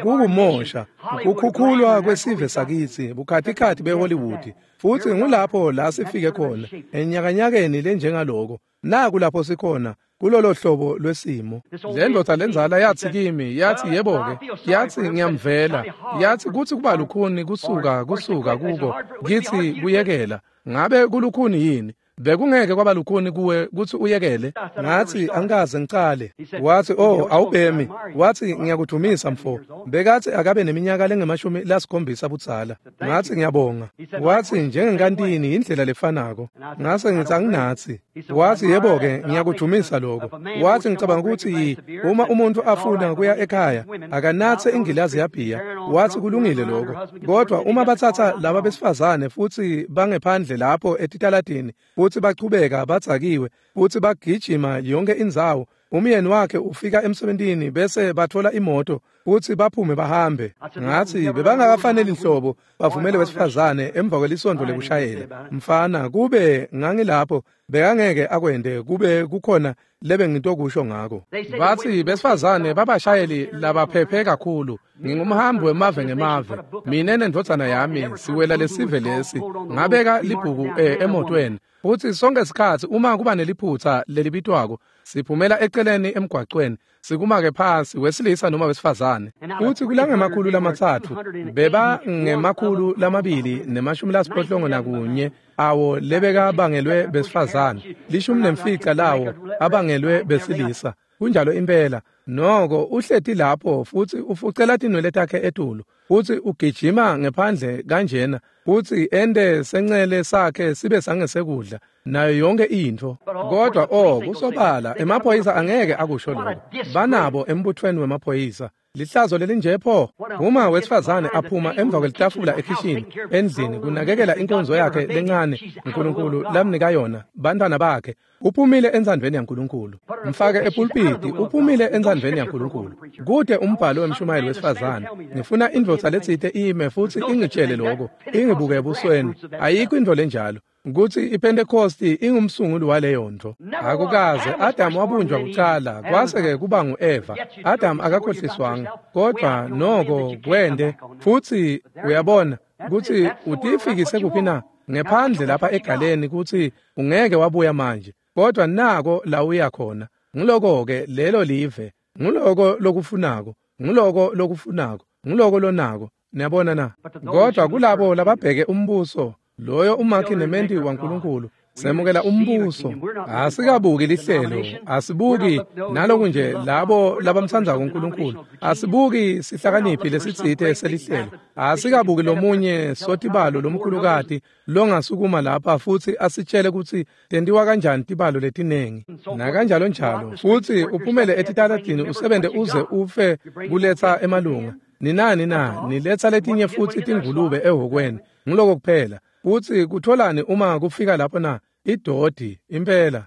Kukumosha, kukhukhulwa kwesive sakitsi, bukhatikhathi beHollywood. Futhi ngulapho la sifike khona, enyakanyakeni lenjengaloko. Naku lapho sikhona, kulolo hlobo lwesimo. Le ndoda lenzala yathi kimi, yathi yebo-ke, yathi ngiyamvela, yathi kuthi kuba lukhuni kusuka kuko, kithi kuyekela. Ngabe kulukhuni yini? Bekungeke kwaba lukhuni kuwe kutsi uyekele? Ngathi angikaze ngicale. Wathi oh awubhemi. Wathi ngiyakudumisa mfo. Bekathi akabe neminyaka lengemashumi lasikhombisa budzala. Ngathi ngiyabonga. Wathi njengenkantini indlela lefanako. Ngase ngithi anginathi. Wathi yebo-ke ngiyakudumisa lokho. Wathi ngicabanga ukuthi uma umuntu afuna kuya ekhaya akanathe ingilazi yabhiya. Wathi kulungile lokho. Kodwa uma bathatha laba besifazane futhi bangephandle lapho etitaladini futhi bachubeka badzakiwe futhi bagijima yonke indzawo, umyeni wakhe ufika emsebentini bese bathola imoto futhi baphume bahambe. Ngathi bebangakafaneli nhlobo bavumele wesifazane emva kwelisonto lekushayela. Mfana, kube ngangilapho bekangeke akwende kube kukhona lebe ngitokusho ngako. Bathi besifazane babashayeli labaphephe kakhulu. Ngingumhambi wemave ngemave. Mina nendvodzana yami siwela lesive lesi. Ngabeka libhuku emotweni. Futhi sonke isikhathi uma kuba neliphutha lelibitwako siphumela eceleni emgwaqweni sikumake phansi wesilisa noma wesifazane. Futhi kulangemakhulu lamathathu beba ngemakhulu 281 awo lebeka bangelwe besifazane, 15 lawo abangelwe besilisa. Kunjalo impela. Noko uhleti lapho futhi ufucela tinwele takhe etulu futhi ugijima ngephandle kanjena futhi ende sencele sakhe sibe sangesekudla nayo yonke intfo. Kodwa kusobala emaphoyisa angeke akusho lokho. Banabo embuthweni wemaphoyisa. Lihlazo lelinje pho. Uma wesifazane aphuma emva kwelitafula ekhishini endlini kunakekela inkonzo yakhe lencane uNkulunkulu lamnika yona bantwana bakhe, uphumile entsandvweni yaNkulunkulu. Mfake epulpiti, uphumile entsandvweni yaNkulunkulu. Kude umbhalo wemshumayeli wesifazane. Ngifuna indvodza letsite ime futhi ingitshele lokho, ingibuke ebusweni. Ayikho intfo lenjalo. Kutsi iPentecosti ingumsunguli waleyo nto. Akukaze Adam wabunjwa kucala, kwase-ke kuba ngu-Eva. Adam akakhohliswanga, kodwa noko kwende. Futhi uyabona kutsi utifikise kuphi na? Ngephandle lapha egaleni kutsi ungeke wabuya manje. Kodwa nako la uya khona. Nguloko-ke lelo live. Nguloko lokufunako. Nguloko lokufunako. Nguloko lonako. Niyabona na? Kodwa kulabo lababheke umbuso, loyo umakhi nementi waNkulunkulu, semukela umbuso. Asikabuki lihlelo, asibuki naloku nje labo labamtsandzako uNkulunkulu, asibuki sihlakaniphi lesitsite selihlelo, asikabuki lomunye sotibalo lomkhulukati longasukuma lapha futhi asitshele kutsi tentiwa kanjani tibalo letinengi nakanjalo njalo. Futhi uphumele etitaladini usebente uze ufe kuletsa emalunga. Ninani na niletsa letinye futhi tingulube ehhokweni. Nguloko kuphela. Futhi kutholani uma kufika lapho na? Idodi impela.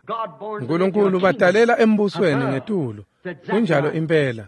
uNkulunkulu badalela embusweni ngetulu. Kunjalo impela.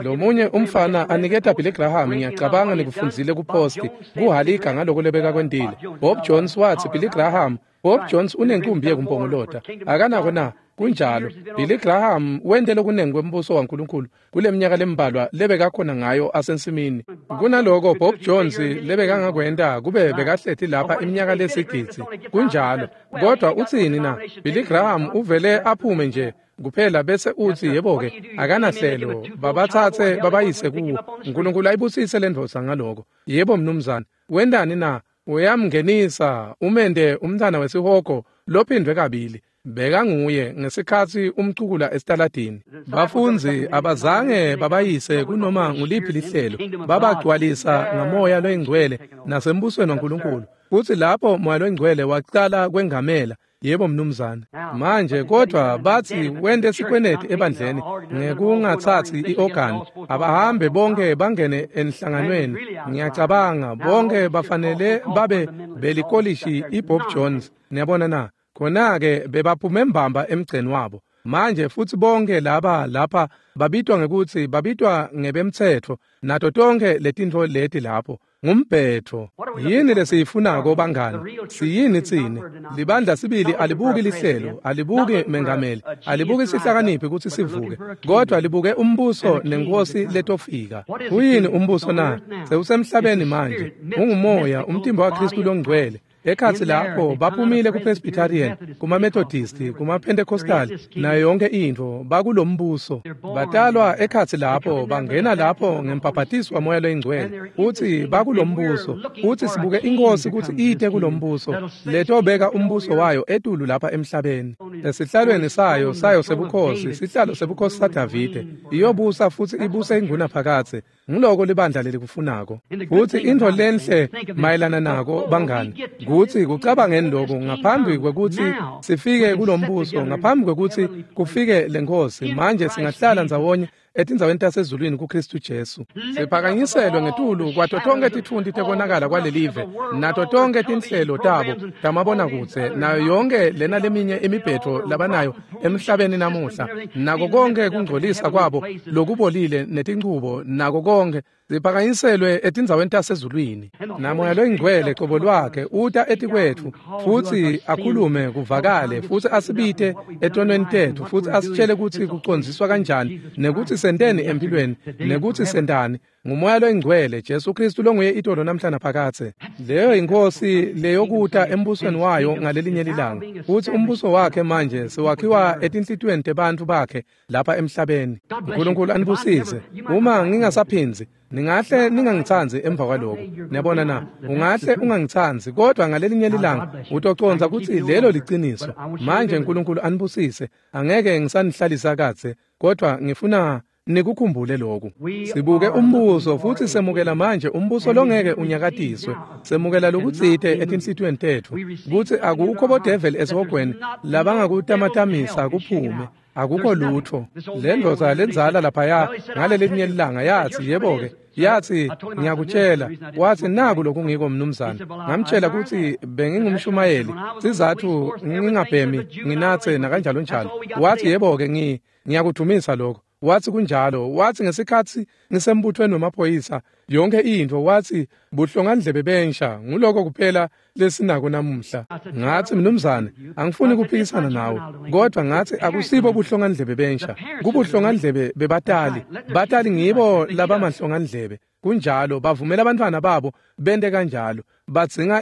Lomunye umfana aniketa Billy Graham, ngiyacabanga nikufundzile kuposti kuhalika ngaloko lebeka kwentile. Bob Jones wathi Billy Graham, Bob Jones unenkumbi yekumpongolota. Akanako na? Kunjalo. Billy Graham wente lokunengi kwembuso waNkulunkulu kuleminyaka lembalwa lebekakhona ngayo asensimini. Kunaloko Bob Jones lebekangakwenta kube bekahleti lapha iminyaka lesigidzi. Kunjalo. Kodwa utsini na? Billy Graham uvele aphume nje kuphela bese uthi yebo-ke akanahlelo, babathathe babayise kuwo. uNkulunkulu ayibusise le ndvodza ngaloko. Yebo mnumzane. Wentani na? Uyamngenisa umende umntana wesihogo lophindwe kabili. Bekanguye ngesikhatsi umcukula esitaladini. Bafundzi abazange babayise kunoma nguliphi lihlelo, babagcwalisa ngamoya loyingcwele nasembusweni waNkulunkulu. Futhi lapho moya loyingcwele wacala kwengamela. Yebo mnumzane. Manje kodwa bathi wente sikweneti ebandleni ngekungathathi iorgan. Abahambe bonke bangene enhlanganweni. Ngiyacabanga bonke bafanele babe belikolishi iBob Jones. Niyabona na? Khona-ke bebaphume mbamba emgceni wabo. Manje futsi bonke laba lapha babitwa ngekutsi babitwa ngebemtsetfo nato tonke letintfo leti lapho. Ngumbhetho. Yini lesiyifunako bangani? Siyini tsine? Libandla sibili alibuki lihlelo, alibuki mengameli, alibuki sihlakaniphi kutsi sivuke, kodwa libuke umbuso nenkosi letofika. Kuyini umbuso na? Sewusemhlabeni manje. Ungumoya, umtimba waKristu longcwele. Ekhatsi lapho baphumile kuPresbyterian, kumaMethodist, kumaPentecostal nayo yonke intfo bakulombuso. Batalwa ekhatsi lapho, bangena lapho ngembhabhatiso waMoya loyiNgcwele. Futsi bakulombuso, futsi sibuke inkosi kutsi ite kulombuso letobeka umbuso wayo etulu lapha emhlabeni. Esihlalweni sayo sebukhosi, sihlalo sebukhosi saDavide, iyobusa futsi ibuse ingunaphakadze. Nguloko libandla lelikufunako. Futsi intfo lenhle mayelana nako bangani, kutsi kucabangeni lokhu ngaphambi kwekutsi sifike kulombuso, ngaphambi kwekutsi kufike lenkosi, manje singahlala ndzawonye etindzaweni tasezulwini kuKristu Jesu. Siphakanyiselwe ngetulu kwato tonke titfunti tekonakala kwalelive, nato tonke tinhlelo tabo tamabonakudze, nayo yonke lena leminye imibhetho labanayo emhlabeni namuhla, nako konke kungcolisa kwabo lokubolile netinchubo, nako konke siphakanyiselwe etindzaweni tasezulwini. Namoya loyingcwele cobo lwakhe uta etikwetfu futsi akhulume kuvakale, futsi asibite etonweni tetfu, futsi asitshele kutsi kucondziswa kanjani, nekuthi senteni empilweni, nekuthi sentani. Ngumoya loyingcwele Jesu Kristu longuye itolo namhla naphakadze. Leyo inkosi leyokuta embusweni wayo ngalelinye lilanga. Futsi umbuso wakhe manje sewakhiwa etinhlitiyweni tebantfu bakhe lapha emhlabeni. uNkulunkulu anibusise. Uma ngingasaphindzi, ningahle ningangitsandzi emva kwaloko. Niyabona na? Ungahle ungangitsandzi, kodwa ngalelinye lilanga utocondza kutsi lelo liciniso. Manje uNkulunkulu anibusise. Angeke ngisanihlalisa kadze, kodwa ngifuna nikukhumbule lokhu. Sibuke umbuso futsi semukela manje umbuso longeke unyakatiswe. Semukela lokutsite etinhlitiyweni tetfu kutsi akukho bodeveli esihogweni labangakutamatamisa kuphume. Akukho lutfo. Lendvodza lendzala laphaya ngalelinye lilanga yatsi, yebo-ke, yatsi, ngiyakutshela, wathi naku lokungiko mnumzane. Ngamtshela kutsi bengingumshumayeli, sizatfu ngingabhemi, nginatse nakanjalo njalo. Wathi yebo-ke, ngiyakudumisa lokho. Wathi kunjalo. Wathi ngesikhatsi ngisembuthweni wemaphoyisa yonke intfo, wathi buhlongandlebe bensha nguloko kuphela lesinako namuhla. Ngathi mnumzane, angifuni kuphikisana nawe, kodwa ngathi akusibo buhlongandlebe bensha, kubuhlongandlebe bebatali. Batali ngibo labamahlongandlebe. Kunjalo, bavumela abantwana babo bente kanjalo. Badzinga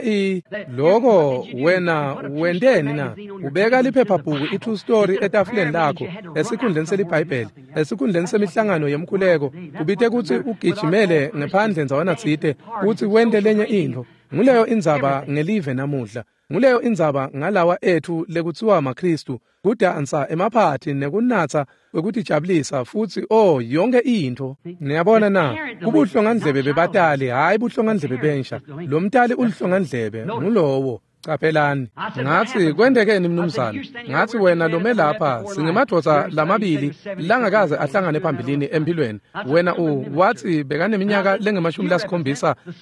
loko. Wena wenteni na? Ubeka liphephabhuku i-true story etafuleni lakho esikhundleni seliBhayibheli, esikhundleni semihlangano yemkhuleko, ubite kutsi ugijimele ngephandle ndzawana tsite kutsi wente lenye intfo. Nguleyo indzaba ngelive namuhla. Nguleyo indzaba ngalawa etfu lekutsiwa maKristu, kudansa emaphathi nekunatsa kwekutijabulisa futsi yonke intfo. Niyabona na? Kubuhlongandlebe bebatali, hhayi buhlongandlebe bensha. Lo mtali ulihlongandlebe, ngulowo. Caphelani. Ngathi kwentekeni mnumzane? Ngathi wena lome lapha singemadvodza lamabili langakaze ahlangane phambilini empilweni. Wena wathi bekaneminyaka lengemashumi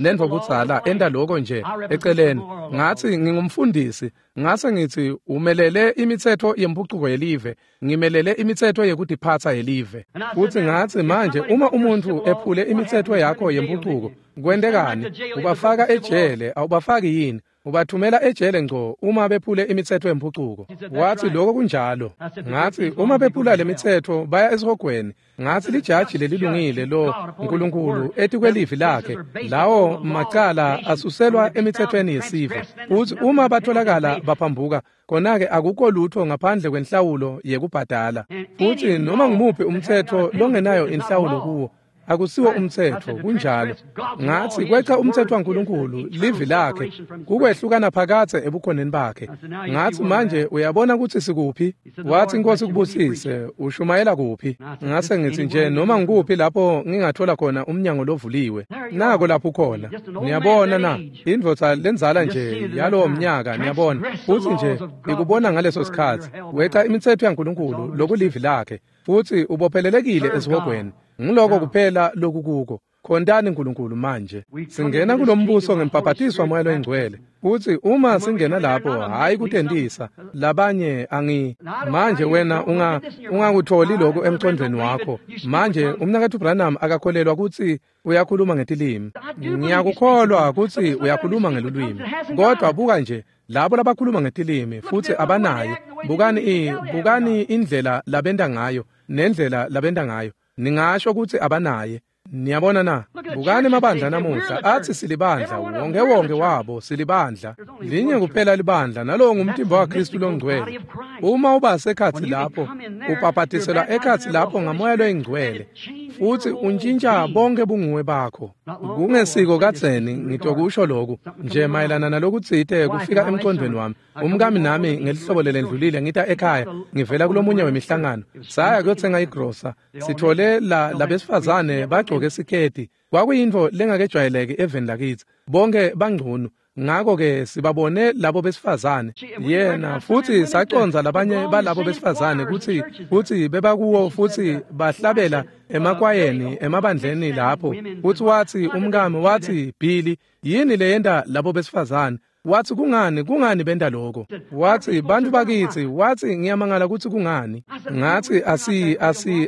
nentfo budzala enta loko nje eceleni. Ngathi ngingumfundisi. Ngase ngithi umelele imitsetfo yempucuko yelive, ngimelele imitsetfo yekutiphatsa yelive. Futhi ngathi manje uma umuntu ephule imitsetfo yakho yempucuko, kwentekani? Ubafaka ejele, awubafaki yini? Ubathumela ejele ngco uma bephule imitsetfo yempucuko. Wathi lokho kunjalo. Ngathi uma bephula lemitsetfo baya esihogweni. Ngathi lijaji lelilungile lo uNkulunkulu etikwelivi lakhe, lawo macala asuselwa emitsetfweni yesive. Futhi uma batholakala baphambuka, khona-ke akukho lutho ngaphandle kwenhlawulo yekubhadala. Futhi noma ngumuphi umtsetfo longenayo inhlawulo kuwo akusiwo umtsetfo. Kunjalo. Ngathi kweca umtsetfo waNkulunkulu, livi lakhe, kukwehlukana phakadze ebukhoneni bakhe. Ngathi manje uyabona kutsi sikuphi? Wathi inkosi kubusise, ushumayela kuphi? Ngase ngithi nje noma ngikuphi lapho ngingathola khona umnyango lovuliwe. Nako lapho ukhona. Niyabona na? Indvodza lendzala nje yalowo mnyaka, niyabona. Futhi nje ikubona ngaleso sikhatsi. Weca imitsetfo yaNkulunkulu lokulivi lakhe, futhi ubophelelekile esihogweni. Nguloko kuphela lokukuko. Khontani uNkulunkulu manje. Singena kulombuso ngembhabhatiso waMoya loyiNgcwele. Futhi uma singena lapho, hhayi kutentisa labanye angi manje wena ungakutholi lokhu emqondweni wakho. Manje umnaketfu Branham akakholelwa kutsi uyakhuluma ngetilimi. Ngiyakukholwa kutsi uyakhuluma ngelulwimi. Kodwa buka nje labo labakhuluma ngetilimi futhi abanaye. Bukani indlela labenta ngayo nendlela labenta ngayo. Ningasho kutsi abanaye. Niyabona na? Bukani emabandla namuhla athi silibandla, wonke wonke wabo silibandla. Linye kuphela libandla, nalowo ngumtimba waKristu longcwele. Uma uba sekhatsi lapho, ubhabhatiselwa ekhatsi lapho ngaMoya loyiNgcwele, futhi untshintsha bonke bunguwe bakho. Kungesiko kadzeni ngitokusho lokhu nje mayelana nalokutsite kufika emqondweni wami. Umkami nami ngelihlobo lelendlulile ngita ekhaya ngivela kulomunye wemihlangano. Saya kuyotsenga igrosa. Sithole labesifazane bagcoke siketi. Kwakuyintfo lengakejwayeleki eveni lakitsi. Bonke bangcunu. Ngakho-ke sibabone labo besifazane yena futhi saconza labanye balabo besifazane kutsi bebakuwo futhi bahlabela emakwayeni emabandleni lapho. Futhi wathi umkami wathi, Billy, yini leyenta labo besifazane? Wathi kungani benta lokho? Wathi bantu bakithi, wathi ngiyamangala kutsi kungani. Ngathi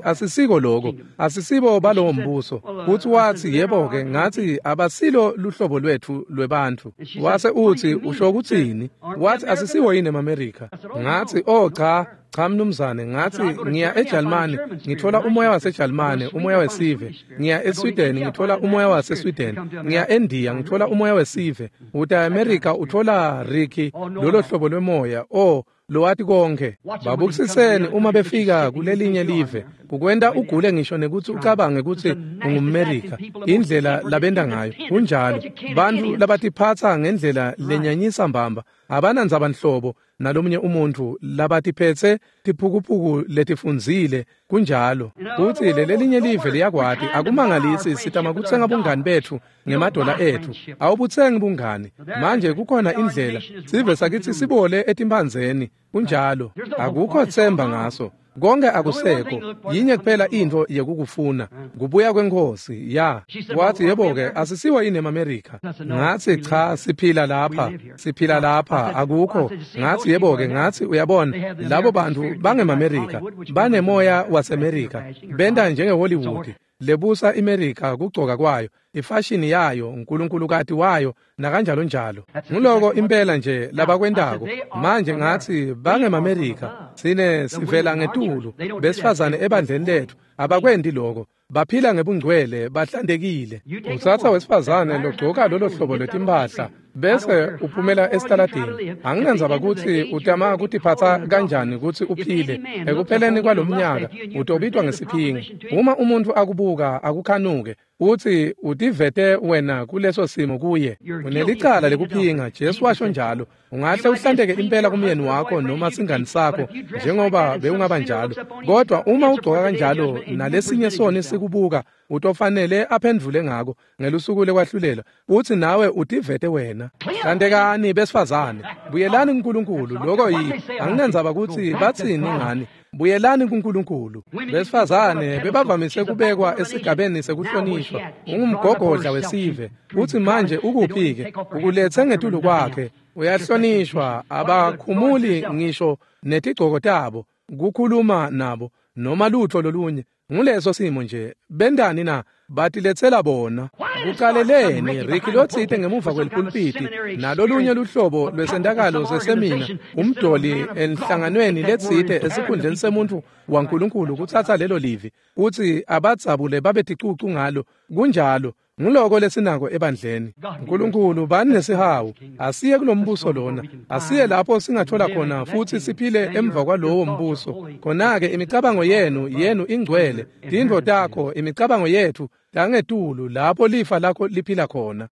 asisiko lokho, asisibo balowo mbuso. Futhi wathi yebo-ke, ngathi abasilo luhlobo lwethu lwebantfu. Wase uthi usho kutsini? Wathi asisiwo yini emaMerika? Ngathi oh cha. Cha mnumzane, ngathi ngiya eJalimane ngithola umoya waseJalimane, umoya wesive. Ngiya eSweden ngithola umoya waseSweden. Ngiya eNdiya ngithola umoya wesive. Uta eAmerica uthola Ricky lolo hlobo lwemoya. Oh, lowati konke. Babukisiseni uma befika kulelinye live. Kukwenta ugule ngisho nekutsi ucabange kutsi ungumMerika. Indlela labenta ngayo kunjalo. Bantfu labatiphatsa ngendlela lenyanyisa mbamba abanandzaba nhlobo nalomunye umuntfu, labatiphethe tiphukuphuku letifundzile kunjalo. Kutsi lelelinye live liyakwati, akumangalisi sitama kutsenga bungani betfu ngemadola etfu. Awubutsengi bungani. Manje kukhona indlela sive sakithi sibole etimphandzeni kunjalo. Akukho tsemba ngaso. Konke akusekho. Yinye kuphela intfo yekukufuna, kubuya kweNkhosi. Ya. Wathi yebo-ke, asisiwo yini emaMerika? Ngathi cha, siphila lapha, siphila lapha, akukho. Ngathi yebo-ke, ngathi uyabona, labo bantfu bangemaMerika, banemoya waseMerika, benta njengeHollywood. Lebusa iMerika kugcoka kwayo, ifashini yayo, uNkulunkulukati wayo, nakanjalo njalo. Nguloko impela nje labakwentako. Manje ngathi bangemaMerika, sine sivela ngetulu, besifazane ebandleni letfu abakwendi lokho. Baphila ngebungcwele, bahlantekile. Utsatsa wesifazane logcoka lolo hlobo lwetimphahla bese uphumela esitaladini. Anginandzaba kutsi utama kutiphatsa kanjani kutsi uphile. Ekupheleni kwalomnyaka utobitwa ngesiphingi. Uma umuntfu akubuka akukhanuke, uthi utivete wena kuleso simo kuye. Unelicala lekuphinga, Jesu washo njalo. Ungahle uhlanteke impela kumyeni wakho noma singani sakho njengoba bewungaba njalo. Kodwa uma ugcoka kanjalo nalesinye soni sikubuka, utofanele aphendvule ngako ngelusuku lekwahlulela. Uthi nawe utivete wena. Hlantekani besifazane, buyelani kuNkulunkulu. Lokho yi anginandzaba kutsi batsini ngani. Buyelani kuNkulunkulu. Besifazane bebavamise kubekwa esigabeni sekuhlonishwa. Ungumgogodla wesive. Uthi manje ukuphi-ke? Ukulethe ngetulu kwakhe. Uyahlonishwa, abakhumuli ngisho netigcoko tabo, kukhuluma nabo noma lutho lolunye. Nguleso simo nje. Bentani na? Batiletsela bona. Kucaleleni Ricky lotsite ngemuva kwelipulpiti nalolunye luhlobo lwesentakalo sesemina, umdoli enhlanganweni letsite esikhundleni semuntfu waNkulunkulu kutsatsa lelo livi kutsi abadzabule babe ticucu ngalo. Kunjalo. Nguloko lesinako ebandleni. Nkulunkulu bani nesihawu. Asiye kulombuso lona. Asiye lapho singathola khona futhi siphile emva kwalowo mbuso. Khona-ke imicabango yenu ingcwele. Tintfo takho, imicabango yethu tangetulu lapho lifa lakho liphila khona.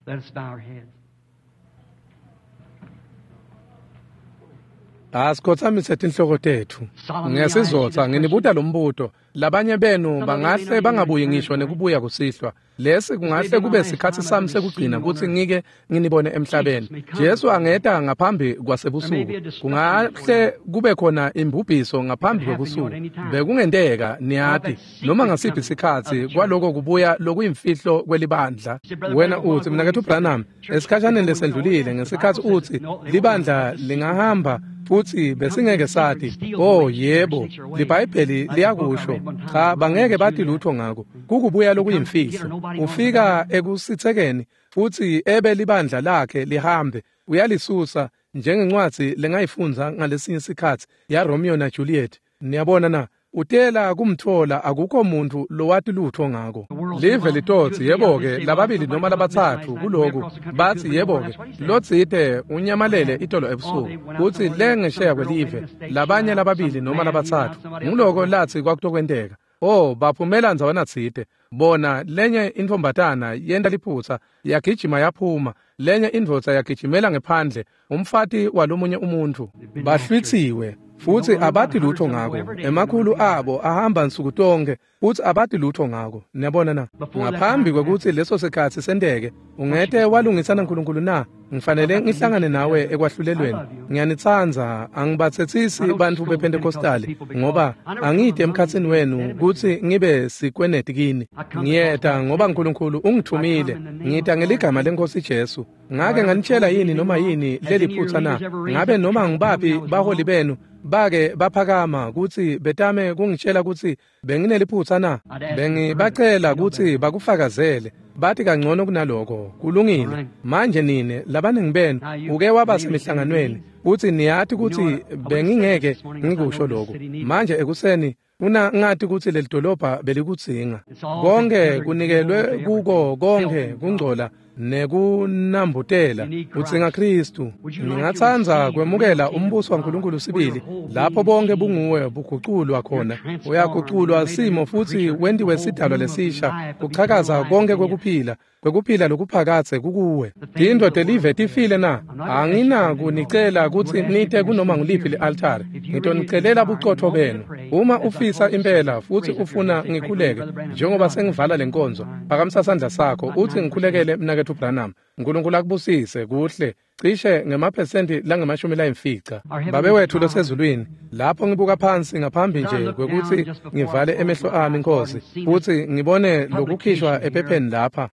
Asikhotsamise tinhloko tetfu. Ngesizotsa nginibuta lombuto. Labanye benu bangahle bangabuyi ngisho nekubuya kusihlwa. Lesi kungahle kube sikhatsi sami sekugcina kutsi ngike nginibone emhlabeni. Jesu angeta ngaphambi kwasebusuku. Kungahle kube khona imbubhiso ngaphambi kwebusuku. Bekungenteka niyati noma ngasiphi sikhatsi kwaloko kubuya lokuyimfihlo kwelibandla. Wena utsi mnaketfu Branham, esikhashaneni lesendlulile ngesikhatsi utsi libandla lingahamba futsi besingeke sathi. Oh yebo, liBhayibheli liyakusho. Cha, bangeke bathi lutho ngako. Kukubuya lokuyimfihlo. Ufika ekusitsekeni futsi ebe libandla lakhe lihambe, uyalisusa njengencwadzi lengayifundza ngalesinye sikhatsi ya Romeo na Juliet. Niyabona na? Utela kumthola akukho muntu lowati lutho ngako. Live litotsi yebo-ke lababili noma labatsatfu kuloku batsi yebo-ke lotsite unyamalele itolo ebusuku kutsi lengesheya kwelive labanye lababili noma labatsatfu nguloko latsi kwakutokwenteka. Oh, baphumela ndzawana tsite. Bona lenye intfombatana yenta liphutsa yagijima yaphuma, lenye indvodza yagijimela ngephandle, umfati walomunye umuntfu. Bahlwitsiwe futsi abati lutho ngako. Emakhulu abo ahamba nsuku tonke futsi abati lutho ngako. Niyabona na? Ngaphambi kwekutsi leso sikhatsi senteke, ungete walungisana naNkulunkulu na? Ngifanele ngihlangane nawe ekwahlulelweni. Ngiyanitsandza, angibatsetsisi bantfu bePentecostali ngoba angite emkhatsini wenu kutsi ngibe sikweneti kini. Ngiyeta ngoba uNkulunkulu ungithumile. Ngita ngeligama leNkosi Jesu. Ngake nganitshela yini noma yini leliphutsa na? Ngabe noma ngibaphi baholi benu bake baphakama kutsi betame kungitshela kutsi bengineliphutsa na? Bengibacela kutsi bakufakazele. Bathi kangcono kunaloko. Kulungile. Manje nine labaningi benu uke waba semihlanganweni kutsi niyati kutsi bengingeke ngikusho lokhu. Manje ekuseni una ngati kutsi leli dolobha belikudzinga. Konke kunikelwe kuko, konke kungcola nekunambutela. Udzinga Kristu. Ngingatsandza kwemukela umbuso waNkulunkulu sibili lapho bonke bunguwe buguculwa khona. Uyaguculwa simo futsi wentiwe sidalwa lesisha, kuchakaza konke kwekuphila kwekuphila lokuphakadze kukuwe. Tintfo telive tifile na? Anginakunicela kutsi nite kunoma nguliphi li-altari. Ngitonicelela bucotfo benu. Uma ufisa impela futsi ufuna ngikhuleke njengoba sengivala lenkonzo, phakamisa sandla sakho utsi ngikhulekele mnaketfu Branham. Nkulunkulu akubusise kuhle. Cishe ngemaphesenti langemashumi layimfica. Babe wethu losezulwini, lapho ngibuka phansi ngaphambi nje kwekutsi ngivale emehlo ami Nkosi, futsi ngibone lokukhishwa ephepheni lapha.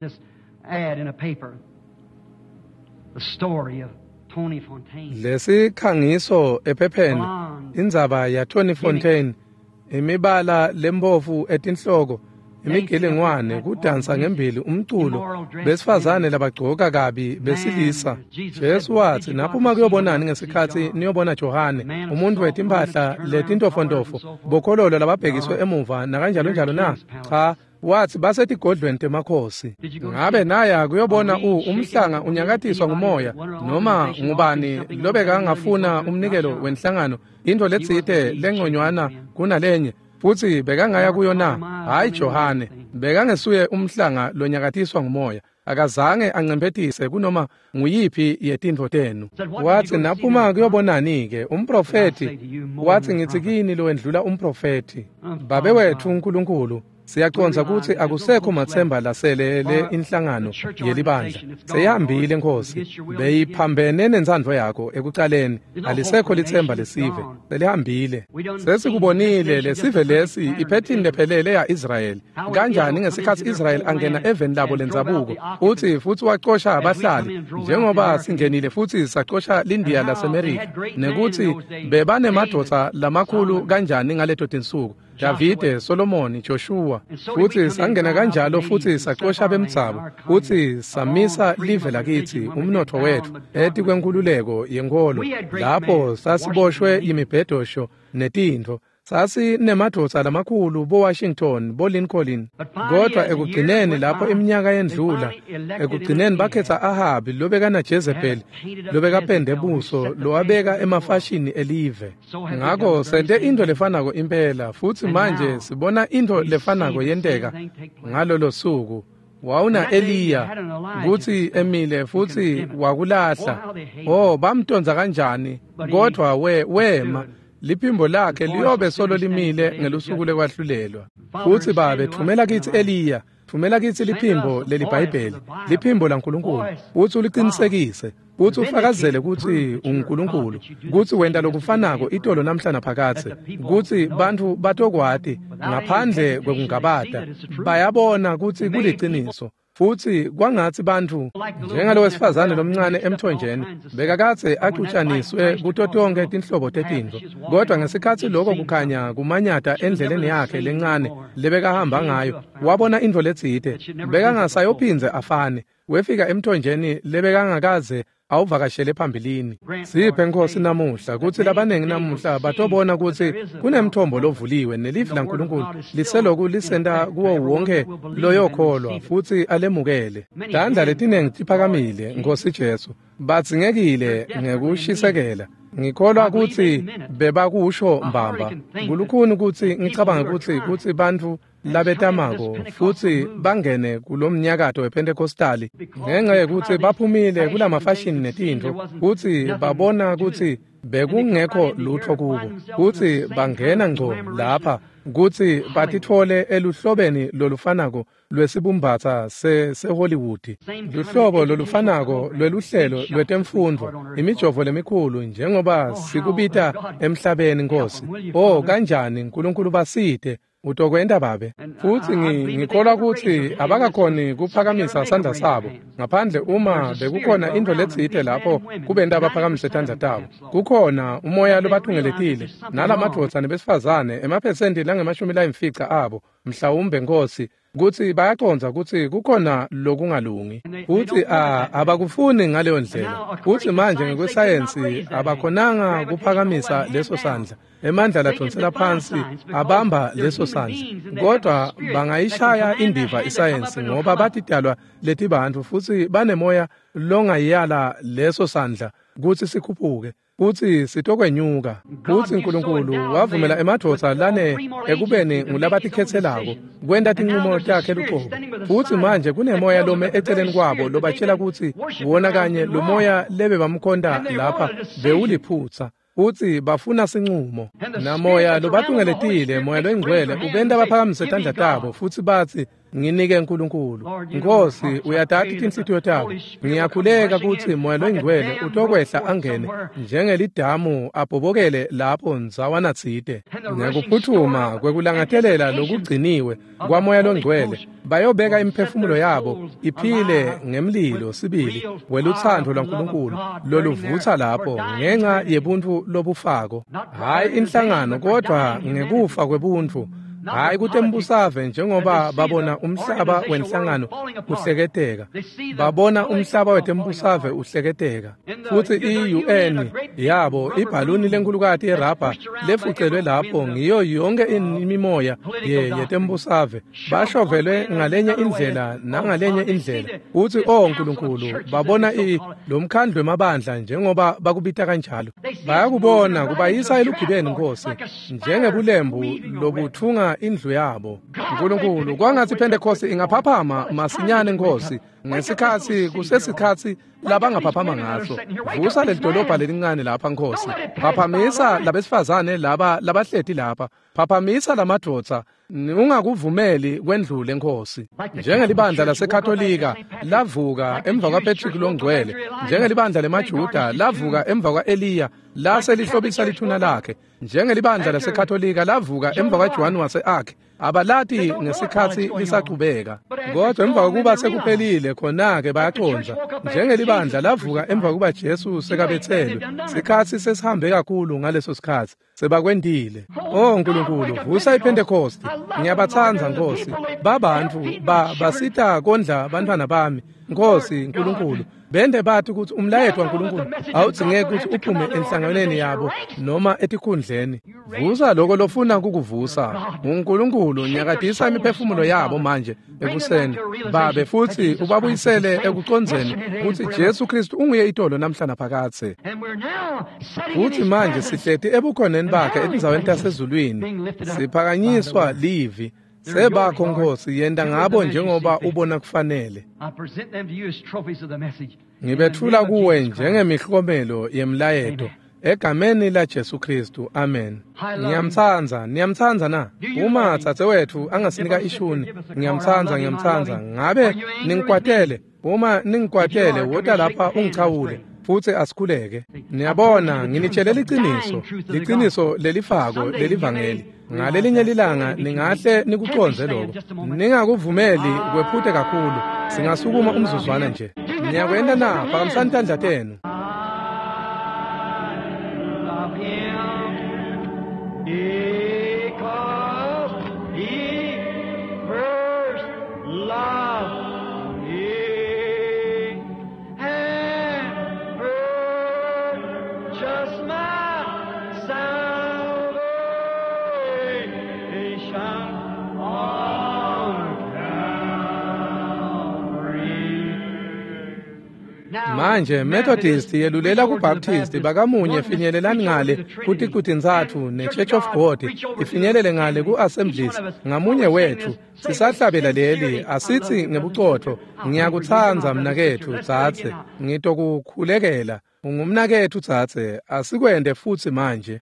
Lesikhangiso ephepheni, indzaba ya Tony Fontaine, imibala lembovu etinhloko, imigilingwane, kudansa ngembili, umculo, besifazane labagcoka kabi, besilisa. Jesu watsi, naphuma kuyobonani ngesikhatsi niyobona Johane, umuntu wetimphahla letintofontofo, bokhololo lababhekiswe emuva nakanjalo njalo na? Cha, wathi basetigodlweni temakhosi. Ngabe naya kuyobona umhlanga unyakatiswa ngumoya noma ngubani lobekangafuna umnikelo wenhlangano, into letsite lengconywana kunalenye, futsi bekangaya kuyo na? Hayi Johane, bekangesuye umhlanga lonyakatiswa ngumoya. Akazange ancemphetise kunoma nguyiphi yetintfo tenu. Watsi naphuma kuyobonani-ke umprofethi? Watsi ngitsi kini lowendlula umprofethi. Babe wetfu uNkulunkulu, siyacondza kutsi akusekho matsemba laselele inhlangano yelibandla. Seyihambile Nkosi, beyiphambene nentsandvo yakho ekucaleni. Alisekho litsemba lesive, selihambile. Sesikubonile lesive lesi iphethini lephelele ya-Israyeli. Kanjani ngesikhatsi Israyeli angena eveni labo lendzabuko, utsi futsi wacosha abahlali, njengoba singenile futsi sacosha liNdiya laseMerika, nekutsi bebanemadvodza lamakhulu kanjani ngaleto tinsuku. Davide, Solomoni, Joshua, futsi sangena kanjalo futsi sacosha bemdzabo, futsi samisa live lakitsi, umnotfo wetfu, etikwenkhululeko yenkholo, lapho sasiboshwe imibhedosho netintfo. Sasinemadvodza lamakhulu bo-Washington, bo-Lincoln, kodvwa ekugcineni lapho iminyaka yendlula, ekugcineni bakhetsa Ahabi lobekana Jezebel, lobekapende buso, lowabeka emafashini elive. Ngako sente intfo lefanako impela, futsi manje sibona intfo lefanako yenteka ngalolo suku. Wawuna Eliya kutsi emile futsi wakulahla. Oh, bamtondza kanjani, kodvwa wema. Liphimbo lakhe liyobe solo limile ngelusuku lekwahlulelwa. Futsi Babe, thumela kitsi Eliya, thumela kitsi liphimbo leliBhayibheli, liphimbo laNkulunkulu, futsi uliqinisekise, futsi ufakazele kutsi unguNkulunkulu, kutsi wenta lokufanako itolo namhla naphakadze, kutsi bantfu batokwati ngaphandle kwekungabata, bayabona kutsi kuliciniso. Futsi kwangatsi bantfu njengalo wesifazane lomncane emthonjeni bekakadze axutshaniswe kuto tonkhe tinhlobo tetintfo, kodwa ngesikhatsi lokho kukhanya kumanyata endleleni yakhe lencane lebekahamba ngayo, wabona intfo letsite bekangasayophindze afane. Wefika emthonjeni lebekangakaze awuvakashele phambilini. Siphe Nkosi namuhla kutsi labanengi namuhla batobona kutsi kunemthombo lovuliwe nelivi laNkulunkulu liseloku lisenta kuwo wonke loyokholwa futsi alemukele. Tandla letinengi tiphakamile, Nkosi Jesu, badzingekile ngekushisekela. Ngikholwa kutsi bebakusho mbamba. Kulukhuni kutsi ngicabanga kutsi bantfu labetamako futsi bangene kulomnyakato wePentecostali ngenxa yekutsi baphumile kulamafashini netintfo, futsi babona kutsi bekungekho lutfo kubo, kutsi bangena ngco lapha kutsi batitfole eluhlobeni lolufanako lwesibumbatsa seHollywood, luhlobo lolufanako lweluhlelo lwetemfundvo, imijovo lemikhulu njengoba sikubita emhlabeni. Nkosi, oh kanjani Nkulunkulu basite utokwenta Babe. Futsi ngikholwa kutsi abakakhoni kuphakamisa sandla sabo ngaphandle uma bekukhona intfo letsite lapho kubenta baphakamise tandla tabo. Kukhona umoya lobatungeletile nalamadvodza nebesifazane emaphesenti langama-50 abo mhlawumbe, Nkosi, kutsi bayacondza kutsi kukhona lokungalungi, futsi abakufuni ngaleyo ndlela. Futsi manje ngekwesayensi abakhonanga kuphakamisa leso sandla, emandla ladonsela phansi abamba leso sandla, kodwa bangayishaya indiva isayensi ngoba batidalwa letibantfu futsi banemoya longayala leso sandla kutsi sikhuphuke, kutsi sitokwenyuka. Futsi Nkulunkulu wavumela emadvodza lane ekubeni ngulabatikhetselako kwenta tinqumo takhe luqobo. Futsi manje kunemoya lome eceleni kwabo lobatshela kutsi wona kanye lo moya lebebamkhonta lapha bewuliphutsa, futsi bafuna sinqumo. Namoya lobatungeletile, moya longcwele, ubenta baphakamise tandla tabo futsi batsi, nginike Nkulunkulu. Nkosi, uyatati tinhlitiyo tabo. Ngiyakhuleka kutsi moya longcwele utokwehla angene njengelidamu abhobokele lapho ndzawana tsite. Ngekuphutfuma kwekulangatelela lokugciniwe kwamoya longcwele, bayobeka imiphefumulo yabo iphile ngemlilo sibili welutsandvo lwaNkulunkulu loluvutsa lapho ngenxa yebuntfu lobufako, hhayi inhlangano kodwa ngekufa kwebuntfu, hhayi kutembusave njengoba babona umhlaba wenhlangano uhleketeka, babona umhlaba wetembusave uhleketeka. Futsi i-UN yabo ibhaluni lenkulukati yerabha lefucelwe lapho ngiyo yonke imimoya yetembusave, bashovelwe ngalenye indlela nangalenye indlela. Futsi oh Nkulunkulu, babona lomkhandlu wemabandla njengoba bakubita kanjalo, bayakubona kubayisa elugibeni, Nkosi, njengebulembu lobuthunga indlu yabo. Nkulunkulu, kwangatsi Pentecost ingaphaphama masinyane, Nkosi, ngesikhatsi kusesikhatsi labangaphaphama ngaso. Vusa lelidolobha lelincane lapha, Nkosi. Phaphamisa labesifazane laba labahleti lapha, phaphamisa lamadvodza, ungakuvumeli kwendlule, Nkosi. Njengelibandla laseKatolika lavuka emva kwaPatrick longcwele, njengelibandla lemaJuda lavuka emva kwa-Eliya lase lihlobisa lithuna lakhe, njengelibandla laseKatolika lavuka emva kwaJohn wase-Arc, abalati ngesikhatsi lisachubeka, kodwa emva kokuba sekuphelile khona-ke bayacondza. Njengelibandla lavuka emva kokuba Jesu sekabetselwe, sikhatsi sesihambe kakhulu ngaleso sikhatsi sebakwentile. Oh Nkulunkulu, vusa iPentecost. Ngiyabatsandza, Nkosi, babantfu basita kondla bantfwana bami, Nkosi Nkulunkulu. Bende bathi kutsi umlayeto waNkulunkulu awudzingeki kutsi uphume enhlanganweni yabo noma etikhundleni. Vusa loko lofuna kukuvusa. UNkulunkulu, nyakatisa imiphefumulo yabo manje ekuseni, Babe, futsi ubabuyisele ekucondzeni kutsi Jesu Kristu unguye itolo namhla naphakadze. Futsi manje sihleti ebukhoneni bakhe etindzaweni tasezulwini, siphakanyiswa livi. Sebakho, Nkosi, yenta ngabo njengoba ubona kufanele. Ngibetfula kuwe njengemihlomelo yemlayeto Egameni laJesu Kristu, amen. Ngiyamtsandza, niyamtsandza na? Uma dzadzewetfu angasinika ishuni, ngiyamtsandza, ngiyamtsandza. Ngabe ningikwatele? Uma ningikwatele, wota lapha ungichawule futsi asikhuleke. Niyabona, nginitshele liciniso, liciniso lelifako lelivangeli. Ngalelinye lilanga ningahle nikucondze lokho. Ningakuvumeli kwephute kakhulu. Singasukuma umzuzwana nje. Niyakwenta na? Phakamisani tandla tenu. Love him because he first loved me and purchased my salvation on Calvary. Manje Methodist yelulela kuBaptist bakamunye finyelelani ngale kuticu-tintsatfu ne-Church of God ifinyelele ngale ku-Assemblies ngamunye wethu sisahlabela leli asithi ngebucotfo ngiyakutsandza mnaketfu dzadze ngitokukhulekela ungumnaketfu dzadze asikwente futsi manje.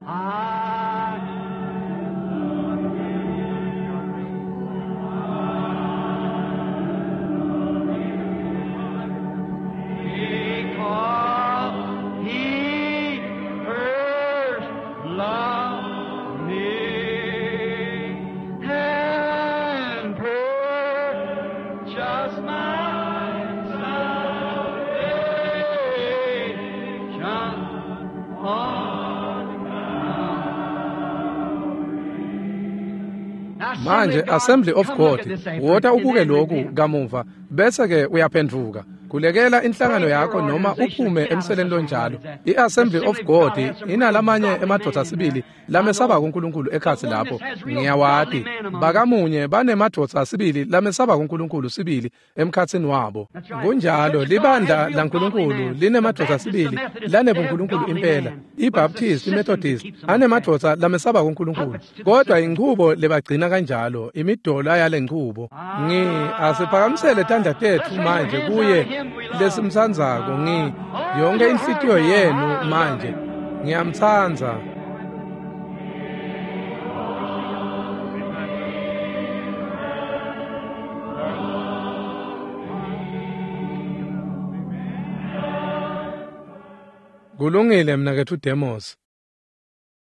Because he first loved me and purchased my salvation on Manje Assembly of God wota ubuke lokhu kamuva bese ke uyaphenduka kulekela inhlangano yakho noma uphume emseleni lonjalo. I-Assembly of God inalamanye emadvodza sibili lamesaba kuNkulunkulu ekhatsi lapho ngiyawati bakamunye banemadvodza sibili lamesaba kuNkulunkulu sibili emkhatsini wabo. Kunjalo libandla laNkulunkulu linemadvodza sibili lanebunkulunkulu impela. iBaptist, iMethodist anemadvodza lamesaba kuNkulunkulu kodwa inchubo lebagcina kanjalo imidola yalenchubo. Ngi asiphakamisele tandla tetfu manje kuye lesimtsandzako ngi yonke inhlitiyo yenu manje ngiyamtsandza. Kulungile mnaketfu Demos.